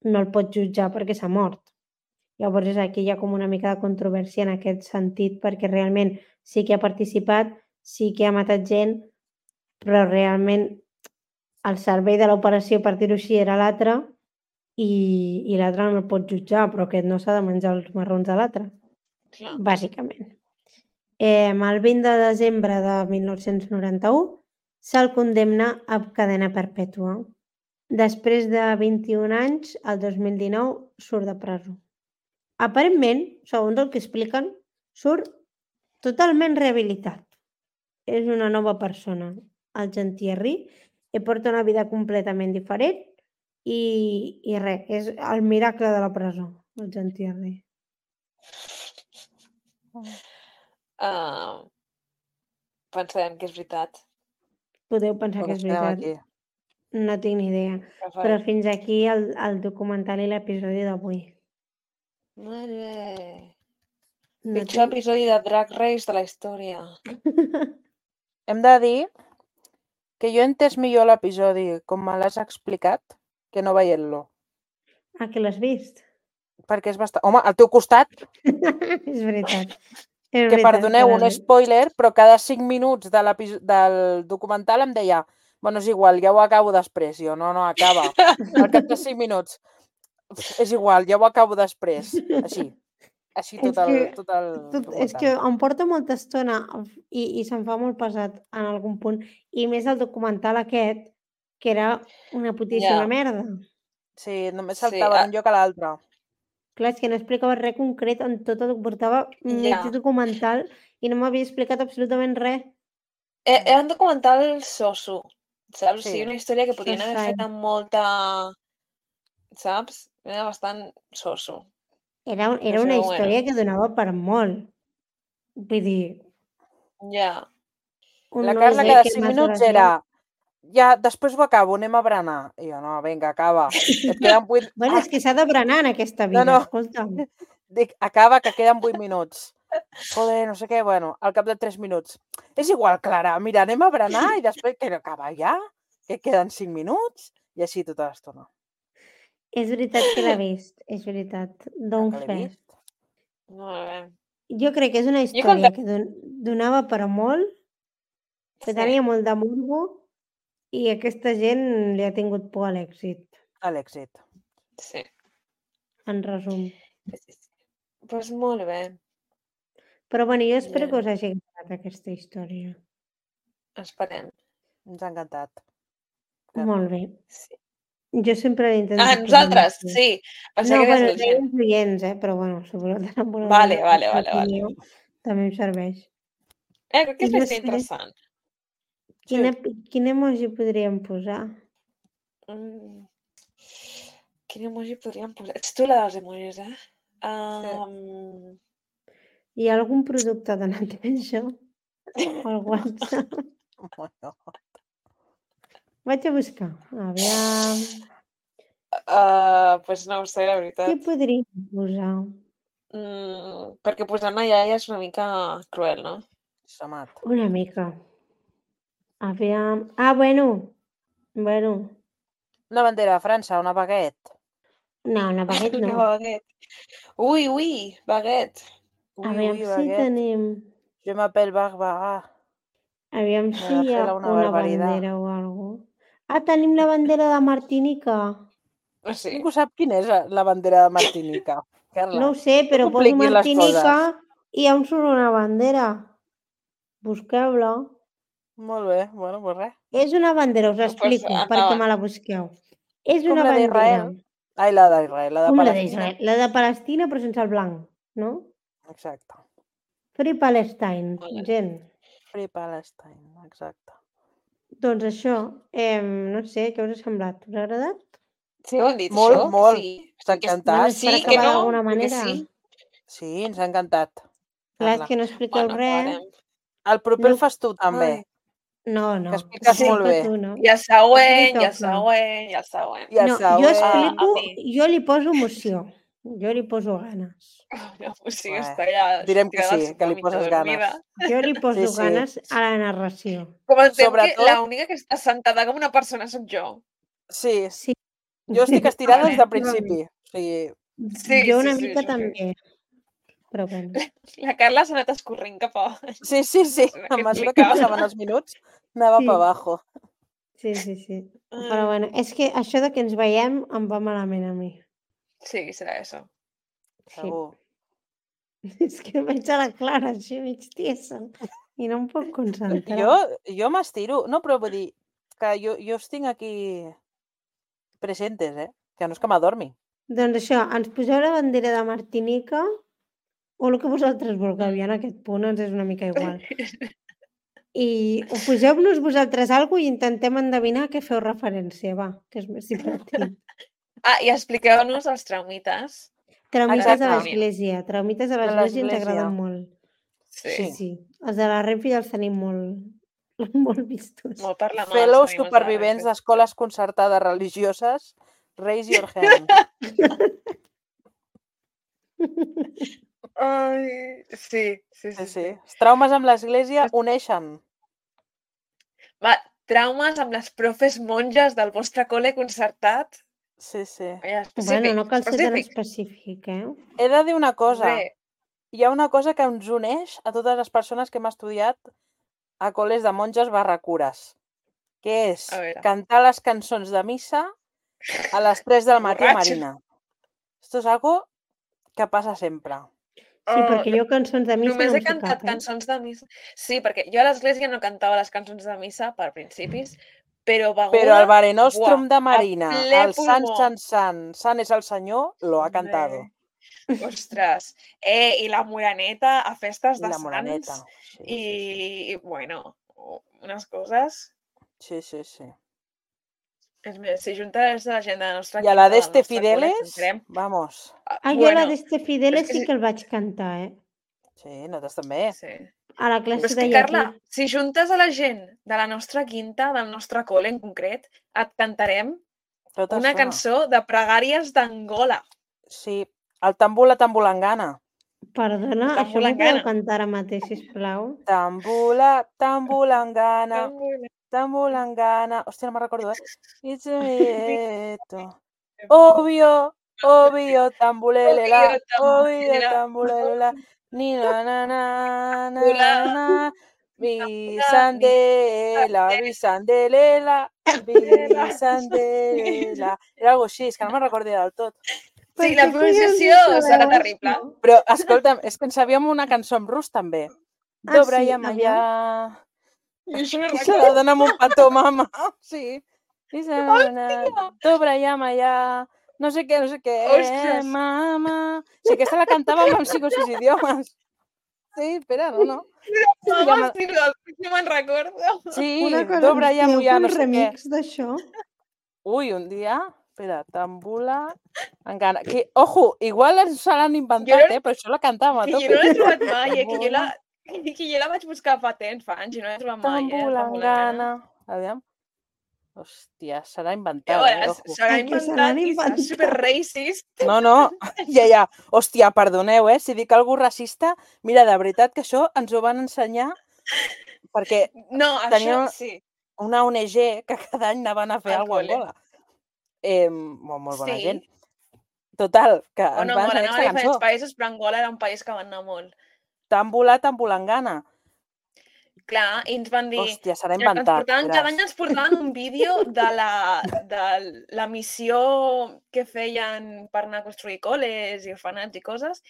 [SPEAKER 1] no el pot jutjar perquè s'ha mort. Llavors aquí hi ha com una mica de controvèrsia en aquest sentit perquè realment sí que ha participat, sí que ha matat gent, però realment el servei de l'operació, per dir-ho així, era l'altre i, i l'altre no el pot jutjar, però aquest no s'ha de menjar els marrons de l'altre,
[SPEAKER 2] Clar.
[SPEAKER 1] bàsicament. Eh, el vint de desembre de mil nou-cents noranta-u se'l condemna a cadena perpètua. Després de vint-i-un anys, el dos mil dinou, surt de presó. Aparentment, segons el que expliquen, surt totalment rehabilitat. És una nova persona, el Jean Thierry, i porta una vida completament diferent i, i res, és el miracle de la presó, el Jean Thierry.
[SPEAKER 2] Uh, pensem que és veritat.
[SPEAKER 1] Podeu pensar que és
[SPEAKER 3] Estem
[SPEAKER 1] veritat.
[SPEAKER 3] aquí.
[SPEAKER 1] No tinc ni idea.
[SPEAKER 2] Però
[SPEAKER 1] Però fins aquí el, el documental i l'episodi d'avui.
[SPEAKER 2] Molt bé.
[SPEAKER 1] No
[SPEAKER 2] Pitjor
[SPEAKER 1] tinc...
[SPEAKER 2] episodi de Drag Race de la història.
[SPEAKER 3] Hem de dir que jo he entès millor l'episodi com me l'has explicat que no veient-lo.
[SPEAKER 1] Ah, que l'has vist?
[SPEAKER 3] Perquè és bastant... Home, al teu costat,
[SPEAKER 1] És veritat. És
[SPEAKER 3] que
[SPEAKER 1] veritat
[SPEAKER 3] perdoneu
[SPEAKER 1] que
[SPEAKER 3] un
[SPEAKER 1] l'has vist.
[SPEAKER 3] spoiler, però cada cinc minuts de l'episo- del documental em deia bueno, és igual, ja ho acabo després. Jo, no, no, acaba. Al cap de cinc minuts. És igual, ja ho acabo després. Així. Així tot
[SPEAKER 1] És
[SPEAKER 3] el,
[SPEAKER 1] que-
[SPEAKER 3] tot el
[SPEAKER 1] Tot, és
[SPEAKER 3] documental.
[SPEAKER 1] que em porta molta estona i, i se'm fa molt pesat en algun punt. I més el documental aquest, que era una putíssima
[SPEAKER 2] Ja.
[SPEAKER 1] merda.
[SPEAKER 3] Sí, només
[SPEAKER 2] Sí,
[SPEAKER 3] saltava
[SPEAKER 2] ah.
[SPEAKER 3] d'un lloc a l'altre.
[SPEAKER 1] Clar, és que no explicava res concret en tot el portava mig
[SPEAKER 2] Ja.
[SPEAKER 1] documental i no m'havia explicat absolutament res.
[SPEAKER 2] Eh, Era un documental soso, saps?
[SPEAKER 3] Sí.
[SPEAKER 2] Sí. Una història que podrien haver
[SPEAKER 1] Sosai.
[SPEAKER 2] fet amb molta... Saps? Era bastant soso.
[SPEAKER 1] Era, un- era
[SPEAKER 2] Però
[SPEAKER 1] una
[SPEAKER 2] bueno.
[SPEAKER 1] història que donava per molt. Vull dir,
[SPEAKER 2] Ja.
[SPEAKER 1] un
[SPEAKER 3] La
[SPEAKER 1] no
[SPEAKER 3] Carla
[SPEAKER 1] sé
[SPEAKER 3] cada
[SPEAKER 1] què
[SPEAKER 3] cinc
[SPEAKER 1] més
[SPEAKER 3] minuts
[SPEAKER 1] gràcia.
[SPEAKER 3] era ja, després ho acabo, anem a berenar. I jo, no, vinga, acaba. Et queden vuit...
[SPEAKER 1] Bueno, és que s'ha de berenar en aquesta vida,
[SPEAKER 3] no.
[SPEAKER 1] escolta'm.
[SPEAKER 3] Dic, acaba, que queden vuit minuts. Joder, no sé què, bueno, al cap de tres minuts. És igual, Clara, mira, anem a berenar i després que no acaba ja. que queden cinc minuts i així tota l'estona.
[SPEAKER 1] És veritat que l'he vist, és veritat. Don
[SPEAKER 3] Que l'he
[SPEAKER 1] fe.
[SPEAKER 3] vist.
[SPEAKER 4] Molt bé.
[SPEAKER 1] Jo crec que és una
[SPEAKER 4] Jo
[SPEAKER 1] història
[SPEAKER 4] quan...
[SPEAKER 1] que don donava per a molt, que
[SPEAKER 4] Sí.
[SPEAKER 1] tenia molt de morbo i aquesta gent li ha tingut por a l'èxit,
[SPEAKER 3] A l'èxit.
[SPEAKER 4] Sí.
[SPEAKER 1] en resum.
[SPEAKER 4] Doncs pues molt bé.
[SPEAKER 1] Però bueno, jo espero
[SPEAKER 4] Ja.
[SPEAKER 1] que us hagi agradat aquesta història.
[SPEAKER 4] Esperem.
[SPEAKER 3] Ens ha encantat. Clar.
[SPEAKER 1] Molt bé.
[SPEAKER 4] Sí.
[SPEAKER 1] Jo sempre intento...
[SPEAKER 4] Ah, nosaltres,
[SPEAKER 1] posar-me-
[SPEAKER 4] sí. Pensava
[SPEAKER 1] No,
[SPEAKER 4] que
[SPEAKER 1] bueno,
[SPEAKER 4] deies la gent.
[SPEAKER 1] deien oients, eh? Però bueno, si voleu anar amb una
[SPEAKER 4] Vale,
[SPEAKER 1] bona
[SPEAKER 4] vale, vale, vale.
[SPEAKER 1] opinió, també em serveix.
[SPEAKER 4] Eh, crec que és
[SPEAKER 1] I no
[SPEAKER 4] una història
[SPEAKER 1] sé.
[SPEAKER 4] interessant.
[SPEAKER 1] Quina, quin emoji podríem posar?
[SPEAKER 4] Mm. Quin emoji podríem posar? Ets tu la dels emojis, eh? Um...
[SPEAKER 1] Hi ha algun producte de neteja al WhatsApp?
[SPEAKER 3] Oh, no.
[SPEAKER 1] Vaig a buscar. Aviam.
[SPEAKER 4] Uh, pues no ho sé, la
[SPEAKER 1] Què
[SPEAKER 4] veritat.
[SPEAKER 1] podríem posar?
[SPEAKER 4] Mm, perquè posar una iaia és una mica cruel, no?
[SPEAKER 3] Samat.
[SPEAKER 1] Una mica. Aviam. Ah, bueno. Bueno.
[SPEAKER 3] Una bandera de França, una baguette.
[SPEAKER 1] No, una baguette
[SPEAKER 4] Una
[SPEAKER 1] no.
[SPEAKER 4] baguette. Ui, ui, baguette.
[SPEAKER 3] Ui,
[SPEAKER 1] Aviam
[SPEAKER 3] ui,
[SPEAKER 1] si
[SPEAKER 3] baguette.
[SPEAKER 1] tenim...
[SPEAKER 3] Je m'appelle Barbara.
[SPEAKER 1] Aviam
[SPEAKER 3] Me
[SPEAKER 1] si
[SPEAKER 3] va
[SPEAKER 1] hi
[SPEAKER 3] fer
[SPEAKER 1] ha
[SPEAKER 3] la
[SPEAKER 1] una,
[SPEAKER 3] una barbaridad.
[SPEAKER 1] bandera o alguna cosa. Ah, tenim la bandera de Martinica.
[SPEAKER 4] Ah, sí.
[SPEAKER 3] Ningú sap quina és la bandera de Martinica. Carla,
[SPEAKER 1] No ho sé, però
[SPEAKER 3] no
[SPEAKER 1] poso
[SPEAKER 3] compliquis les
[SPEAKER 1] Martinica
[SPEAKER 3] coses.
[SPEAKER 1] i on surt una bandera. Busqueu-la.
[SPEAKER 3] Molt bé, bueno, pues res.
[SPEAKER 1] És una bandera, us
[SPEAKER 4] Pues
[SPEAKER 1] explico,
[SPEAKER 4] endavant.
[SPEAKER 1] perquè me la busqueu. És
[SPEAKER 3] Com
[SPEAKER 1] una
[SPEAKER 3] la
[SPEAKER 1] bandera.
[SPEAKER 3] d'Israel. Ai, la d'Israel, la de
[SPEAKER 1] Com la
[SPEAKER 3] Palestina.
[SPEAKER 1] d'Israel? La de Palestina, però sense el blanc, no?
[SPEAKER 3] Exacte.
[SPEAKER 1] Free Palestine,
[SPEAKER 4] Vale.
[SPEAKER 1] gent.
[SPEAKER 3] Free Palestine, exacte.
[SPEAKER 1] Doncs això, eh, no sé, què us ha semblat? Us ha agradat?
[SPEAKER 4] Sí, ho han dit,
[SPEAKER 3] Molt,
[SPEAKER 4] això?
[SPEAKER 3] molt.
[SPEAKER 4] Sí.
[SPEAKER 3] Està
[SPEAKER 4] Que és-
[SPEAKER 3] encantat.
[SPEAKER 1] Bueno, és
[SPEAKER 4] Sí,
[SPEAKER 1] per
[SPEAKER 4] que
[SPEAKER 1] acabar
[SPEAKER 4] no,
[SPEAKER 1] d'alguna
[SPEAKER 4] perquè
[SPEAKER 1] manera.
[SPEAKER 4] sí.
[SPEAKER 3] Sí, ens ha encantat.
[SPEAKER 1] Clar, és
[SPEAKER 3] Carla.
[SPEAKER 1] que no expliqueu
[SPEAKER 4] Bueno,
[SPEAKER 1] res.
[SPEAKER 4] acabarem.
[SPEAKER 3] El proper
[SPEAKER 1] No.
[SPEAKER 3] el fas tu, també.
[SPEAKER 4] Ai.
[SPEAKER 1] No, no.
[SPEAKER 3] Que expliques
[SPEAKER 4] Sí.
[SPEAKER 3] molt bé.
[SPEAKER 1] Tu, no?
[SPEAKER 4] I el
[SPEAKER 1] A tu li
[SPEAKER 4] següent, i el
[SPEAKER 1] toca.
[SPEAKER 4] següent, i el següent.
[SPEAKER 3] I el
[SPEAKER 1] No, jo
[SPEAKER 3] següent.
[SPEAKER 1] explico,
[SPEAKER 4] A mi.
[SPEAKER 1] jo li poso emoció. Jo li poso ganes.
[SPEAKER 4] No, pues sí,
[SPEAKER 3] Bé,
[SPEAKER 4] està ja
[SPEAKER 3] direm que
[SPEAKER 4] tirada al
[SPEAKER 3] sí,
[SPEAKER 4] sofà
[SPEAKER 3] que li
[SPEAKER 4] mitja
[SPEAKER 3] poses
[SPEAKER 4] dormida.
[SPEAKER 3] ganes.
[SPEAKER 1] Jo li poso
[SPEAKER 3] Sí, sí.
[SPEAKER 1] ganes a la narració.
[SPEAKER 4] Comentem que
[SPEAKER 3] Sobretot-
[SPEAKER 4] l'única que està sentada com una persona sóc jo.
[SPEAKER 3] Sí,
[SPEAKER 1] Sí.
[SPEAKER 3] jo estic estirada des del
[SPEAKER 4] Vale.
[SPEAKER 3] principi. O sigui,
[SPEAKER 4] Sí,
[SPEAKER 1] jo
[SPEAKER 4] sí,
[SPEAKER 1] una
[SPEAKER 4] sí,
[SPEAKER 1] mica
[SPEAKER 4] això
[SPEAKER 1] també. Però bueno.
[SPEAKER 4] La Carla s'ha anat escorrent cap a baix.
[SPEAKER 3] sí, sí, sí.
[SPEAKER 4] No sé
[SPEAKER 3] A
[SPEAKER 4] què
[SPEAKER 3] mesura que
[SPEAKER 4] explicava.
[SPEAKER 3] passaven els minuts, anava
[SPEAKER 1] Sí.
[SPEAKER 3] per abajo.
[SPEAKER 1] Sí, sí, sí.
[SPEAKER 4] Ai.
[SPEAKER 1] Però bueno, és que això de que ens veiem em va malament a mi.
[SPEAKER 4] Sí, serà això.
[SPEAKER 1] Sí.
[SPEAKER 3] Segur.
[SPEAKER 1] És que veig a la Clara així mig tiesa i no em puc concentrar.
[SPEAKER 3] Jo, jo m'estiro. No, però vull dir que jo, jo els tinc aquí presentes, eh? Que no és que m'adormi.
[SPEAKER 1] Doncs això, ens poseu la bandera de Martinica o el que vosaltres vulgueu, ja en aquest punt ens és una mica igual. I ho poseu-nos vosaltres alguna cosa i intentem endevinar a què feu referència, va, que és més divertit.
[SPEAKER 4] Ah, i expliqueu-nos els traumites.
[SPEAKER 1] Traumites
[SPEAKER 3] Exacte.
[SPEAKER 1] de l'església. Traumites de
[SPEAKER 3] De
[SPEAKER 1] l'església ens
[SPEAKER 3] l'església.
[SPEAKER 1] agraden molt.
[SPEAKER 4] Sí.
[SPEAKER 1] Sí, sí. Els de la Renfe ja els tenim molt, molt vistos.
[SPEAKER 4] Molt per la mà.
[SPEAKER 3] Fellow
[SPEAKER 4] els tenim els
[SPEAKER 3] supervivents
[SPEAKER 4] de la
[SPEAKER 3] d'escoles concertades religioses, raise your hand.
[SPEAKER 4] Ai, sí, sí,
[SPEAKER 3] Sí,
[SPEAKER 4] sí.
[SPEAKER 3] sí. Els traumes amb l'església uneixen.
[SPEAKER 4] Va, traumes amb les profes monges del vostre col·le concertat.
[SPEAKER 3] Sí, sí.
[SPEAKER 4] Ja,
[SPEAKER 1] Bueno, no cal ser tan
[SPEAKER 4] específic.
[SPEAKER 1] específic, eh?
[SPEAKER 3] He de dir una cosa.
[SPEAKER 4] Bé,
[SPEAKER 3] Hi ha una cosa que ens uneix a totes les persones que hem estudiat a col·les de monges barra cures, que és
[SPEAKER 4] A veure.
[SPEAKER 3] cantar les cançons de missa a les tres del matí a
[SPEAKER 4] Borratxo.
[SPEAKER 3] Marina. Esto es algo que passa sempre.
[SPEAKER 1] Sí,
[SPEAKER 4] Oh,
[SPEAKER 1] perquè jo cançons de missa
[SPEAKER 4] només
[SPEAKER 1] no
[SPEAKER 4] he
[SPEAKER 1] en sé
[SPEAKER 4] cantat
[SPEAKER 1] cap, eh?
[SPEAKER 4] cançons de missa. Sí, perquè jo a l'església no cantava les cançons de missa per principis, però beguda...
[SPEAKER 3] Però el Mare Nostrum
[SPEAKER 4] buah,
[SPEAKER 3] de Marina,
[SPEAKER 4] a ple
[SPEAKER 3] el Sant,
[SPEAKER 4] pulmó.
[SPEAKER 3] Sant, Sant, Sant és el Senyor, lo ha cantado.
[SPEAKER 4] Ostres. Eh, i la Moraneta a festes
[SPEAKER 3] I
[SPEAKER 4] de
[SPEAKER 3] la
[SPEAKER 4] Sants.
[SPEAKER 3] Moraneta. Sí,
[SPEAKER 4] I,
[SPEAKER 3] sí,
[SPEAKER 4] i, bueno, unes coses...
[SPEAKER 3] sí, sí, sí.
[SPEAKER 4] És més, si juntes la gent de la nostra
[SPEAKER 3] I a la
[SPEAKER 4] quinta, del
[SPEAKER 3] d'Este
[SPEAKER 4] nostre col·le,
[SPEAKER 3] Fideles,
[SPEAKER 4] cantarem...
[SPEAKER 3] vamos.
[SPEAKER 1] Ah, jo la d'Este Fideles
[SPEAKER 4] és que
[SPEAKER 1] sí
[SPEAKER 4] si-
[SPEAKER 1] que el vaig cantar, eh?
[SPEAKER 3] Sí, nosaltres també.
[SPEAKER 4] Sí.
[SPEAKER 1] A la
[SPEAKER 4] Però
[SPEAKER 1] classe
[SPEAKER 4] és
[SPEAKER 1] de
[SPEAKER 4] que,
[SPEAKER 1] llatí.
[SPEAKER 4] Carla, si juntes a la gent de la nostra quinta, del nostre col·le en concret, et cantarem
[SPEAKER 3] Tota
[SPEAKER 4] una
[SPEAKER 3] estona.
[SPEAKER 4] cançó de pregàries d'Angola.
[SPEAKER 3] Sí, el tambula tambulangana.
[SPEAKER 1] Perdona,
[SPEAKER 4] Està
[SPEAKER 1] això
[SPEAKER 4] molt
[SPEAKER 1] m'ho
[SPEAKER 4] en
[SPEAKER 1] podeu
[SPEAKER 4] gana.
[SPEAKER 1] cantar ara mateix, sisplau?
[SPEAKER 3] Tambula tambulangana. Tambulangana... Hòstia, no me'n recordo, eh? It's a mieto. Obvio, obvio, tambulelela, obvio, tambulelela. Ni na na na na na na. Bisandela, bisandelela, bisandelela. Era algo així, és que no me'n recordo del tot.
[SPEAKER 2] Sí, la pronunciació serà terrible.
[SPEAKER 3] Però, escolta'm, és que ens sabíem una cançó en rus, també.
[SPEAKER 1] Ah,
[SPEAKER 3] Dobra
[SPEAKER 1] sí?
[SPEAKER 3] i amallà.
[SPEAKER 2] I això no
[SPEAKER 3] I se la dona amb un petó, mama. Sí. I se la dona... Dobra i amallà. No sé què, no sé què.
[SPEAKER 2] Ostres.
[SPEAKER 3] Mama. Sí, aquesta la cantàvem amb cinc o sis idiomes. Sí, espera, no, no.
[SPEAKER 2] Mama, sí, no, no me'n recordo.
[SPEAKER 3] Sí,
[SPEAKER 1] Una cosa,
[SPEAKER 3] dobra i
[SPEAKER 1] podeu
[SPEAKER 3] amallà,
[SPEAKER 1] fer
[SPEAKER 3] no
[SPEAKER 1] un
[SPEAKER 3] sé què.
[SPEAKER 1] remix d'això?
[SPEAKER 3] Ui, un dia... Espera, tambula... Engana. Que, ojo, igual se l'han inventat,
[SPEAKER 2] no-
[SPEAKER 3] eh? Però això la cantàvem a
[SPEAKER 2] Que jo
[SPEAKER 3] tope.
[SPEAKER 2] no l'he trobat mai, eh? Que jo la, que jo la vaig buscar fa temps, fa anys, i no l'he trobat mai, eh?
[SPEAKER 3] Tambulangana. Aviam. Hòstia, serà
[SPEAKER 2] A
[SPEAKER 3] inventada,
[SPEAKER 2] veure,
[SPEAKER 3] eh? Ojo.
[SPEAKER 2] serà
[SPEAKER 1] Ai, que se l'han
[SPEAKER 2] inventat i serà
[SPEAKER 1] inventat.
[SPEAKER 2] super racist.
[SPEAKER 3] No, no, ja, ja. Hòstia, perdoneu, eh? Si dic alguna racista, mira, de veritat que això ens ho van ensenyar perquè
[SPEAKER 2] No,
[SPEAKER 3] Tenia-
[SPEAKER 2] això sí.
[SPEAKER 3] una O N G que cada any anaven a fer
[SPEAKER 2] Al
[SPEAKER 3] alguna cosa a
[SPEAKER 2] col·le.
[SPEAKER 3] Angola. Eh, molt, molt bona
[SPEAKER 2] Sí.
[SPEAKER 3] gent. Total, que ens
[SPEAKER 2] Bueno,
[SPEAKER 3] van
[SPEAKER 2] Angola
[SPEAKER 3] ensenyar
[SPEAKER 2] anava a
[SPEAKER 3] aquesta
[SPEAKER 2] diferents
[SPEAKER 3] cançó.
[SPEAKER 2] països, però Angola era un país que va anar molt.
[SPEAKER 3] Tambula, tambulangana.
[SPEAKER 2] Clar, i ens van dir...
[SPEAKER 3] Hòstia, serà
[SPEAKER 2] Ens
[SPEAKER 3] inventat.
[SPEAKER 2] portaven, cada
[SPEAKER 3] veràs.
[SPEAKER 2] any ens portaven un vídeo de la, de la missió que feien per anar a construir col·les i orfenats i coses.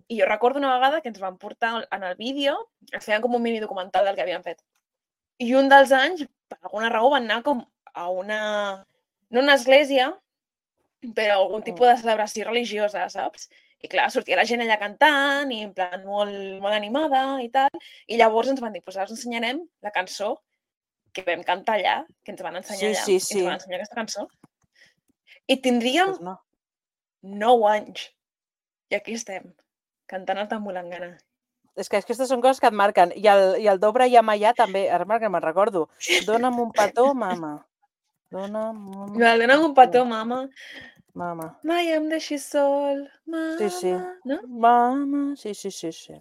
[SPEAKER 2] I jo recordo una vegada que ens van portar en el vídeo, ens feien com un mini documental del que havien fet. I un dels anys, per alguna raó, van anar com a una... no una església, però algun tipus de celebració religiosa, saps? I clar, sortia la gent allà cantant i en plan molt, molt animada i tal. I llavors ens van dir, doncs ara us ensenyarem la cançó que vam cantar allà, que ens van ensenyar
[SPEAKER 3] Sí,
[SPEAKER 2] allà.
[SPEAKER 3] sí,
[SPEAKER 2] I
[SPEAKER 3] sí.
[SPEAKER 2] ens van ensenyar aquesta cançó. I tindríem
[SPEAKER 3] Pues no.
[SPEAKER 2] nou anys. I aquí estem, cantant el Tambulangana.
[SPEAKER 3] És que aquestes són coses que et marquen. I el, i el Dobra i Amallà també, ara que me'n recordo. Dona'm un petó, mama. Dona'm un...
[SPEAKER 2] Me dona'm un petó, mama.
[SPEAKER 3] Mama.
[SPEAKER 2] Mai em deixis sol, mama.
[SPEAKER 3] Sí, sí.
[SPEAKER 2] No?
[SPEAKER 3] Mama, sí, sí, sí, sí.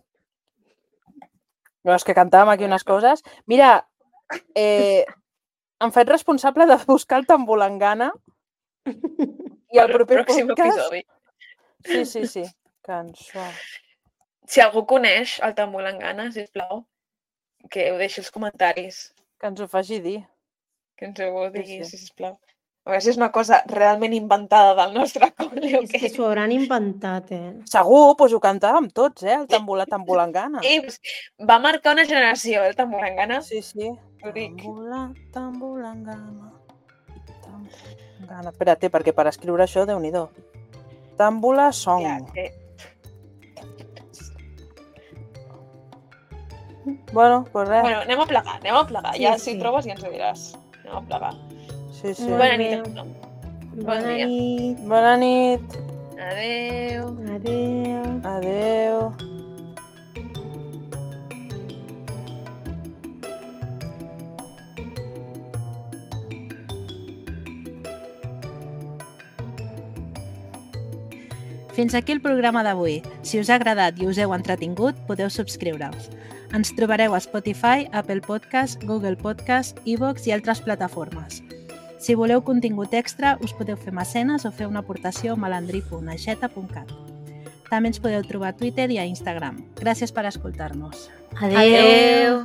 [SPEAKER 3] No, és que cantàvem aquí unes coses. Mira, eh, em faig responsable de buscar el Tambulangana i el
[SPEAKER 2] Per
[SPEAKER 3] proper
[SPEAKER 2] pròxim
[SPEAKER 3] podcast...
[SPEAKER 2] episodi.
[SPEAKER 3] Sí, sí, sí. Cançó.
[SPEAKER 2] Si algú coneix el Tambulangana, sisplau, que ho deixi als comentaris.
[SPEAKER 3] Que ens ho faci dir.
[SPEAKER 2] Que ens ho
[SPEAKER 3] Sí,
[SPEAKER 2] digui,
[SPEAKER 3] sí.
[SPEAKER 2] sisplau. A veure si és una cosa realment inventada del nostre col·le o
[SPEAKER 1] És que
[SPEAKER 2] què.
[SPEAKER 1] s'ho hauran inventat, eh?
[SPEAKER 3] Segur, doncs ho cantàvem tots, eh? El tambula, Tambulangana.
[SPEAKER 2] I pues, va marcar una generació, el Tambulangana.
[SPEAKER 3] Sí, sí.
[SPEAKER 2] Ho dic.
[SPEAKER 3] Tambula, Tambulangana. Tambulangana. Espera't, perquè per escriure això, Déu-n'hi-do. Tambula song.
[SPEAKER 2] Ja, que...
[SPEAKER 3] Bueno, doncs res.
[SPEAKER 2] Bueno, anem a plegar, anem a plegar.
[SPEAKER 1] Sí,
[SPEAKER 2] Ja
[SPEAKER 1] sí.
[SPEAKER 2] si trobes ja ens ho diràs. Anem a plegar.
[SPEAKER 3] Sí, sí.
[SPEAKER 1] Molt
[SPEAKER 2] Bona
[SPEAKER 1] bé.
[SPEAKER 2] nit a tothom.
[SPEAKER 1] Bona
[SPEAKER 2] dia.
[SPEAKER 1] nit.
[SPEAKER 3] Bona nit.
[SPEAKER 2] Adeu.
[SPEAKER 1] Adéu.
[SPEAKER 3] Adeu.
[SPEAKER 5] Fins aquí el programa d'avui. Si us ha agradat i us heu entretingut, podeu subscriure-us. Ens trobareu a Spotify, Apple Podcast, Google Podcast, iVoox i altres plataformes. Si voleu contingut extra, us podeu fer mecenes o fer una aportació a malandrí punt aixeta punt cat. També ens podeu trobar a Twitter i a Instagram. Gràcies per escoltar-nos.
[SPEAKER 1] Adéu.
[SPEAKER 2] Adeu.